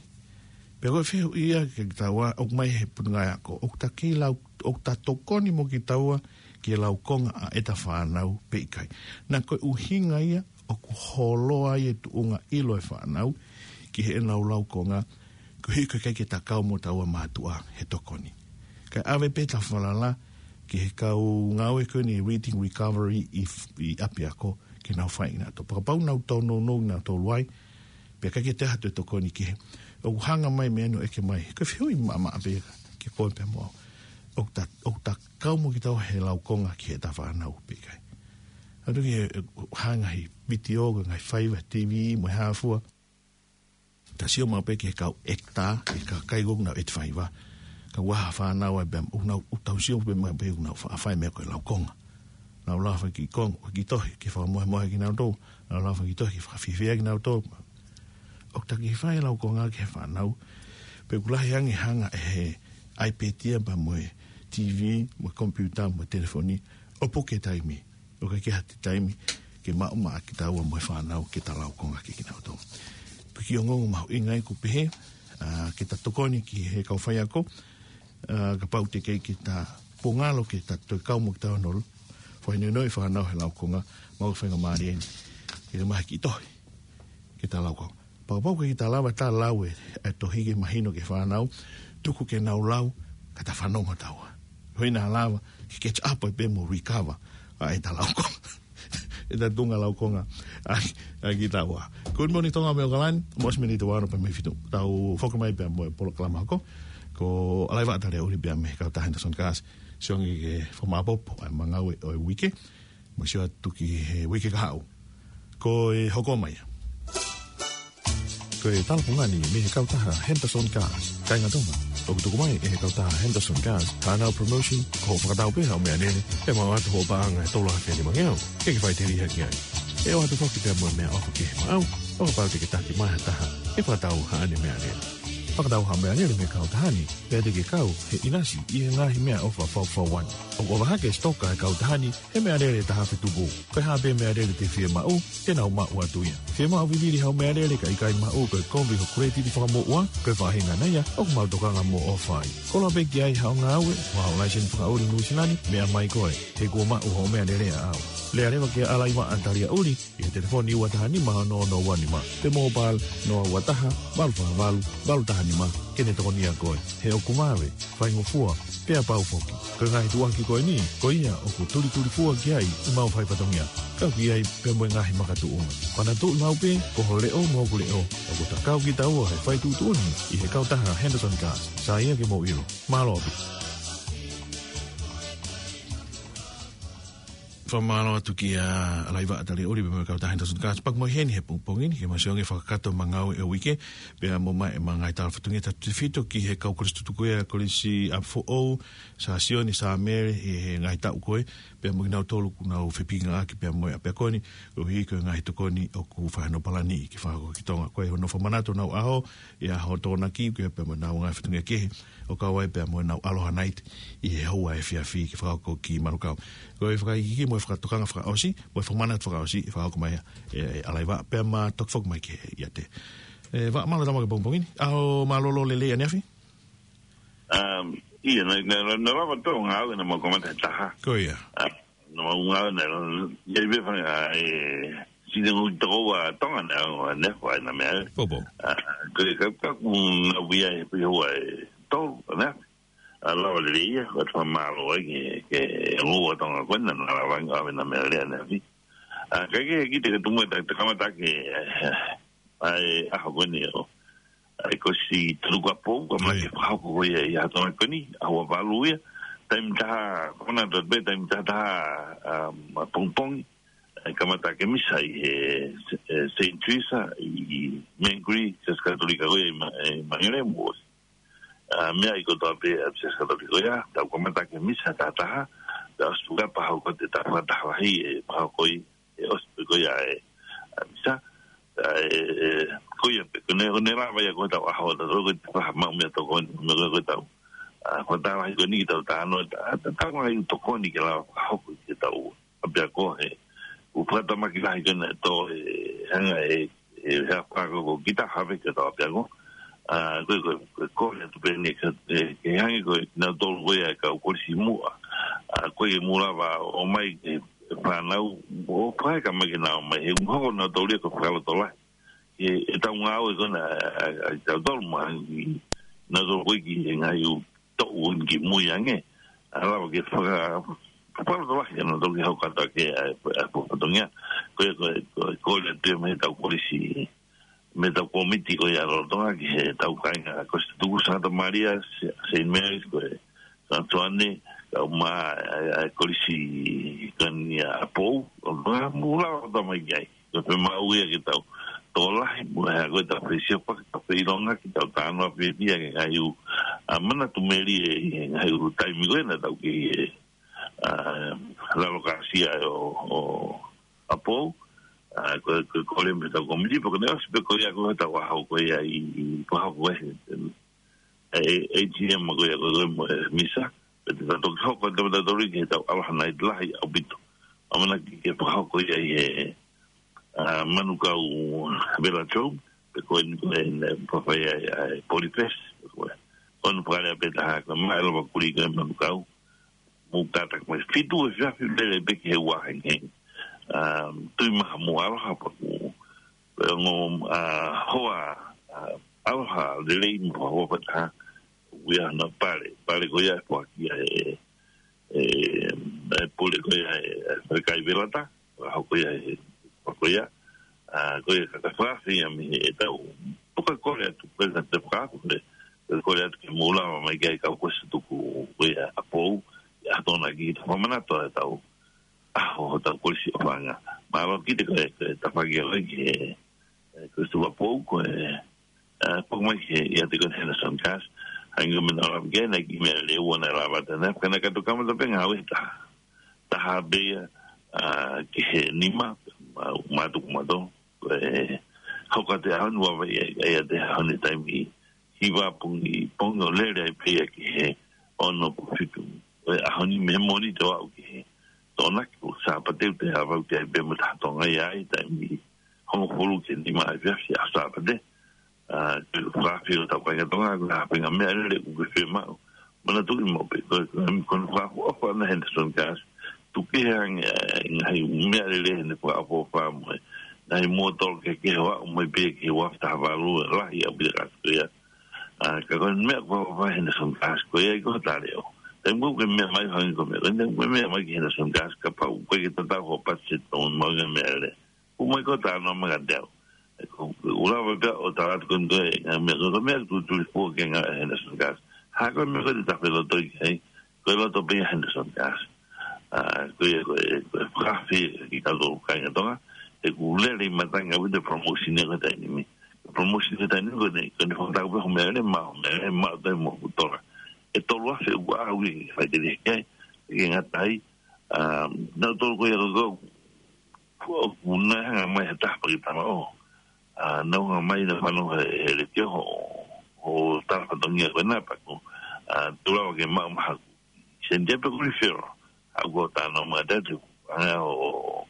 Pea ko e fehuʻi ia kiate kitaua, ʻoku ʻomai he Potungāue Ako, ʻoku ta kei lau, ʻoku ta tokoni mo kitaua ki he laukonga ʻa ʻeta fānau pe ʻikai? Naʻa ko e ʻuhinga ia ʻoku holo ai e tuʻunga ʻilo e fānau ki heʻenau laukonga, koeʻuhi ko e ʻikai ke ta kau mo taua mātuʻa he tokoni. Kae ʻave pē ʻeta falala ki he kau ngāue ko eni Reading Recovery ʻi, ʻi ʻapiako, ke nau fai ʻenautolu. Pea kapau naʻa nau tōnounou ʻenautolu ai, pea ʻikai ke toe ʻi ai ha toe tokoni kehe, ʻoku hanga mai e meʻa ni ʻo ʻeke mai. Ko e fehuʻi maʻamaʻa pē ia kiate koe pea mo au. ʻOku ta, ʻoku ta kau mo kitaua he laukonga ki heʻeta fānau pe ʻikai. ʻA e tuʻu ki he, ʻe, hanga he vitiō, ko e ngaahi faiva, TV, mo e hā fua. Ta sio maʻu pē ki he kau ʻekitā, ki he kakai ko ē ʻoku nau ʻete faiva. Ka ʻoku ʻi ai ha fānau ai pē ʻoku nau, ʻoku tau sio pē maʻu pē ʻoku nau fa-, fai e meʻa ko e laukonga. Nau lau ha kiʻi konga, ha kiʻi tohi, ke fakamohemohe kinautolu. Nau lau ha kiʻi tohi, ke fakafiefia kinautolu. ʻOku ta kiʻi fai e laukonga ki he fānau. Pea ʻoku lahi ange hanga ʻe he iPad ia pea mo e TV, mo e komipiuta, mo e telefoni. ʻO puke taimi. ʻOku ʻikai ke ʻi ai ha taimi ke maʻu maʻa kitaua mo e fānau ke ta laukonga kiate kinautolu. Ko e kiʻi ongoongo mahuʻinga ia ʻoku pehē, ʻa, ke ta tokoni ki he kau faiako, ʻa, kapau te ke, ke ta pongalo ke ta toe kau mo kitaua ʻo fakahinohino e fānau he laukonga, maʻu e faingamālie ni ke maʻu ha kiʻi tohi ke ta laukonga. Pau pau ke ta lava ta lau e, e tohi ke mahino ki he fānau, tuku ke nau lau, ka ta fanongo taua. Ko hono lava ke catch up ai pē mo recover ʻa ʻeta laukonga. ʻEta tuʻunga laukonga ʻa, ʻa kitaua. Good morning, Tonga mo ʻAokalani, mo e miniti ʻe ono pē mei he fitu. Tau foki mai pea mo e polokalama hoko. Ko ʻAlaivaʻa Taliaʻuli pea mei he kautaha Henderson Cars. Sio ange ke fakamāʻopoʻopo ʻa e ngāue ʻo e uike. Mo sio atu ki he uike kahaʻu. Ko e hoko mai ia. Ko e talapungani mei he kautaha Henderson Cars. Kāinga Tonga, ʻoku tuku mai ʻe he kautaha Henderson Cars haʻanau promotion, ko hoʻo fakatau pē haʻo meʻalele, ʻe maʻu atu hoʻo paʻanga ʻe tolu afe nima ngeau, ke ke faʻiteliha ki ai. ʻE ʻoatu foki pea mo e meʻaʻofa ki he maʻau, ʻo kapau te ke taki mai ha taha ʻe fakatau haʻane meʻalele. Fakatau haʻo meʻalele mei he kautaha ni, pea te ke kau he ʻinasi ʻi he ngaahi meʻaʻofa fakafaʻahinga. ʻOku ʻofa hake e sitoka ʻa e kautaha ni he meʻalele taha afe tupu. Ko e hā pē meʻalele te ke fiemaʻu, te nau maʻu atu ia. Fiemaʻu vivili haʻo meʻalele ka ʻikai maʻu, ko e kovi hoʻo kuletiti fakamoʻua, ko e faʻahinga ia ʻoku mau tokanga mo ʻofa ai. Koloa pē ki ai haʻo ngāue, mo haʻo laiseni fakaʻuli Nuʻu Sila ni, meʻa mai koe, he kuo maʻu hoʻo meʻalele ʻaʻau. Lea leva kia ʻAlaivaʻa Taliaʻuli, ʻi he telefoni ua taha nima ono ono ua nima, pe mobile noa ua taha, valu fā valu, valu taha nima, ke ne tokonia koe. He ʻoku vave, faingofua, pea pau foki. Ko e ngaahi tuʻuaki ko eni, ko ia ʻoku tulitulifua ki ai ʻemau faifatongia. Kau ki ai pea mo e ngaahi makatuʻunga. Manatuʻi maʻu pē, ko ho leʻo mo hoku leʻo, ʻoku ta kau kitaua he fai tuʻutuʻuni ʻi he kautaha Henderson Cars. Sai ia ke mou ʻilo. Mālō ʻaupito. Fakamālō atu kia ʻAlaivaʻa Taliaʻuli pea mo e kautaha Henderson Cars. Paku mai heni he pongipongi ni, ke mau sio ange fakakakato ʻemau ngāue ʻo e uike, pea mo ʻemau ngaahi tala fatongia, tautefito ki he kau kolisi tutuku ia, Kolisi ʻApifoʻou, Sā Sione, Sā Mele, ʻi he ngaahi taʻu ko ē, pea mo kinautolu ʻoku nau fepikingaki pea mo e ʻapiako ni, koeʻuhi ko e ngaahi tokoni ʻoku fai hono palani ke fakahoko ki Tonga. Ko e hono fakamanatu honau ʻaho, ʻi he ʻaho Tokonaki, ko ia pea mo ʻenau ngaahi fatongia kehe, ʻo kau ai pea mo ʻenau Aloha Night ʻi he houa efiafi ke fakahoko ki Manukau. Ko e fakaikiiki mo e fakatokanga fakaʻosi, mo e fakamanatu fakaʻosi, ʻe fakahoko mai ʻe, ʻe ʻAlaivaʻa, pea ma toki foki mai ki he ʻiate. ʻE, Vaʻa, mālō e tau maʻu he pongipongi ni. ʻAho mālōlō lelei ʻaneafi? Um, ʻIo, naʻe, naʻe, naʻe lava tau ngāue naʻa mau kamata he taha. Ko ia. Ah, naʻa mau ngāue naʻe, ia i vefanga, e, sine ngui toko ua Tonga naʻe, naʻe fai na meʻa. Popo. Ah, ko e ka, ka ku na via e pui hoa e tolu, ne? A lava lelei ia, ko e fakamālō ai ke, ke ngua Tonga ko ena naʻa lava ngāue na meʻa lea ne afi. Ah, ka ke ki te ke tumu e ta, te kamata ke, eh, ai, ʻaho ko eni ʻo. ʻAi ko si tolu ka pou, ka mai Oi. ke fakahoko ko ia ʻi he ʻaho Tonga ko eni, ʻaho valu ia, taimi taha, kona dot be, taimi taha taha, um, pongipongi, ʻai kamata ke misa ʻi he, e, Saint Teresa, ʻi Mangere, Siasi Katolika ko ia ʻi Ma-, ʻi Mangere mo. A, meʻa ʻi kotoa pē, a, Siasi Katolika ko ia, tau kamata ke misa taha taha, tau suka paha ko te taha taha lahi e paha ko i, e ʻosi pē ko ia e, a, misa, a, e, e, ko ia pē, ko ne, ko ne lava ia ko tau ʻaho, tau ko te paha mau meʻa tokoni, meʻa ko tau. A, ko tau lahi ko ni ki tau tano, ta, ta, tau lahi tokoni ke lava hoko ke tau. ʻApiako he, ʻoku fakatamaki lahi ke ne tō e, hanga e, e, he ʻapiako ko kita have ke tau ʻapiako. A, ko, ko, ko, ko, he tupe ni, ke, ke, ke hangē ko, na tolu ko ia ka u kolisi muʻa. A, ko ia muʻa lava ʻo mai, e, e fānau, ʻo pae ka mai ke na ʻomai, he ʻoku hoko na tolu ia ko fakalotolahi. E, e tau ngāue ko na, a, a, a, tau tolu ma, i, na tolu ko ia ki he ngaahi u, toʻu ki mui ange. A lava ke faka, fakalotolahi ke na tolu ke hau kata ke, a, a, fatongia. Ko ia, ko, ko, ko ia te me tau kolisi, me tau komiti ko ia lolotonga ki he tau kāinga, ko Santa Tuku, Santa Maria, Saint Mary's, ko e, Nā Tuane, kau mā, ʻa e, ʻa e kolisi ko eni ʻa Pou, ʻo ka mula o tamai kai. Ko e pē maʻu ia ke tau tokolahi, mo e hā ko e tau fesiofaki, tau feʻilongaki, tau talanoa pē ia ki he ngaahi ʻū, ʻa, manatu melie ʻi he ngaahi ʻū taimi ko ē naʻa tau kei ʻi he, ʻa, lalo kāsia ʻo, ʻo, ʻa Pou, ʻa, ko, ko, ko le me tau komiti, pea ko ʻene ʻosi pē ko ia ko e tau ʻaho ko ia ʻi, ʻi Pahoko ē, ʻe, ʻe, ʻe A G M ko ia ko e mo e misa, pea te tau toki hoko atu mo tautolu ki he tau ʻaloha nai lahi ʻaupito. ʻAmanaki ke fakahoko ia ʻi he, ʻa, Manukau Vela Joe, pe ko eni ko eni, ʻe, fafai ai, ʻa e Polyfest, ko e. Ko eni fakalea pē taha, ko e maʻa e lava kuli ko e Manukau, mo kātaki mai fitu e fiafi lele pē ki he ua hengehenge. ʻA, tui maha mo ʻaloha paku. Pe ongo, ʻa, hoa, ʻa, ʻaloha lelei mo hoa pē taha. Uia na pale, pale ko ia e poaki ia e, e, e pule ko ia e, e kai velata, ʻa, ko ia e, ko ia. ʻA, ko ia ka ka fakafi ia mi e tau. Puka kole atu, ko ia te fakafi, ko ia kole atu ke mula mai kai kau ko se tuku, ko ia ʻa Pou, ʻa tona ki ta whamana to e tau. ʻA, ho tau kolisi ʻo fanga. Mālō ki te ko e, ko e tafaki ʻo e ki he, e, ko e tuku ʻa Pou, ko e, ʻa, Pou mai ki he, ia te ko e Henderson Gas. Hangē ko e meʻa naʻa lava ke na ki meʻa lele ua naʻe lava te na, ka na ka tu kamata pē ngāue ta. Taha pē ia, ʻa, ki he nima, ma, matuku mato. Ko e, hoko atu e ʻaho ni ua vai, ia, ia te ʻaho ni taimi. Hiva pongi, pongi ʻo lele ai pē ia ki he ono po fitu. Ko e ʻaho ni mei he Mōnite ʻo aʻu ki he Tokonaki, ko Sāpate ʻoku te ʻave ʻoku te ʻai pē mo taha Tonga ia ʻi he taimi hongofulu ki he nima ʻa e efiafi ʻa Sāpate. ʻA, ko e fakafi ʻo tau kāinga Tonga, ko e hā pē ngaahi meʻa lele ʻoku ke fiemaʻu. Manatuʻi maʻu pē, ko e, ko e, ko e fakaʻofoʻofa ʻa Henderson Gas. Tuku kehe ange, ʻa e, ngaahi meʻa lele heʻene fakaʻofoʻofa mo e ngaahi mōtolo kehekehe ʻo aʻu mai pē ki he ua afe taha valu, ʻa e lahi ʻaupito kātoa ia. ʻA, ka ko e meʻa ko e fakaʻofoʻofa Henderson Gas, ko ia ʻi ko e tale ʻo. Taimi ko ē ke meʻa mai hangē ko e meʻa, ko e meʻa mai ki Henderson Gas, kapau ʻoku ʻikai ke tatau hoʻo patiseti ʻo maʻu ngaahi meʻa lele. Ko mai ko e talanoa mai kiate au. ʻE ko, ko e ʻuluaki pē ʻo tala atu ko eni ko e, ngaahi meʻa, ko e meʻa tu tuli fua ke ngāue ʻa Henderson Gas. Hā ko e meʻa ko e te tafe loto ʻi ai, ko e loto pē ia Henderson Gas. ʻA, ko ia ko e, ko e fakafi ki he kau kāinga Tonga, ʻoku lele ʻi matangi ʻaupito e promotion ia ko e taimi ni. Promotion ko e taimi ni ko eni, ko eni fakatau pē hoʻo meʻa lele, maʻu hoʻo meʻa lele, maʻu toe mo e tola. ʻE tolu afe ʻoku ʻaʻau ʻi he fai te lihia ki ai, ke ngata ai, ʻa, naʻa tolu ko ia ko e Ko, ko ʻena hanga mai he taha paki tama ʻo. ʻA, naʻa hanga mai naʻa fanongo he, he letiō ho, ho tala fatongia ko ʻena paku. ʻA, tula wa ke maʻu maha ku. Sentia pe ku referral. ʻA, ko talanoa mai te tu. Hanga ʻo,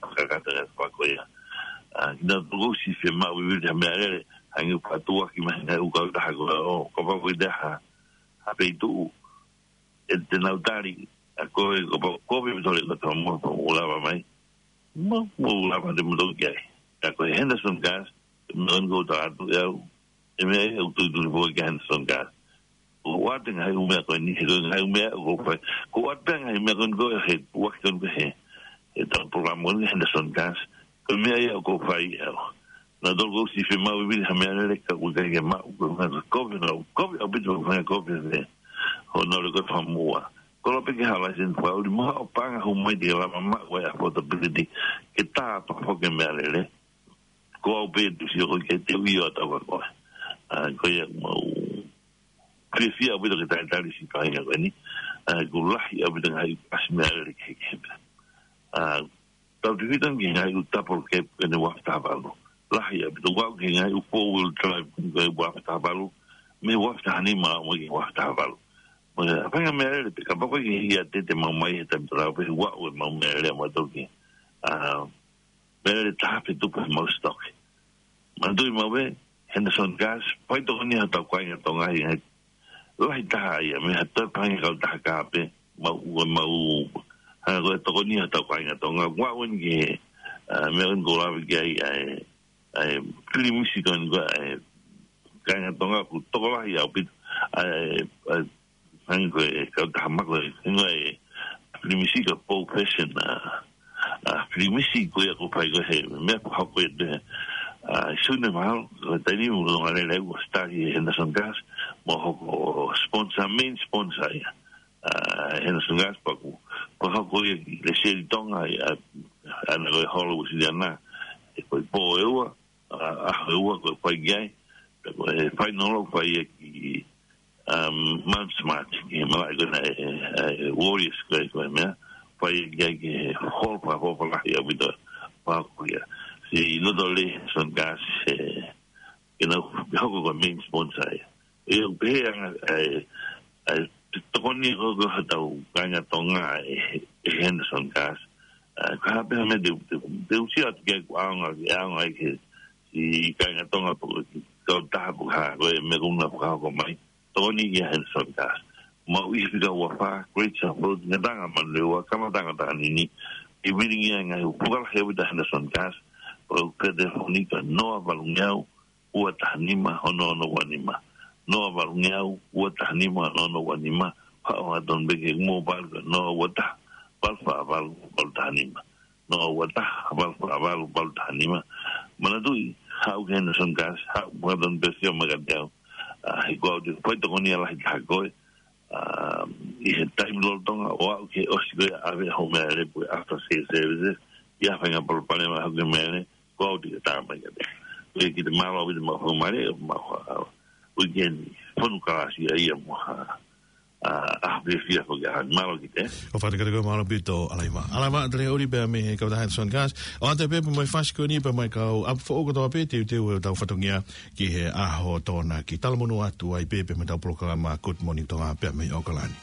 ʻo, kakata e paku ia. ʻA, kina toko si fiemaʻu vivili ha meʻa lele. Hangē patu aki mai hanga ʻo kau taha ko ʻo. Ko paku i te ha. Ha peitu. ʻE te nau tali, ʻa ko e, ko pa, ko pe tole ko tau mo, pa ʻo lava mai. Mo, mo lava te mo tau ki ai. ʻA ko e Henderson Gas, mo ʻen ko ta atu e au, e meʻa e au tui tui po ki Henderson Gas. Ko ʻoatu ngaahi ʻū meʻa ko eni, he ko e ngaahi ʻū meʻa ko fai. Ko ʻoatu pē ngaahi meʻa ko eni ko he, ua ki ʻeni ko he, he tau polokalama ko eni Henderson Gas. Ko e meʻa ia ko fai e au. Naʻa tolu ko si fiemaʻu vivili ha meʻa lele ka ʻoku ʻikai ke maʻu, ko e meʻa ko kovi, naʻa kovi, ʻaupito ko e meʻa kovi e. Hono le ko e fakamua. Ko lo pe ke hala sen fakaʻuli mo haʻo paʻanga hū mai te ke lava maʻu e affordability. Ke tā pa fo ke meʻa lele. Ko au pē tu si o ko ke te ui o tau ka koe. ʻA, ko ia mau fiefia ʻaupito ke talitali siʻi kāinga ko eni. ʻA, ko e lahi ʻaupito ngaahi pasi meʻa lele kehekehe pē. ʻA, tau te fita ki he ngaahi ʻū double cab ko eni ua afe taha valu. Lahi ʻaupito, ʻoku aʻu ki he ngaahi ʻū four wheel drive ko eni ua afe taha valu. Mei he ua afe taha nima ʻo aʻu mai ki he ua afe taha valu. Mo e, ʻa e faʻahinga meʻa lele pē, kapau ko e ke hia te te maʻu mai he taimi tatau pē, ʻoku aʻu e maʻu meʻa lele ʻa mautolu ki. ʻA, meʻa lele taha pē tupu he mau stock. Manatuʻi maʻu pē, Henderson Gas, fai tokoni ha tau kāinga Tonga ʻi he ngaahi lahi taha ia, mei ha toe faʻahinga kautaha kape, mau, ua mau, hanga ko e tokoni ha tau kāinga Tonga, ua uen ki he, ʻa, meʻa uen ko lave ki ai, ʻa e, ʻa e, pilimisi ko eni ko e, ʻa e, kāinga Tonga, ʻoku tokolahi ʻaupito, ʻa e, ʻa e, hangē ko e kautaha mako e, hangē ko e, pilimisi ka Pou Fashion, ʻa, ʻa, pilimisi ko ia ko fai ko he, meʻa ko hoko e te, ʻa, sune mahalo, ko e taimi mo longa lele ua start ʻi he Henderson Gas, mo hoko sponsor, main sponsor ia. ʻa Henderson Gas pea kuo, kuo hoko ia ki he Seli Tonga, ʻa, ʻa, ʻa, ko e holo Uēsiliana, ʻe ko e pō ʻe ua, ʻa, ʻaho ʻe ua ko e fai ki ai, pea ko e final ʻoku fai ia ki, um, Mount Smart, ki he malaʻe ko ena ʻe, ʻe, ʻe Warriors ko e, ko e meʻa, fai ia ki ai ki he holo fakafoʻou lahi ʻaupito, pea ko ia. Siʻi loto lelei Henderson Gas, ʻe, ke nau hoko ko e main sponsor ia. ʻE, ʻoku pehē ange, ʻe, ʻe, tokoni ko, ko hotau kāinga Tonga ʻe, ʻe Henderson Gas. ʻE, ko e hā pē ha meʻa te, te, te u sio atu ki ai kuo ʻaonga, ʻe ʻaonga ai ki he, siʻi kāinga Tonga pe ko e kautaha pe ko e hā, ko e meʻa ko ena ʻoku hoko mai. Tokoni ia Henderson Gas. Maʻu ʻi he fika ua fā, Great South Road, Ngataʻanga Manurewa, Kamataʻanga Takanini, ʻi he vilingia e ngaahi ʻū fuakava lahi ʻaupito ʻa Henderson Gas, ʻo ka telefoni ki he noa valungeau, ua taha nima, ono ono ua nima. Noa valungeau, ua taha nima, ono ono ua nima. Haʻu hangatonu pē ki he mobile ko e noa ua taha, valu fā valu, valu taha nima. Noa ua taha, valu fā valu, valu taha nima. Manatuʻi, haʻu ki he Henderson Gas, haʻu hangatonu pē ʻo sio mai kiate au. ʻA, he ko au te u fai tokoni lahi taha ko ē. ʻA, ʻi he taimi lolotonga ʻo aʻu ki he ʻosi ko ia ʻave hoʻo meʻalele pe ko e after sale services, ʻi ai ha faʻahinga palopalema hake meʻalele, ko au te u tā mai kiate koe. Ko ia, kiate, mālō ʻaupito, mau fakamālō, mau ha, weekend fonu kalasi ia mo ha, ʻa, ʻaho fiefia foki ʻaho ni. Mālō Kite. ʻOku ou fakatokanga, mālō ʻaupito, ʻa Laiva. ʻA Laiva Taliauli pea mei he kautaha Henderson Gas. ʻOatu pē mo e fasi ko eni pea mo e kau ʻapi foʻou kotoa pē, teuteu ʻetau fatongia ki he ʻaho Tokonaki. Talamonū atu ai pē pea mo ʻetau polokalama Good Morning Tonga pea mei ʻAokalani.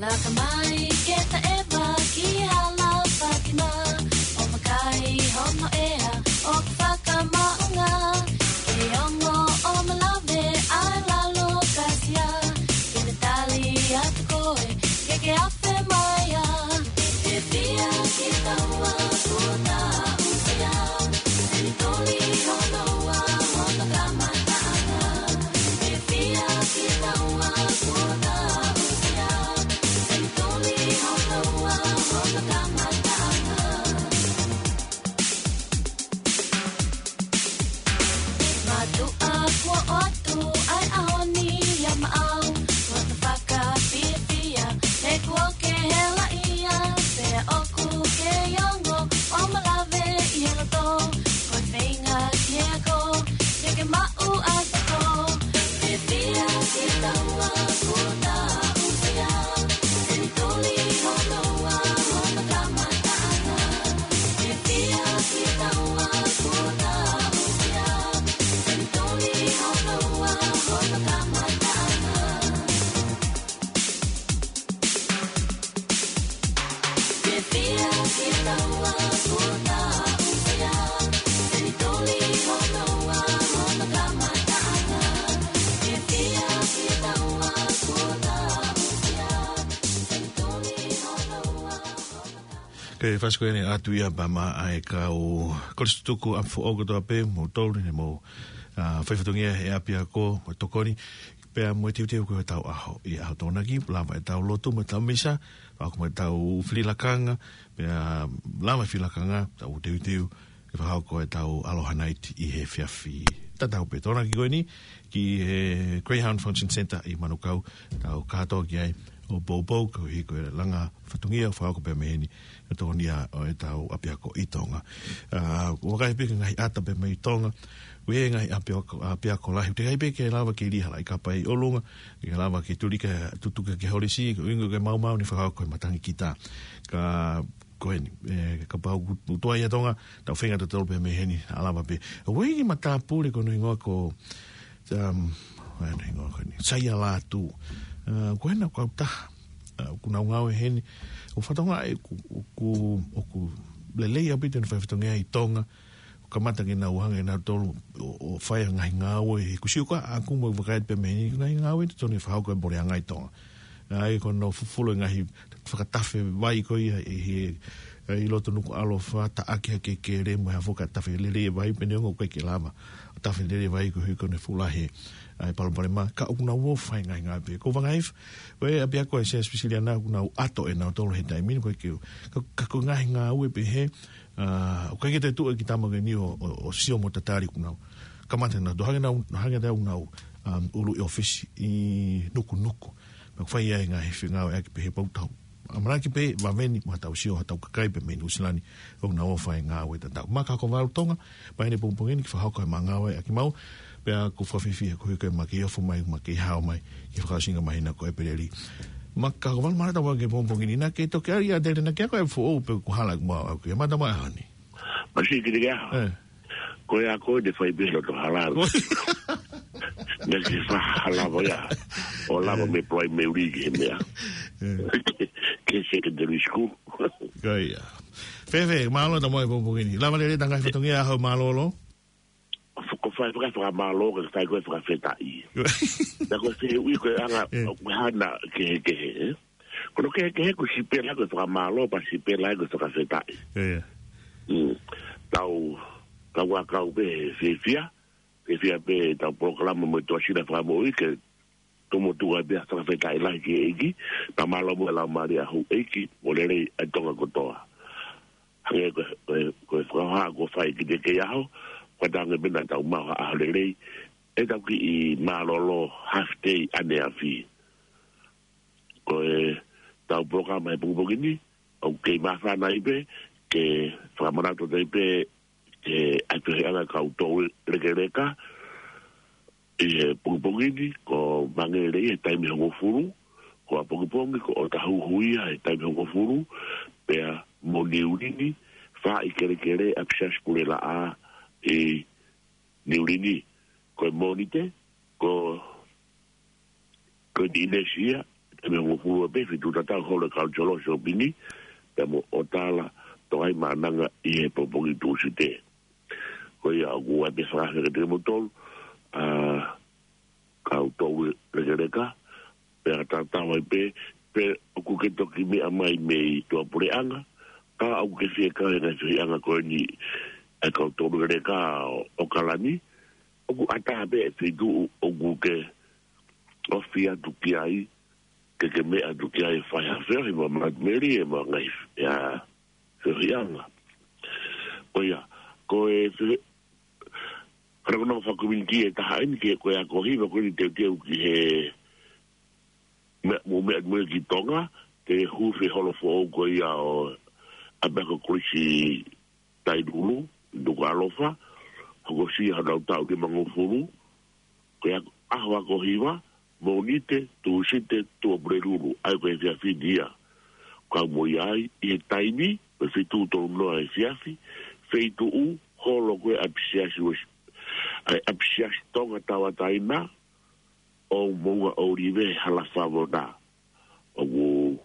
Laka mai ke taʻeva ki Halapakina, ʻo vakai hono ʻea ʻoku fakamaʻunga. Ke ongo ʻo malave ʻa e lalo kasia, ke ne tali atu koe ke ke afe mai ai. Fiefia ki taua kuo taʻusia, senituli hono ua hono kamataʻanga. Fiefia ki taua kuo taʻusia, senituli hono ua hono kamataʻanga. Mātuʻa kuo ʻoatu ʻa e ʻaho ni ʻia maʻau, ko hoto fakafiefia, he kuo ke helaʻia, pea ʻoku ke ongo ʻo malave ʻi he loto, ko e feinga ki he ako, ke ke maʻu ʻa e toko. Fiefia ki taua kuo taʻusia, senituli hono ua hono kamataʻanga. Ke fasi ko eni atu ia pea mo e kau kolisi tutuku ʻapi foʻou kotoa pē, mo tolu ne mo, ʻa, fai fatongia he ʻapiako, mo tokoni. Pea mo e teuteu ko e tau ʻaho, ʻi he ʻaho Tokonaki, lava e tau lotu mo e tau misa, fakahoko mo e tau fili lakanga, pea lava fili lakanga, tau teuteu, ke fakahoko e tau Aloha Night ʻi he efiafi. Tatau pē Tokonaki ko eni, ki he Greyhound Function Centre ʻi Manukau, tau kātoa ki ai, ʻo poupou, koeʻuhi ko e langa fatongia, fakahoko pē mei heni, e tokonia ʻo e tau ʻapiako ʻi Tonga. ʻA, ʻoku vakai pē ki he ngaahi ʻata pē mei Tonga, ʻoku ʻi ai e ngaahi ʻapiako, ʻapiako lahi, ʻoku teʻeki ai pē ke lava ke lī ha laʻi kapa ʻi ʻolunga, ke lava ke tuli ke tutuka ke holisi, ko e ʻuhinga ko e maumau ni fakahoko ko e matangi kita. Ka ko eni, ʻe, kapau ʻoku tuai ʻa Tonga, tau feinga tautolu pē mei heni, ʻa lava pē. ʻOku ʻi ai e kiʻi matāpule ko hono hingoa ko, um, ʻa hono hingoa ko eni, Saia Lātū. ʻA, ko ena ko au taha. ʻA, ʻoku nau ngāue heni. ʻOku fatongia ʻe, ʻoku, ʻoku, ʻoku lelei ʻaupito ʻene fai fatongia ʻi Tonga. ʻOku kamata ke nau hanga ʻe nautolu ʻo, ʻo fai e ngaahi ngāue. He ʻoku sio ko ā ʻaku mo vakai pē mei heni, ngaahi ngāue totonu ke fakahoko e Puleʻanga ʻi Tonga. ʻA ia ko hono fufulu e ngaahi fakatafe vai ko ia ʻi he, ʻi loto Nukuʻalofa, taʻaki hake e kele mo e hā fua e tafe lele e vai, pea neongo ʻoku ʻikai ke lava ʻo tafe lele e vai koeʻuhi ko hono fuʻu lahi ʻa e palopalema, ka ʻoku nau ō ʻo fai e ngaahi ngāue pē. Ko Vangaifa, ko e ʻapiako ʻa e Siasi Uēsiliana ʻoku nau ʻato ʻe nautolu he taimi ni, ʻoku ʻikai ke, ka, ka ko e ngaahi ngāue pehē, ʻa, ʻoku ʻikai ke toe tuʻu e kiʻi tama ko eni ʻo, ʻo, ʻo sio mo tatali, ʻoku nau kamata nautolu, hangē nau, hangē ʻoku nau, um, ʻulu e ʻōfisi ʻi Nukunuku. Pea ʻoku fai ai e ngaahi fengāueʻaki pehē, pea ʻoku tau ʻamanaki pē, vave ni, mo ha tau sio, ha tau kakai pē mei Nuʻusila ni, ʻoku nau ō ʻo fai e ngāue tatau. Maka ko Valu Tonga, mai eni pongipongi ni ke fakahoko e maʻu ngāueʻaki maʻu, pea ʻoku fakafiefia koeʻuhi ko e maʻu kei ofo mai, maʻu kei hao mai, ki he fakaʻosinga māhina ko ʻEpeleli. Maka ko Valu, mālō e tau maʻu ki he pongipongi ni, naʻa ke toki ʻai ʻa Tele naʻa ke ako e foʻou pe ʻoku hala ʻeku maʻu ʻaku ia, mālō e tau maʻu ʻaho ni. Masi ki te ke aho. ʻE. Ko e ako ʻe fai pē loto hala. Ko- Naʻa ke fa hala mo ia. ʻO lava ʻE. mei primary ki he meʻa. ʻE. Ki he secondary school. Ko ia. Fēfē, mālō e tau maʻu e pongipongi ni. Lava lelei e tau ngaahi fatongia ʻaho mālōlō. Ko e fai faka-, fakamālō, ko e fai ko e fakafetaʻi. Naʻa ko e fehuʻi ko e anga, ʻE. ʻoku hana kehekehe, ʻe? Ko hono kehekehe ko e sipela ko e fakamālō, pea sipela ko e fakafetaʻi. ʻIo. Mm. Tau, tau ʻakau pē he fiefia, fiefia pē tau polokalama mo e Tuʻasila Fakamoʻui ke tomuʻa tuku ai pē ʻa e fakafetaʻi lahi ki he ʻEiki, pea mālō mo e laumālie ʻa houʻeiki, mo lelei ʻa Tonga kotoa. Hangē ko e, ko e, ko e fakahā kuo fai ki te ke aho, ko e tangi pē naʻa tau maʻu ha ʻaho lelei, ʻetau kiʻi mālōlō half day ʻaneafi. Ko e tau polokalama he pongipongi ni, ʻoku kei māfana ai pē, ke fakamanatu ai pē, ke ʻai pē he anga kau tau lekeleka, ʻi he pongipongi ni, ko Mangele he taimi hongofulu, ko ʻapongipongi, ko ʻOtahuhu ia he taimi hongofulu, pea mo Niulini, fā ʻi kelekele ʻapisiasi Pulelaʻā ʻi Niulini, ko e Mōnite, ko, ko Niʻinesi ia, taimi hongofulu pē, fitu tatau holo e kau tolo sopini, pea mo ʻOtala, Tohai Maʻananga ʻi he pongipongi Tūsite. Ko ia ʻoku ʻai pē fakafetaʻi kiate kimoutolu, ʻa, kau tau lekeleka, pea tatau ai pē, pe ʻoku ke toki meʻa mai mei tuʻapuleʻanga, ka ʻoku ke fie kau he ngaahi fehiʻanga ko eni ʻa e kau tau lekeleka ʻo, ʻo ʻAokalani, ʻoku ʻatā pē e feituʻu ʻoku ke ofi atu ki ai, ke ke meʻa atu ki ai fai ha feohi mo Matt Mary ʻe mo e ngaahi, ʻa, feohiʻanga. Ko ia, ko e fe-, hara ko e nonga fakakominiti ʻe taha eni ki he ko e ako hiva ko eni teuteu ki he meʻa, mo meʻa mo ki Tonga, ke hū feholo foʻou ko ia ʻo ʻapiako kolisi Tailulu, Nukuʻalofa, hokosia honau taʻu nimangofulu, ko e ako, ʻaho ako hiva, Mōnite, Tūsite, Tuʻapulelulu, ʻa ia ko e efiafi ni ia. Kau mo ia ai, ʻi he taimi, ko e fitu tolu noa efiafi, feituʻu, holo ko e ʻapisiasi Uēsi-, ʻa e ʻapisiasi Tonga Tauʻatāina, ʻo Moʻunga ʻŌlive Hala Favona. ʻOku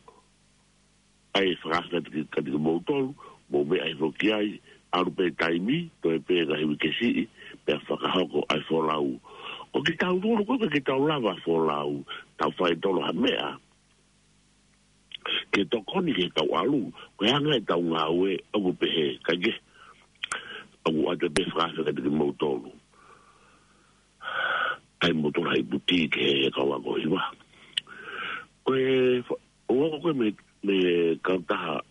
ʻai fakafetaʻi kiate kimoutolu, mou meʻa hifo ki ai, ʻalu pē taimi, toe pē ngaahi uike siʻi, pea fakahoko ʻa e folau. Ko kitautolu, ko kitautolu lava folau, tau fai tolo ha meʻa. Ke tokoni ke tau ʻalu, ko e anga ʻetau ngāue, ʻoku pehē, kae kehe, ʻoku ʻoatu pē fakafetaʻi kiate kimoutolu. ʻa e motu lahi puti ke he kau ako hiva. Ko e fa-, ʻo ako ko e me, me kautaha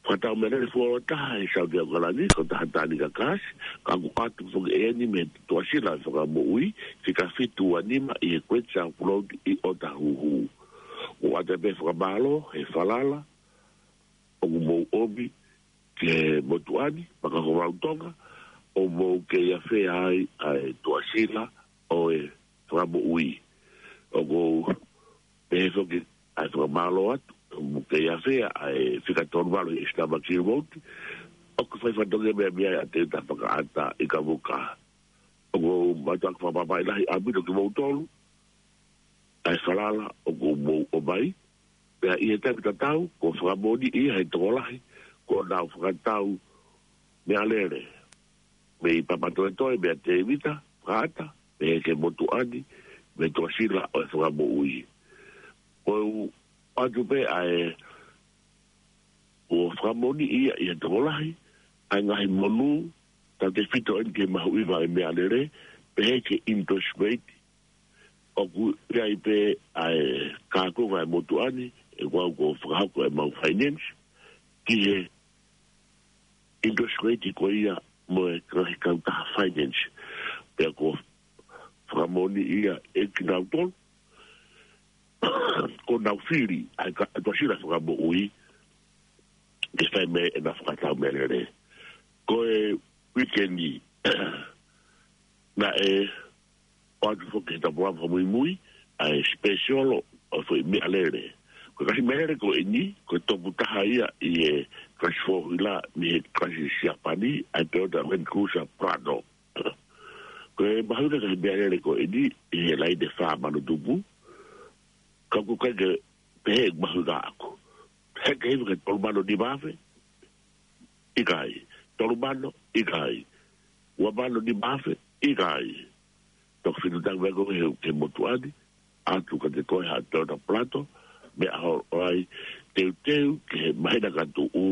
fakatau meʻalele fuoloa taha ʻi Saute ʻAokalani, kautaha Tānika Kasi, ka ʻoku ʻoatu foki eni mei Tuʻasila Fakamoʻui, fika fitu ua nima ʻi he Great South Road ʻi ʻOtahuhu. ʻOku ʻoatu pē fakamālō he falala ʻoku mou ʻomi ki he motuʻa ni, Makahovalu Tonga, ʻo mou kei afea ai ʻa e Tuʻasila ʻo e Fakamoʻui. ʻOku ou pehē foki ʻa e fakamālō atu, ʻo mou kei afea ʻa e fika tolu valu ʻi he Sitama Kilivouti, ʻoku fai fatongia meʻa meʻa ʻa Teuta Fakaʻata ʻi Kavuka. ʻOku ou mātuʻaki fakapapauʻi lahi ʻaupito kimoutolu, ʻa e falala ʻoku mou ʻomai, pea ʻi he taimi tatau, kuo fakamoʻoniʻi ia he tokolahi, kuo nau fakatau meʻalele mei Papatoetoe, meia Tēvita Fakaʻata, mei he motuʻa ni, mei Tuʻasila ʻo e Fakamoʻui. ʻOku ou ʻoatu pē ʻa e, kuo fakamoʻoniʻi ia ʻi he tokolahi, ʻa e ngaahi monū, tautefito eni ki he mahuʻinga ʻo e meʻalele, pehē ki he interest rate, ʻoku ʻi ai pē ʻa e kākunga ʻa e motuʻa ni, ʻe kuo u ko fakahoko ʻemau finance, ki he interest rate ko ia mo e ngaahi kautaha finance. Pea kuo fakamoʻoniʻi ia ʻe kinautolu, kuo nau fili ʻa e ka-, Tuʻasila Fakamoʻui, ke fai mei ai ʻena fakatau meʻalele. Ko e weekend ni, naʻe ʻoatu foki he tapuaʻi fakamuimui, ʻa e special ʻo e foʻi meʻalele. Ko e kalasi meʻalele ko eni, ko e topu taha ia ʻi he kalasi four wheeler mei he kalasi Siapani, ʻa e Toyota Land Cruiser Prado. Ko e mahuʻinga ʻa e meʻalele ko eni, ʻi he laine fā mano tupu, ka ʻoku ʻikai ke pehē ʻe mahuʻinga ʻaʻaku. He ke hiva ke tolu mano nima afe, ʻikai. Tolu mano, ʻikai. Ua mano nima afe, ʻikai. Toki fitu taʻu mai ko e he, he motuʻa ni, ʻoatu kiate koe ha Toyota Prado, meʻa holo ai, teuteu ki he māhina ka tuʻu,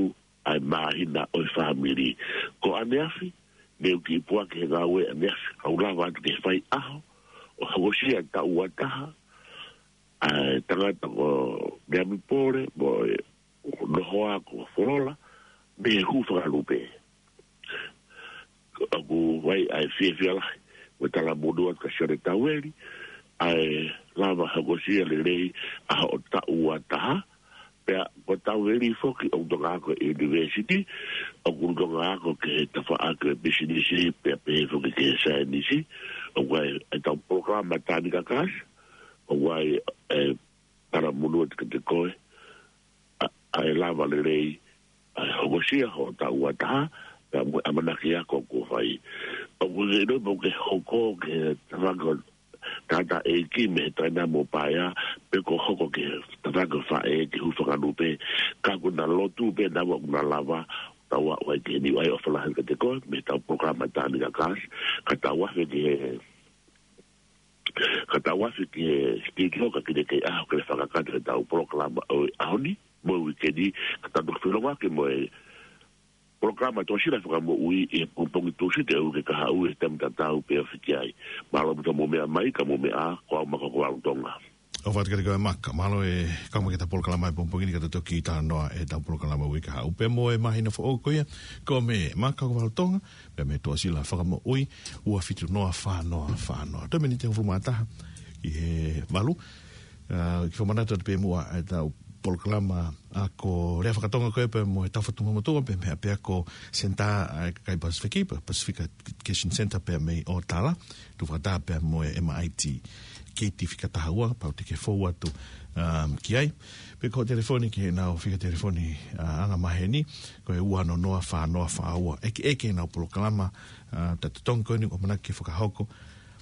ʻa e māhina ʻo e fāmili. Ko ʻaneafi, ne u kiʻi puʻaki he ngāue ʻaneafi, kau lava atu ke fai ʻaho, ʻo hokosia taʻu ua taha, ʻa e tangata ko Meami Pole, mo e nohoa ko Folola, mei he hū fakalupe. ʻOku ʻi ai ʻa e fiefia lahi, mo e talamonū atu kia Sione Taueli, ʻa e lava hokosia lelei ʻa hoʻo taʻu ua taha, pea ko Taueli foki ʻoku toka ako ʻi he university, ʻoku toka ako ki he tafaʻaki ʻo e pisinisi, pea pehē foki ki he saienisi, ʻoku ʻi ai ʻetau polokalama Tānika Kasi, ʻoku ʻi ai e talamonū atu kiate koe, ʻa, ʻa e lava lelei, ʻa e hokosia hoʻo taʻu ua taha, pea mo e ʻamanaki ako kuo fai. ʻOku ke ʻilo pe ʻoku ke hoko ki he tafaʻaki ʻo e tangataʻeiki mei he taina mo paea, pe ko e hoko ki he tafaʻaki ʻo e faʻē ke hū fakalupe, ka ʻoku na lotu pē naua ʻoku na lava, tau aʻu ai ki heni. ʻOku ʻi ai ʻofa lahi kiate koe, mei heʻetau polokalama Tānika Kasi, ka tau afe ki he Ka tau afe ki he studio ka kiʻi kei ʻaho ke fakakakato ʻetau polokalama ʻo e ʻaho ni, mo e uike ni, ka tau toki feʻiloaki mo e polokalama Tuʻasila Fakamoʻui ʻi he pongipongi Tūsite ʻo e uike kahaʻu he taimi tatau pē ʻo fiki ai. Mālō ʻaupito hoʻomou meʻa mai, ka mou meʻa ā, ko au Makahovalu Tonga. ʻOfa atu kiate koe Maka, mālō e kau mai ki heʻeta polokalama he pongipongi ni ka tau toki talanoa ʻetau polokalama uike kahaʻu pea mo e māhina foʻou ko ia, ko e meʻa Makahovalu Tonga, pea mei Tuʻasila Fakamoʻui, ua fitu noa fā noa fā noa. Toe miniti ʻe hongofulu mā taha ki he valu. ʻA, kiʻi fakamanatu atu pē muʻa ʻetau polokalama ako lea fakatonga ko ē pea mo e Tau Fatu Motumotu, pea mei he ʻapiako Senitā ʻa e kakai Pasifiki, pea Pacific Education Centre pea mei ʻŌtala, tuʻu fakataha pea mo e M I T Kiti fika taha ua, pau te ke fou atu, um, ki ai. Pe ko e telefoni ki heʻenau fika telefoni, uh, anga maheni, ko e ua noa noa fā noa fā ua. ʻEke, ʻeke ʻenau polokalama, uh, ʻa e totongi ko eni ʻoku ʻamanaki ke fakahoko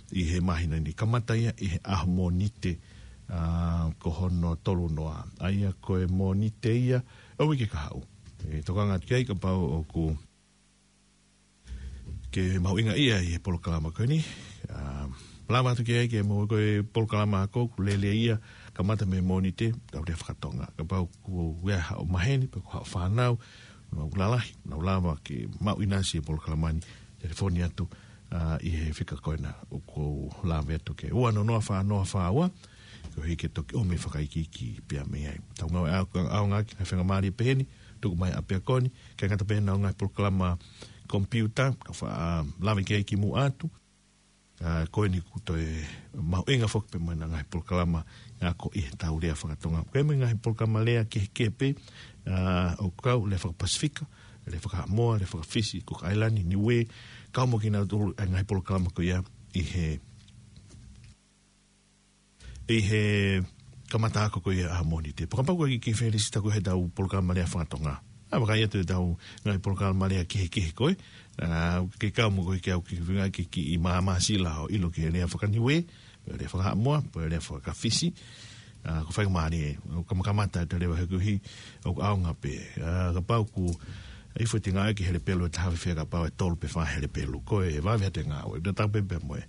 ʻi he māhina ni. Kamata ia ʻi he ʻaho Mōnite, uh, ko hono tolu noa. ʻA ia ko e Mōnite ia ʻo e uike kahaʻu. ʻE tokanga atu ki ai kapau ʻoku ke mahuʻingaʻia ʻi he polokalama ko eni. ʻA, lava atu ki ai ke mo ko e polokalama ako, ʻoku lele ia, kamata mei Mōnite, tau lea fakatonga. Kapau ʻoku ʻi ai haʻo maheni, pe ko haʻo fānau, nau lalahi, nau lava ke maʻu ʻinasi he polokalama ni, telefoni atu, ʻa, ʻi he fika ko ena ʻoku ou lave atu ki ai. Ua noa noa fā noa fā ua, koeʻuhi ke toki ʻomi e fakaikiiki pea mei ai. Tau ngāue ʻa-, ʻaonga ki he faingamālie pehē ni, tuku mai ʻapiako ni, kae ngata pē heʻenau ngaahi polokalama komipiuta, ka fa-, ʻa, lave ki ai kimuʻa atu. ʻA, ko eni kuo toe mahuʻinga foki pē mo ʻenau ngaahi polokalama ako ʻi he tau lea fakatonga. Ko e mo e ngaahi polokalama lea kehekehe pē, ʻa, ʻoku kau lea fakapasifika, lea fakahaʻamoa, lea fakafisi, Cook Island, Niue, kau mo kinautolu ʻa e ngaahi polokalama ko ia ʻi he, ʻi he kamata ako ko ia ʻa Mōnite. Pea kapau ʻoku ʻikai ke ke felisita koe he tau polokalama lea fakatonga, ʻa, vakai atu ʻetau ngaahi polokalama lea kehekehe ko ē. ʻA, ke kau mo koe ke au ki he feinga ke kiʻi māmāsila ʻo ʻilo ki he lea fakaNiue, pe lea fakahaʻamoa, pe lea fakafisi. ʻA, ko e faingamālie, ʻo kamakamata ʻeta lea he koeʻuhi ʻoku ʻaonga pē. ʻA, kapau ʻoku ʻi ai e foʻi ngāue ki he lepelo ʻe taha, fēfē kapau ʻe tolu pe fā he lepelo? Ko e vave atu e ngāue, ʻo tatau pē pea mo e,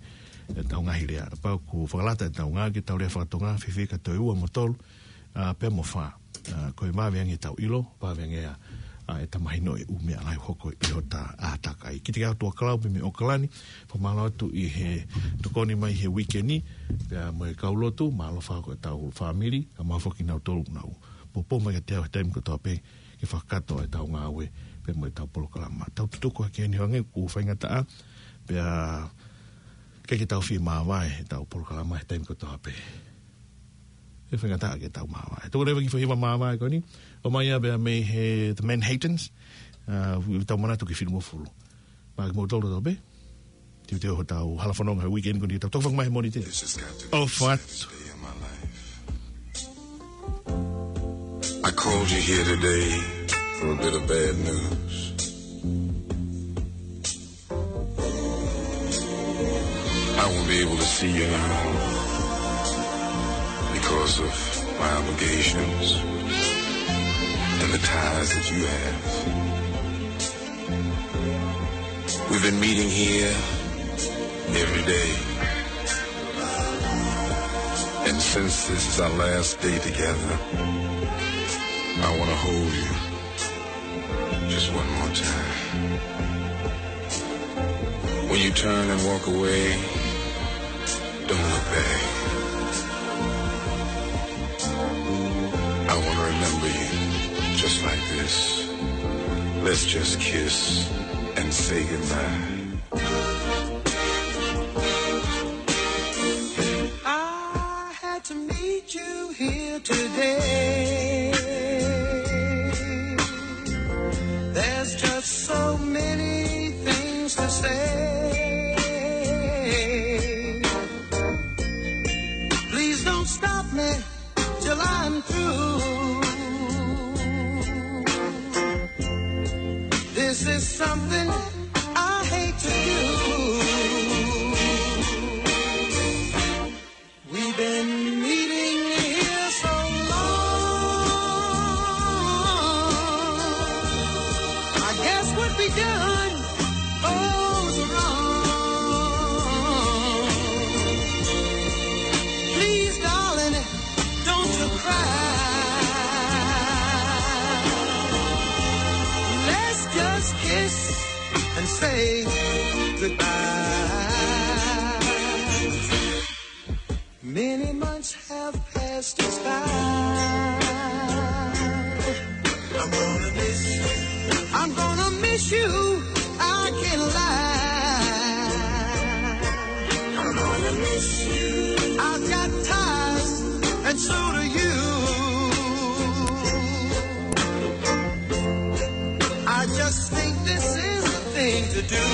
ʻetau ngaahi lea. Kapau ʻoku fakalata ʻetau ngāue ki he tau lea fakatonga, fēfē ka toe ua mo tolu, ʻa, pea mo fā. ʻA, ko e vave ange ʻetau ʻilo, vave ange ʻa, ʻa ʻeta mahinoʻi e ʻū meʻa lahi ʻoku hoko ʻi hota ʻātakai. Kiate kitautolu ʻa Kalau pea mei ʻAokalani, fakamālō atu ʻi he tokoni mai he uike ni, pea mo e kau lotu, mālō foki ʻetau fāmili, kae ʻumaʻā foki kinautolu ʻoku nau poupou mai kiate au he taimi kotoa pē ke fakakakato ʻetau ngāue pea mo ʻetau polokalama. Tau tutuku hake eni hangē ʻoku faingataʻa, pea ʻikai ke tau fie māvae ʻetau polokalama he taimi kotoa pē. ʻE faingataʻa ke tau māvae. Tuku leva e kiʻi foʻi hiva māvae ko eni, ʻomai ia pea mei he The Manhattans, ʻa, ʻoku tau manatu ki he finemui ʻo e fineʻeiki. Maʻa kimoutolu kotoa pē, teuteu hotau hala fononga he uike ni, ko eni tau toki foki mai he Mōnite. This has got to be the saddest day of my life. I called you here today for a bit of bad news. I won't be able to see you now because of my obligations and the ties that you have. We've been meeting here every day. And since this is our last day together, I want to hold you just one more time. When you turn and walk away, don't look back. I want to remember you just like this. Let's just kiss and say goodbye. I had to meet you here today. There's just so many things to say. Please don't stop me till I'm through. This is something I hate to do. We've been meeting here so long. I guess what we done goes wrong. Please, darling, don't you cry. Let's just kiss and say goodbye. Many months have passed us by. I'm gonna miss you. I'm gonna miss you. I can't lie. I'm gonna miss you. I've got ties, and so do you. I just think this is the thing to do.